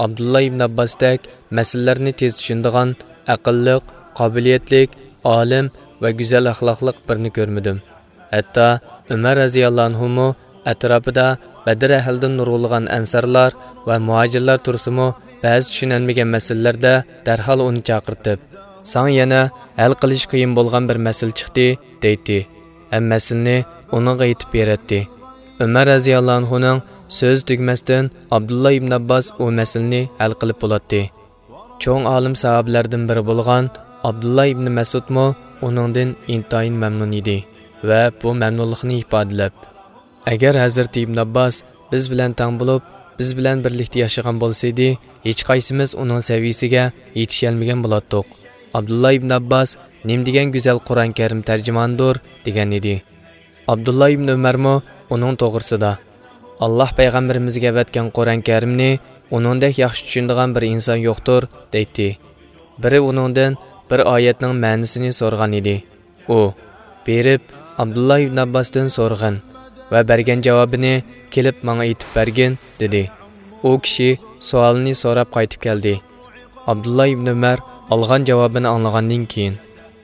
ئابدۇللا ئىبن ئابباستەك مەسىلىلەرنى تېز چۈشىنىدىغان، ئەقىللىق، قابىلىيەتلىك، ئالىم ۋە گۈزەل ئەخلاقلىق بىرنى كۆرمىدىم. ھەتتا ئۆمەر رەزىياللاھۇ ئەنھۇمۇ ئەتراپىدا بەدر ئەھلىدىن نۇرغۇنلىغان ئەنسارلار ۋە مۇھاجىرلار تۇرسىمۇ، بەزى چۈشىنەلمىگەن مەسىلىلەردە دەرھال ئۇنى چاقىرتىپ، ساڭا يەنە ھەل قىلىش قىيىن بولغان بىر مەسىلە چىقتى، دەيتتى. ھەم مەسىلىنى ئۇنىڭغا ئېيتىپ بېرەتتى. ئۆمەر رەزىياللاھۇ ئەنھۇنىڭ سۆزى تۈگىمەستىن، ئابدۇللا ئىبن ئابباس ئۇ مەسىلىنى ھەل قىلىپ بولاتتى. چوڭ ئالىم ساھابىلەردىن بىرى بولغان ئابدۇللا ئىبن مەسئۇدمۇ ئۇنىڭدىن ئىنتايىن مەمنۇن ئىدى ۋە بۇ مەمنۇنلۇقىنى ئىپادىلەپ، ئەگەر ھەزرىتى ئىبن ئابباس بىز بىلەن تەڭ بولۇپ، بىز بىلەن بىرلىكتە ياشىغان بولسىدى، ھېچقايسىمىز ئۇنىڭ سەۋىيىسىگە يېتىشەلمىگەن بولاتتۇق. ئابدۇللا ئىبن ئابباس نېمىدېگەن گۈزەل قۇرئان كەرىم تەرجىمانىدۇر، دېگەن ئىدى. ئابدۇللا ئىبن ئۆمەرمۇ ئۇنىڭ توغرىسىدا، ئاللاھ پەيغەمبىرىمىزگە ئەۋەتكەن قۇرئان كەرىمنى ئۇنىڭدەك ياخشى چۈشىنىدىغان بىر ئىنسان يوقتۇر، دەيتتى. بىرى ئۇنىڭدىن بىر ئايەتنىڭ مەنىسىنى سورىغان ئىدى. ئۇ، بېرىپ، ئابدۇللا ئىبن ئابباستىن سورىغىن ۋە بەرگەن جاۋابىنى كېلىپ ماڭا ئېيتىپ بەرگىن، دېدى. ئۇ كىشى سوئالىنى سوراپ قايتىپ كەلدى. ئابدۇللا ئىبن ئۆمەر ئالغان جاۋابىنى ئاڭلىغاندىن كېيىن،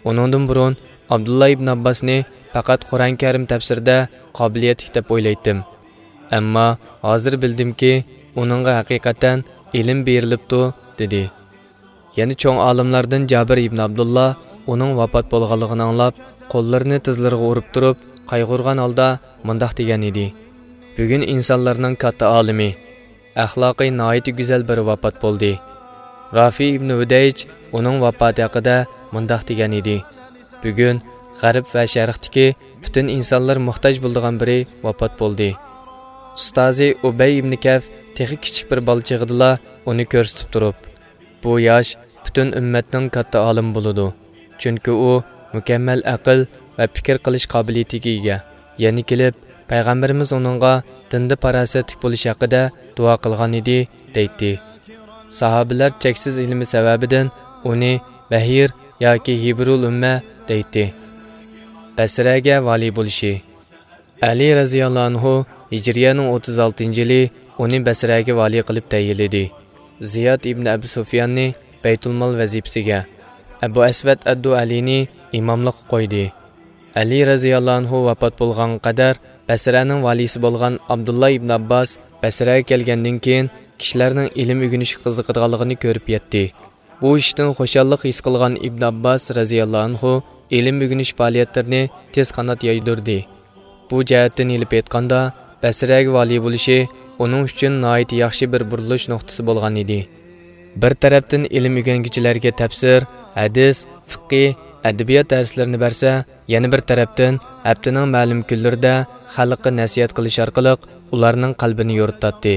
ئۇنىڭدىن بۇرۇن ئابدۇللا ئىبن ئابباسنى پەقەت قۇرئان كەرىم تەپسىرىدە قابىلىيەتلىك دەپ ئويلايتتىم. ئەمما ھازىر بىلدىمكى، ئۇنىڭغا ھەقىقەتەن ئىلىم بېرىلىپتۇ، دېدى. يەنە چوڭ ئالىملاردىن جابىر ئىبن ئابدۇللا ئۇنىڭ ۋاپات بولغانلىقىنى ئاڭلاپ، قوللىرىنى تىزلىرىغا ئۇرۇپ تۇرۇپ، قايغۇرغان ھالدا مۇنداق دېگەن ئىدى: بۈگۈن ئىنسانلارنىڭ كاتتا ئالىمى، ئەخلاقى ناھايىتى گۈزەل بىرى ۋاپات بولدى. رافى ئىبنى ھۇدەيج ئۇنىڭ ۋاپاتى ھەققىدە مۇنداق دېگەن ئىدى: بۈگۈن غەرب ۋە شەرقتىكى پۈتۈن ئىنسانلار موھتاج بولىدىغان بىرى ۋاپات بولدى. ئۇستازى ئۇبەي ئىبنى كەف تېخى كىچىك بىر بالا چېغىدىلا ئۇنى كۆرسىتىپ تۇرۇپ، بۇ ياش پۈتۈن ئۈممەتنىڭ كاتتا ئالىمى بولىدۇ، چۈنكى ئۇ مۇكەممەل ئەقىل ۋە پىكىر قىلىش قابىلىيىتىگە ئىگە. يەنە كېلىپ، پەيغەمبىرىمىز ئۇنىڭغا دىندا پاراسەتلىك بولۇش ھەققىدە دۇئا قىلغان ئىدى، دەيتتى. ساھابىلەر چەكسىز ئىلمى سەۋەبىدىن ئۇنى بەھىر ياكى ھىبرۇل ئۈممە دەيتتى. بەسرەگە ۋالىي بولۇشى. ئەلى رەزىياللاھۇ ئەنھۇ ھىجرىيەنىڭ ئوتتۇز ئالتىنچى يىلى ئۇنى بەسرەگە ۋالىي قىلىپ تەيىنلىدى. زىياد ئىبن ئەبۇ سۇفياننى بەيتۇلمال ۋەزىپىسىگە، ئەبۇ ئەسۋەد ئەددۇئەلىنى ئىماملىققا قويدى. ئەلى رەزىياللاھۇ ئەنھۇ ۋاپات بولغانغا قەدەر بەسرەنىڭ ۋالىيسى بولغان ئابدۇللا ئىبن ئابباس بەسرەگە كەلگەندىن كېيىن كىشىلەرنىڭ ئىلىم ئۆگىنىشكە قىزىقىدىغانلىقىنى كۆرۈپ يەتتى. بۇ ئىشتىن خۇشاللىق ھېس قىلغان ئىبن ئابباس رەزىياللاھۇ ئەنھۇ ئىلىم ئۆگىنىش پائالىيەتلىرىنى تېز قانات يايدۇردى. بۇ جەھەتتىن ئېلىپ ئېيتقاندا، بەسرەگە ۋالىي بولۇشى ئۇنىڭ ئۈچۈن ناھايىتى ياخشى بىر بۇرۇلۇش نۇقتىسى بولغان ئىدى. بىر تەرەپتىن ئىلىم ئۆگەنگۈچىلەرگە تەپسىر، ھەدىس، فىقھى، ئەدەبىيات دەرسلىرىنى بەرسە، يەنە بىر تەرەپتىن ھەپتىنىڭ مەلۇم كۈنلىرىدە خەلققە نەسىھەت قىلىش ئارقىلىق ئۇلارنىڭ قەلبىنى يورۇتاتتى.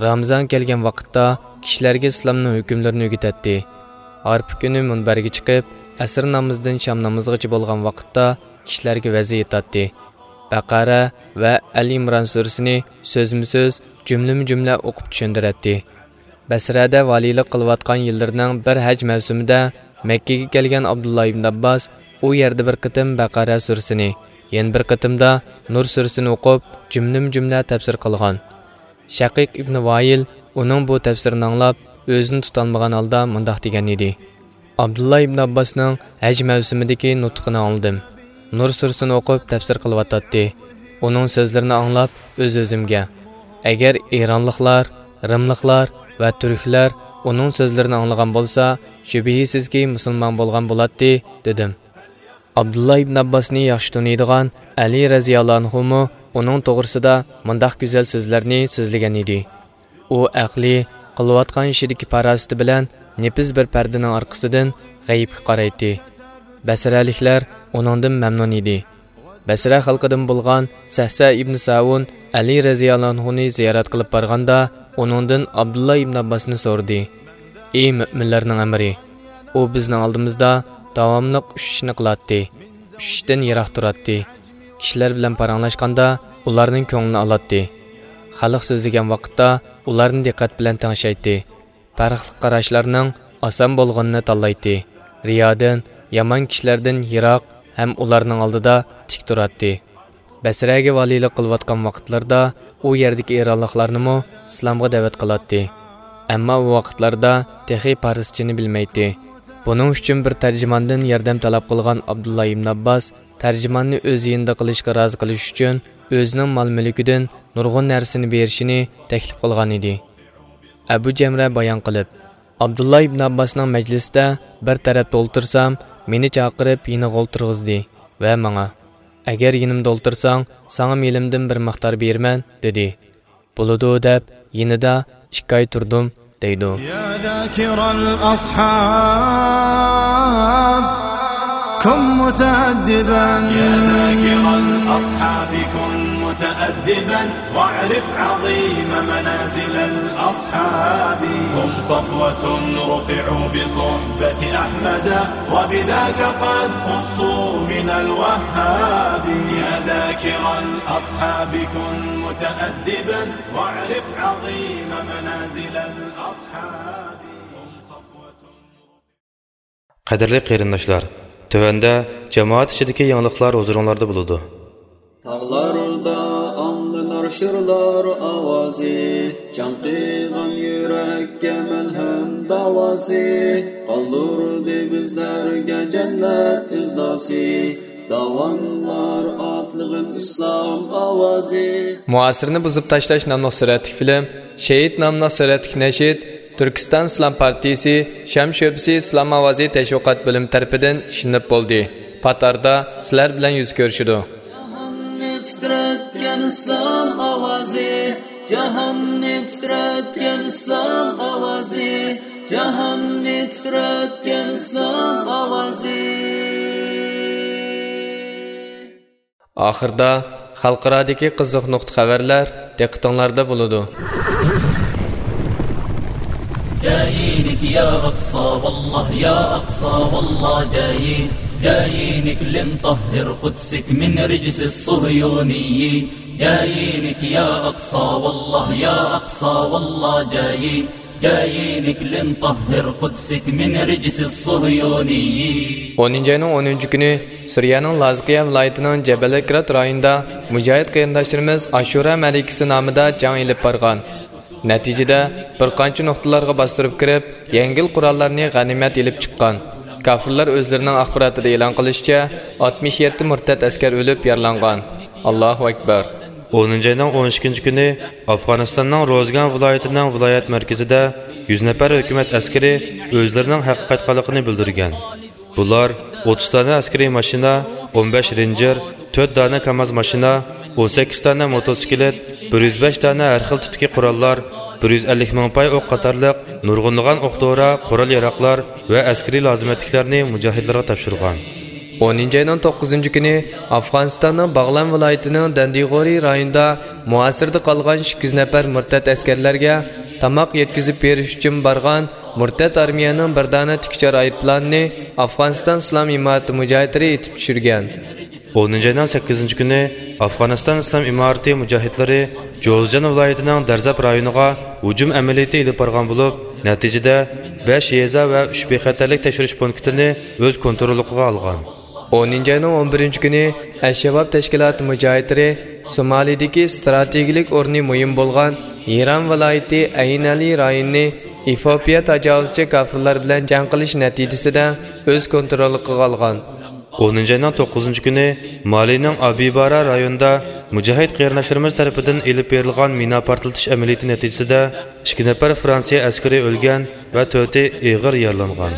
رامىزان كەلگەن ۋاقىتتا كىشىلەرگە ئىسلامنىڭ ھۆكۈملىرىنى ئۆگىتەتتى. ئارپا كۈنى مۇنبەرگە چىقىپ، ئەسىر نامىزىدىن شام نامىزىغىچە بولغان ۋاقىتتا كىشىلەرگە ۋەز ئېيتاتتى. بەقەرە ۋە ئەل ئىمران سۈرىسىنى سۆزمۇ سۆز، جۈملىمۇ جۈملە ئوقۇپ چۈشەندۈرەتتى. بەسرەدە ۋالىيلىق قىلىۋاتقان يىللىرىنىڭ بىر ھەج مەۋسۇمىدا مەككىگە كەلگەن ئابدۇللا ئىبن ئابباس ئۇ يەردە بىر قېتىم بەقەرە سۈرىسىنى، يەنە بىر قېتىمدا نۇر سۈرىسىنى ئوقۇپ، جۈملىمۇ جۈملە تەپسىر قىلغان. شەقىق ئىبنى ۋايىل ئۇنىڭ بۇ تەپسىرىنى ئاڭلاپ، ئۆزىنى تۇتالمىغان ھالدا مۇنداق دېگەن ئىدى: ئابدۇللا ئىبن ئابباسنىڭ ھەج مەۋسۇمىدىكى نۇتقىنى ئاڭلىدىم. نۇر سۈرىسىنى ئوقۇپ تەپسىر قىلىۋاتاتتى. ئۇنىڭ سۆزلىرىنى ئاڭلاپ ئۆز-ئۆزۈمگە، ئەگەر ئىرانلىقلار، رىملىقلار ۋە تۈركلەر ئۇنىڭ سۆزلىرىنى ئاڭلىغان بولسا، شۈبھىسىزكى مۇسۇلمان بولغان بولاتتى، دېدىم. ئابدۇللا ئىبن ئابباسنى ياخشى تونۇيدىغان ئەلى رەزىياللاھۇ ئەنھۇمۇ ئۇنىڭ توغرىسىدا مۇنداق گۈزەل سۆزلەرنى سۆزلىگەن ئىدى: ئۇ ئەقلى، قىلىۋاتقان ئىشىدىكى پاراسىتى بىلەن نېپىز بىر پەردىنىڭ ئارقىسىدىن غەيىبكە قارايتتى. بەسرەلىكلەر ئۇنىڭدىن مەمنۇن ئىدى. بەسرە خەلقىدىن بولغان سەھسە ئىبن ساۋۇن ئەلى رەزىياللاھۇنى زىيارەت قىلىپ بارغاندا، ئۇنىڭدىن ئابدۇللا ئىبن ئابباسنى سورىدى: ئى مۆمىنلەرنىڭ ئەمىرى! ئۇ بىزنىڭ ئالدىمىزدا داۋاملىق ئۈچ ئىشنى قىلاتتى. ئۈچ ئىشتىن يىراق تۇراتتى. كىشىلەر بىلەن پاراڭلاشقاندا ئۇلارنىڭ كۆڭلىنى ئالاتتى. خەلق سۆزلىگەن ۋاقىتتا ئۇلارنى دىققەت بىلەن تىڭشايتتى. پەرقلىق قاراشلارنىڭ ئاسان بولغىنىنى تاللايتتى. رىيادىن، يامان كىشىلەردىن يىراق ھەم ئۇلارنىڭ ئالدىدا تىك تۇراتتى. بەسرەگە ۋالىيلىق قىلىۋاتقان ۋاقىتلىرىدا ئۇ يەردىكى ئىرانلىقلارنىمۇ ئىسلامغا دەۋەت قىلاتتى. ئەمما ئۇ ۋاقىتلاردا تېخى پارسچىنى بىلمەيتتى. بۇنىڭ ئۈچۈن بىر تەرجىماندىن ياردەم تەلەپ قىلغان ئابدۇللا ئىبن ئابباس تەرجىماننى ئۆز يېنىدا قىلىشقا رازى قىلىش ئۈچۈن ئۆزىنىڭ مال-مۈلكىدىن نۇرغۇن نەرسىنى بېرىشىنى تەكلىپ قىلغان ئىدى. ئەبۇ جەمرە بايان قىلىپ، ئابدۇللا ئىبن ئابباسنىڭ مەجلىسىدە بىر تەرەپتە ئولتۇرسام، مېنى چاقىرىپ يېنىغا ئولتۇرغۇزدى ۋە ماڭا، ئەگەر يېنىمدا ئولتۇرساڭ، ساڭا مېلىمدىن بىر مىقدار بېرىمەن، دېدى. بولىدۇ، دەپ يېنىدا ئىككى ئاي تۇردۇم، دەيدۇ. يا ذاكر الأصحاب، كن متأدبا. يا ذاكر الأصحاب، كن متأدبا، واعرف عظيم منازل الأصحاب. هم صفوة رفعوا بصحبة أحمد، وبذاك قد خصوا من الوهاب. يا ذاكر الأصحاب، كن متأدبا، واعرف عظيم منازل الأصحاب. هم صفوة. قەدىرلىك قېرىنداشلار، تۆۋەندە جامائەت ئىچىدىكى يېڭىلىقلار ھۇزۇرۇڭلاردا بولىدۇ. تاغلاردا ئاڭلىنار شىرلار ئاۋازى، چاڭقىغان يۈرەككە مەلھەم داۋاسى، قالدۇردى بىزلەرگە جەننەت ئىزناسى، داۋانلار ئاتلىغىن ئىسلام ئاۋازى. مۇئاسىرنى بۇزۇپ تاشلاش ناملىق سۈرەتلىك فىلىم شېھىت ناملىق سۈرەتلىك نەشىد تۈركىستان ئىسلام پارتىيىسى شام شۆبىسى ئىسلام ئاۋازى تەشۋىقات بۆلۈمى تەرىپىدىن ئىشلىنىپ بولدى. پات ئارىدا سىلەر بىلەن يۈز كۆرۈشىدۇ. تىترەتكەن ئىسلام ئاۋازى، جاھاننى تىترەتكەن ئىسلام ئاۋازى، جاھاننى تىترەتكەن ئىسلام ئاۋازى. ئاخىردا خەلقئارادىكى قىزىق نۇقتا خەۋەرلەر دىققىتىڭلاردا بولىدۇ. جايينك يا أقصى والله، يا أقصى والله جايين، جايينك لنطهر قدسك من رجس الصهيونيين. جايينك يا أقصى والله، يا أقصى والله جايين، جايينك لنطهر قدسك من رجس الصهيونيين. ئونىنچى ئاينىڭ ئونىنچى كۈنى سۈرىيەنىڭ لازقىيە ۋىلايىتىنىڭ جەبەلەكرات رايونىدا مۇجاھىد قېرىنداشلىرىمىز ئاشۇرا مەرىكىسى نامىدا جەڭ ئېلىپ بارغان. نەتىجىدە، بىر قانچە نۇقتىلارغا باستۇرۇپ كىرىپ، يەڭگىل قوراللارنى غەنىيمەت ئېلىپ چىققان. كاپىرلار ئۆزلىرىنىڭ ئاخباراتىدا ئېلان قىلىشىچە، ئاتمىش يەتتە مۇرتەت ئەسكەر ئۆلۈپ يارىلانغان. ئاللاھۇ ئەكبەر. ئونىنچى ئاينىڭ ئون ئىككىنچى كۈنى ئافغانىستاننىڭ روزگان ۋىلايىتىنىڭ ۋىلايەت مەركىزىدە يۈز نەپەر ھۆكۈمەت ئەسكىرى ئۆزلىرىنىڭ ھەققە قايتقانلىقىنى بىلدۈرگەن. بۇلار ئوتتۇز دانە ئەسكىرىي ماشىنا، ئون بەش رېنجېر، تۆت دانە كاماز ماشىنا، ئون سەككىز دانە موتوسىكلىت، بىر يۈز بەش دانە ھەر خىل تىپتىكى قوراللار، بىر يۈز ئەللىك مىڭ پاي ئوق قاتارلىق نۇرغۇنلىغان ئوق دورا، قورال ياراغلار ۋە ئەسكىرىي لازىمەتلىكلەرنى مۇجاھىدلارغا تاپشۇرغان. ئونىنچى ئاينىڭ توققۇزىنچى كۈنى ئافغانىستاننىڭ باغلان ۋىلايىتىنىڭ دەندىغورى رايونىدا مۇھاسىرىدە قالغان ئىككى يۈز نەپەر مۇرتەت ئەسكەرلەرگە تاماق يەتكۈزۈپ بېرىش ئۈچۈن بارغان مۇرتەت ئارمىيەنىڭ بىر دانە تىكىچار ئايروپىلانىنى ئافغانىستان ئىسلام ئىمارىتى مۇجاھىدلىرى ئېتىپ چۈشۈرگەن. ئونىنچى ئاينىڭ سەككىزىنچى كۈنى ئافغانىستان ئىسلام ئىمارىتى مۇجاھىدلىرى جوزجان ۋىلايىتىنىڭ دەرزەپ رايونىغا ھۇجۇم ئەمەلىيىتى ئېلىپ بارغان بولۇپ، نەتىجىدە بەش يېزا ۋە ئۈچ بىخەتەرلىك تەكشۈرۈش پونكىتىنى ئۆز كونتروللۇقىغا ئالغان. ئونىنچى ئاينىڭ ئون بىرىنچى كۈنى ئەلشەباب تەشكىلاتى مۇجاھىدلىرى سومالىدىكى ئىستراتېگىيەلىك ئورنى مۇھىم بولغان ھىران ۋىلايىتى ئەينەلى رايونىنى ئېفىئوپىيە تاجاۋۇزچى كاپىرلار بىلەن جەڭ قىلىش نەتىجىسىدە ئۆز كونتروللۇقىغا ئالغان. ئونىنچى ئاينىڭ توققۇزىنچى كۈنى مالىنىڭ ئابىبارا رايونىدا مۇجاھىد قېرىنداشلىرىمىز تەرىپىدىن ئېلىپ بېرىلغان مىنا پارتلىتىش ئەمەلىيىتى نەتىجىسىدە ئىككى نەپەر فرانسىيە ئەسكىرى ئۆلگەن ۋە تۆتى ئېغىر يارىلانغان.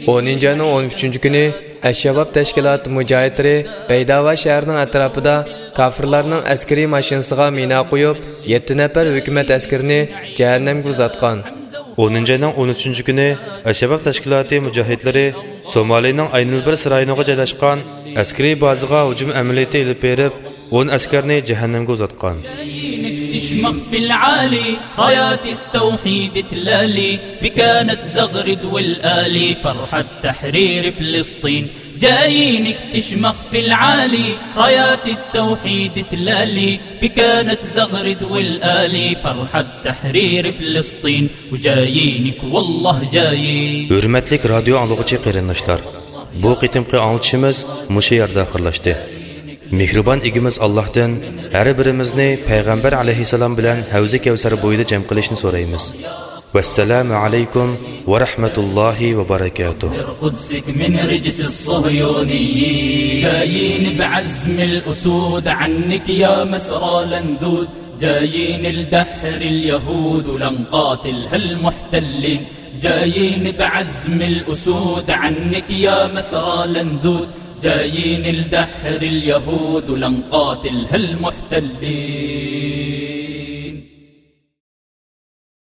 ئونىنچى ئاينىڭ ئون ئۈچىنچى كۈنى ئەلشەباب تەشكىلاتى مۇجاھىدلىرى بەيداۋا شەھىرىنىڭ ئەتراپىدا كاپىرلارنىڭ ئەسكىرىي ماشىنىسىغا مىنا قويۇپ، يەتتە نەپەر ھۆكۈمەت ئەسكىرىنى جەھەننەمگە ئۇزاتقان. ئونىنچى ئاينىڭ ئون ئۈچىنچى كۈنى ئەلشەباب تەشكىلاتى مۇجاھىدلىرى سومالىنىڭ ئەينۇلبىرس رايونىغا جايلاشقان ئەسكىرىي بازىغا ھۇجۇم ئەمەلىيىتى ئېلىپ بېرىپ، ئون ئەسكەرنى جەھەننەمگە ئۇزاتقان. جايينك تشمخ في العالي، رايات التوحيد تلالي، بكانت زغرد والآلي، فرحة تحرير فلسطين. جايينك تشمخ في العالي، رايات التوحيد تلالي، بكانت زغرد والآلي، فرحة تحرير فلسطين. وجايينك والله جايين. ھۆرمەتلىك رادىيو ئاڭلىغۇچى قېرىنداشلار، بۇ قېتىمقى ئاڭلىتىشىمىز مۇشۇ يەردە ئاخىرلاشتى. مېھرىبان ئىگىمىز ئاللاھتىن ھەر بىرىمىزنى پەيغەمبەر ئەلەيھىسسالام بىلەن ھەۋزى كەۋسەر بويىدا جەم قىلىشنى سورايمىز. ۋەسسالامۇ ئەلەيكۇم ۋە رەھمەتۇللاھى ۋە بەرەكاتۇھ. قدسك من رجس الصهيونيين. جايين بعزم الأسود عنك يا مسرى لندود. جايين لدحر اليهود ولنقاتلها المحتلين. جايين بعزم الأسود عنك يا مسرى لندود. جايين لدحر اليهود ولنقاتلها المحتلين.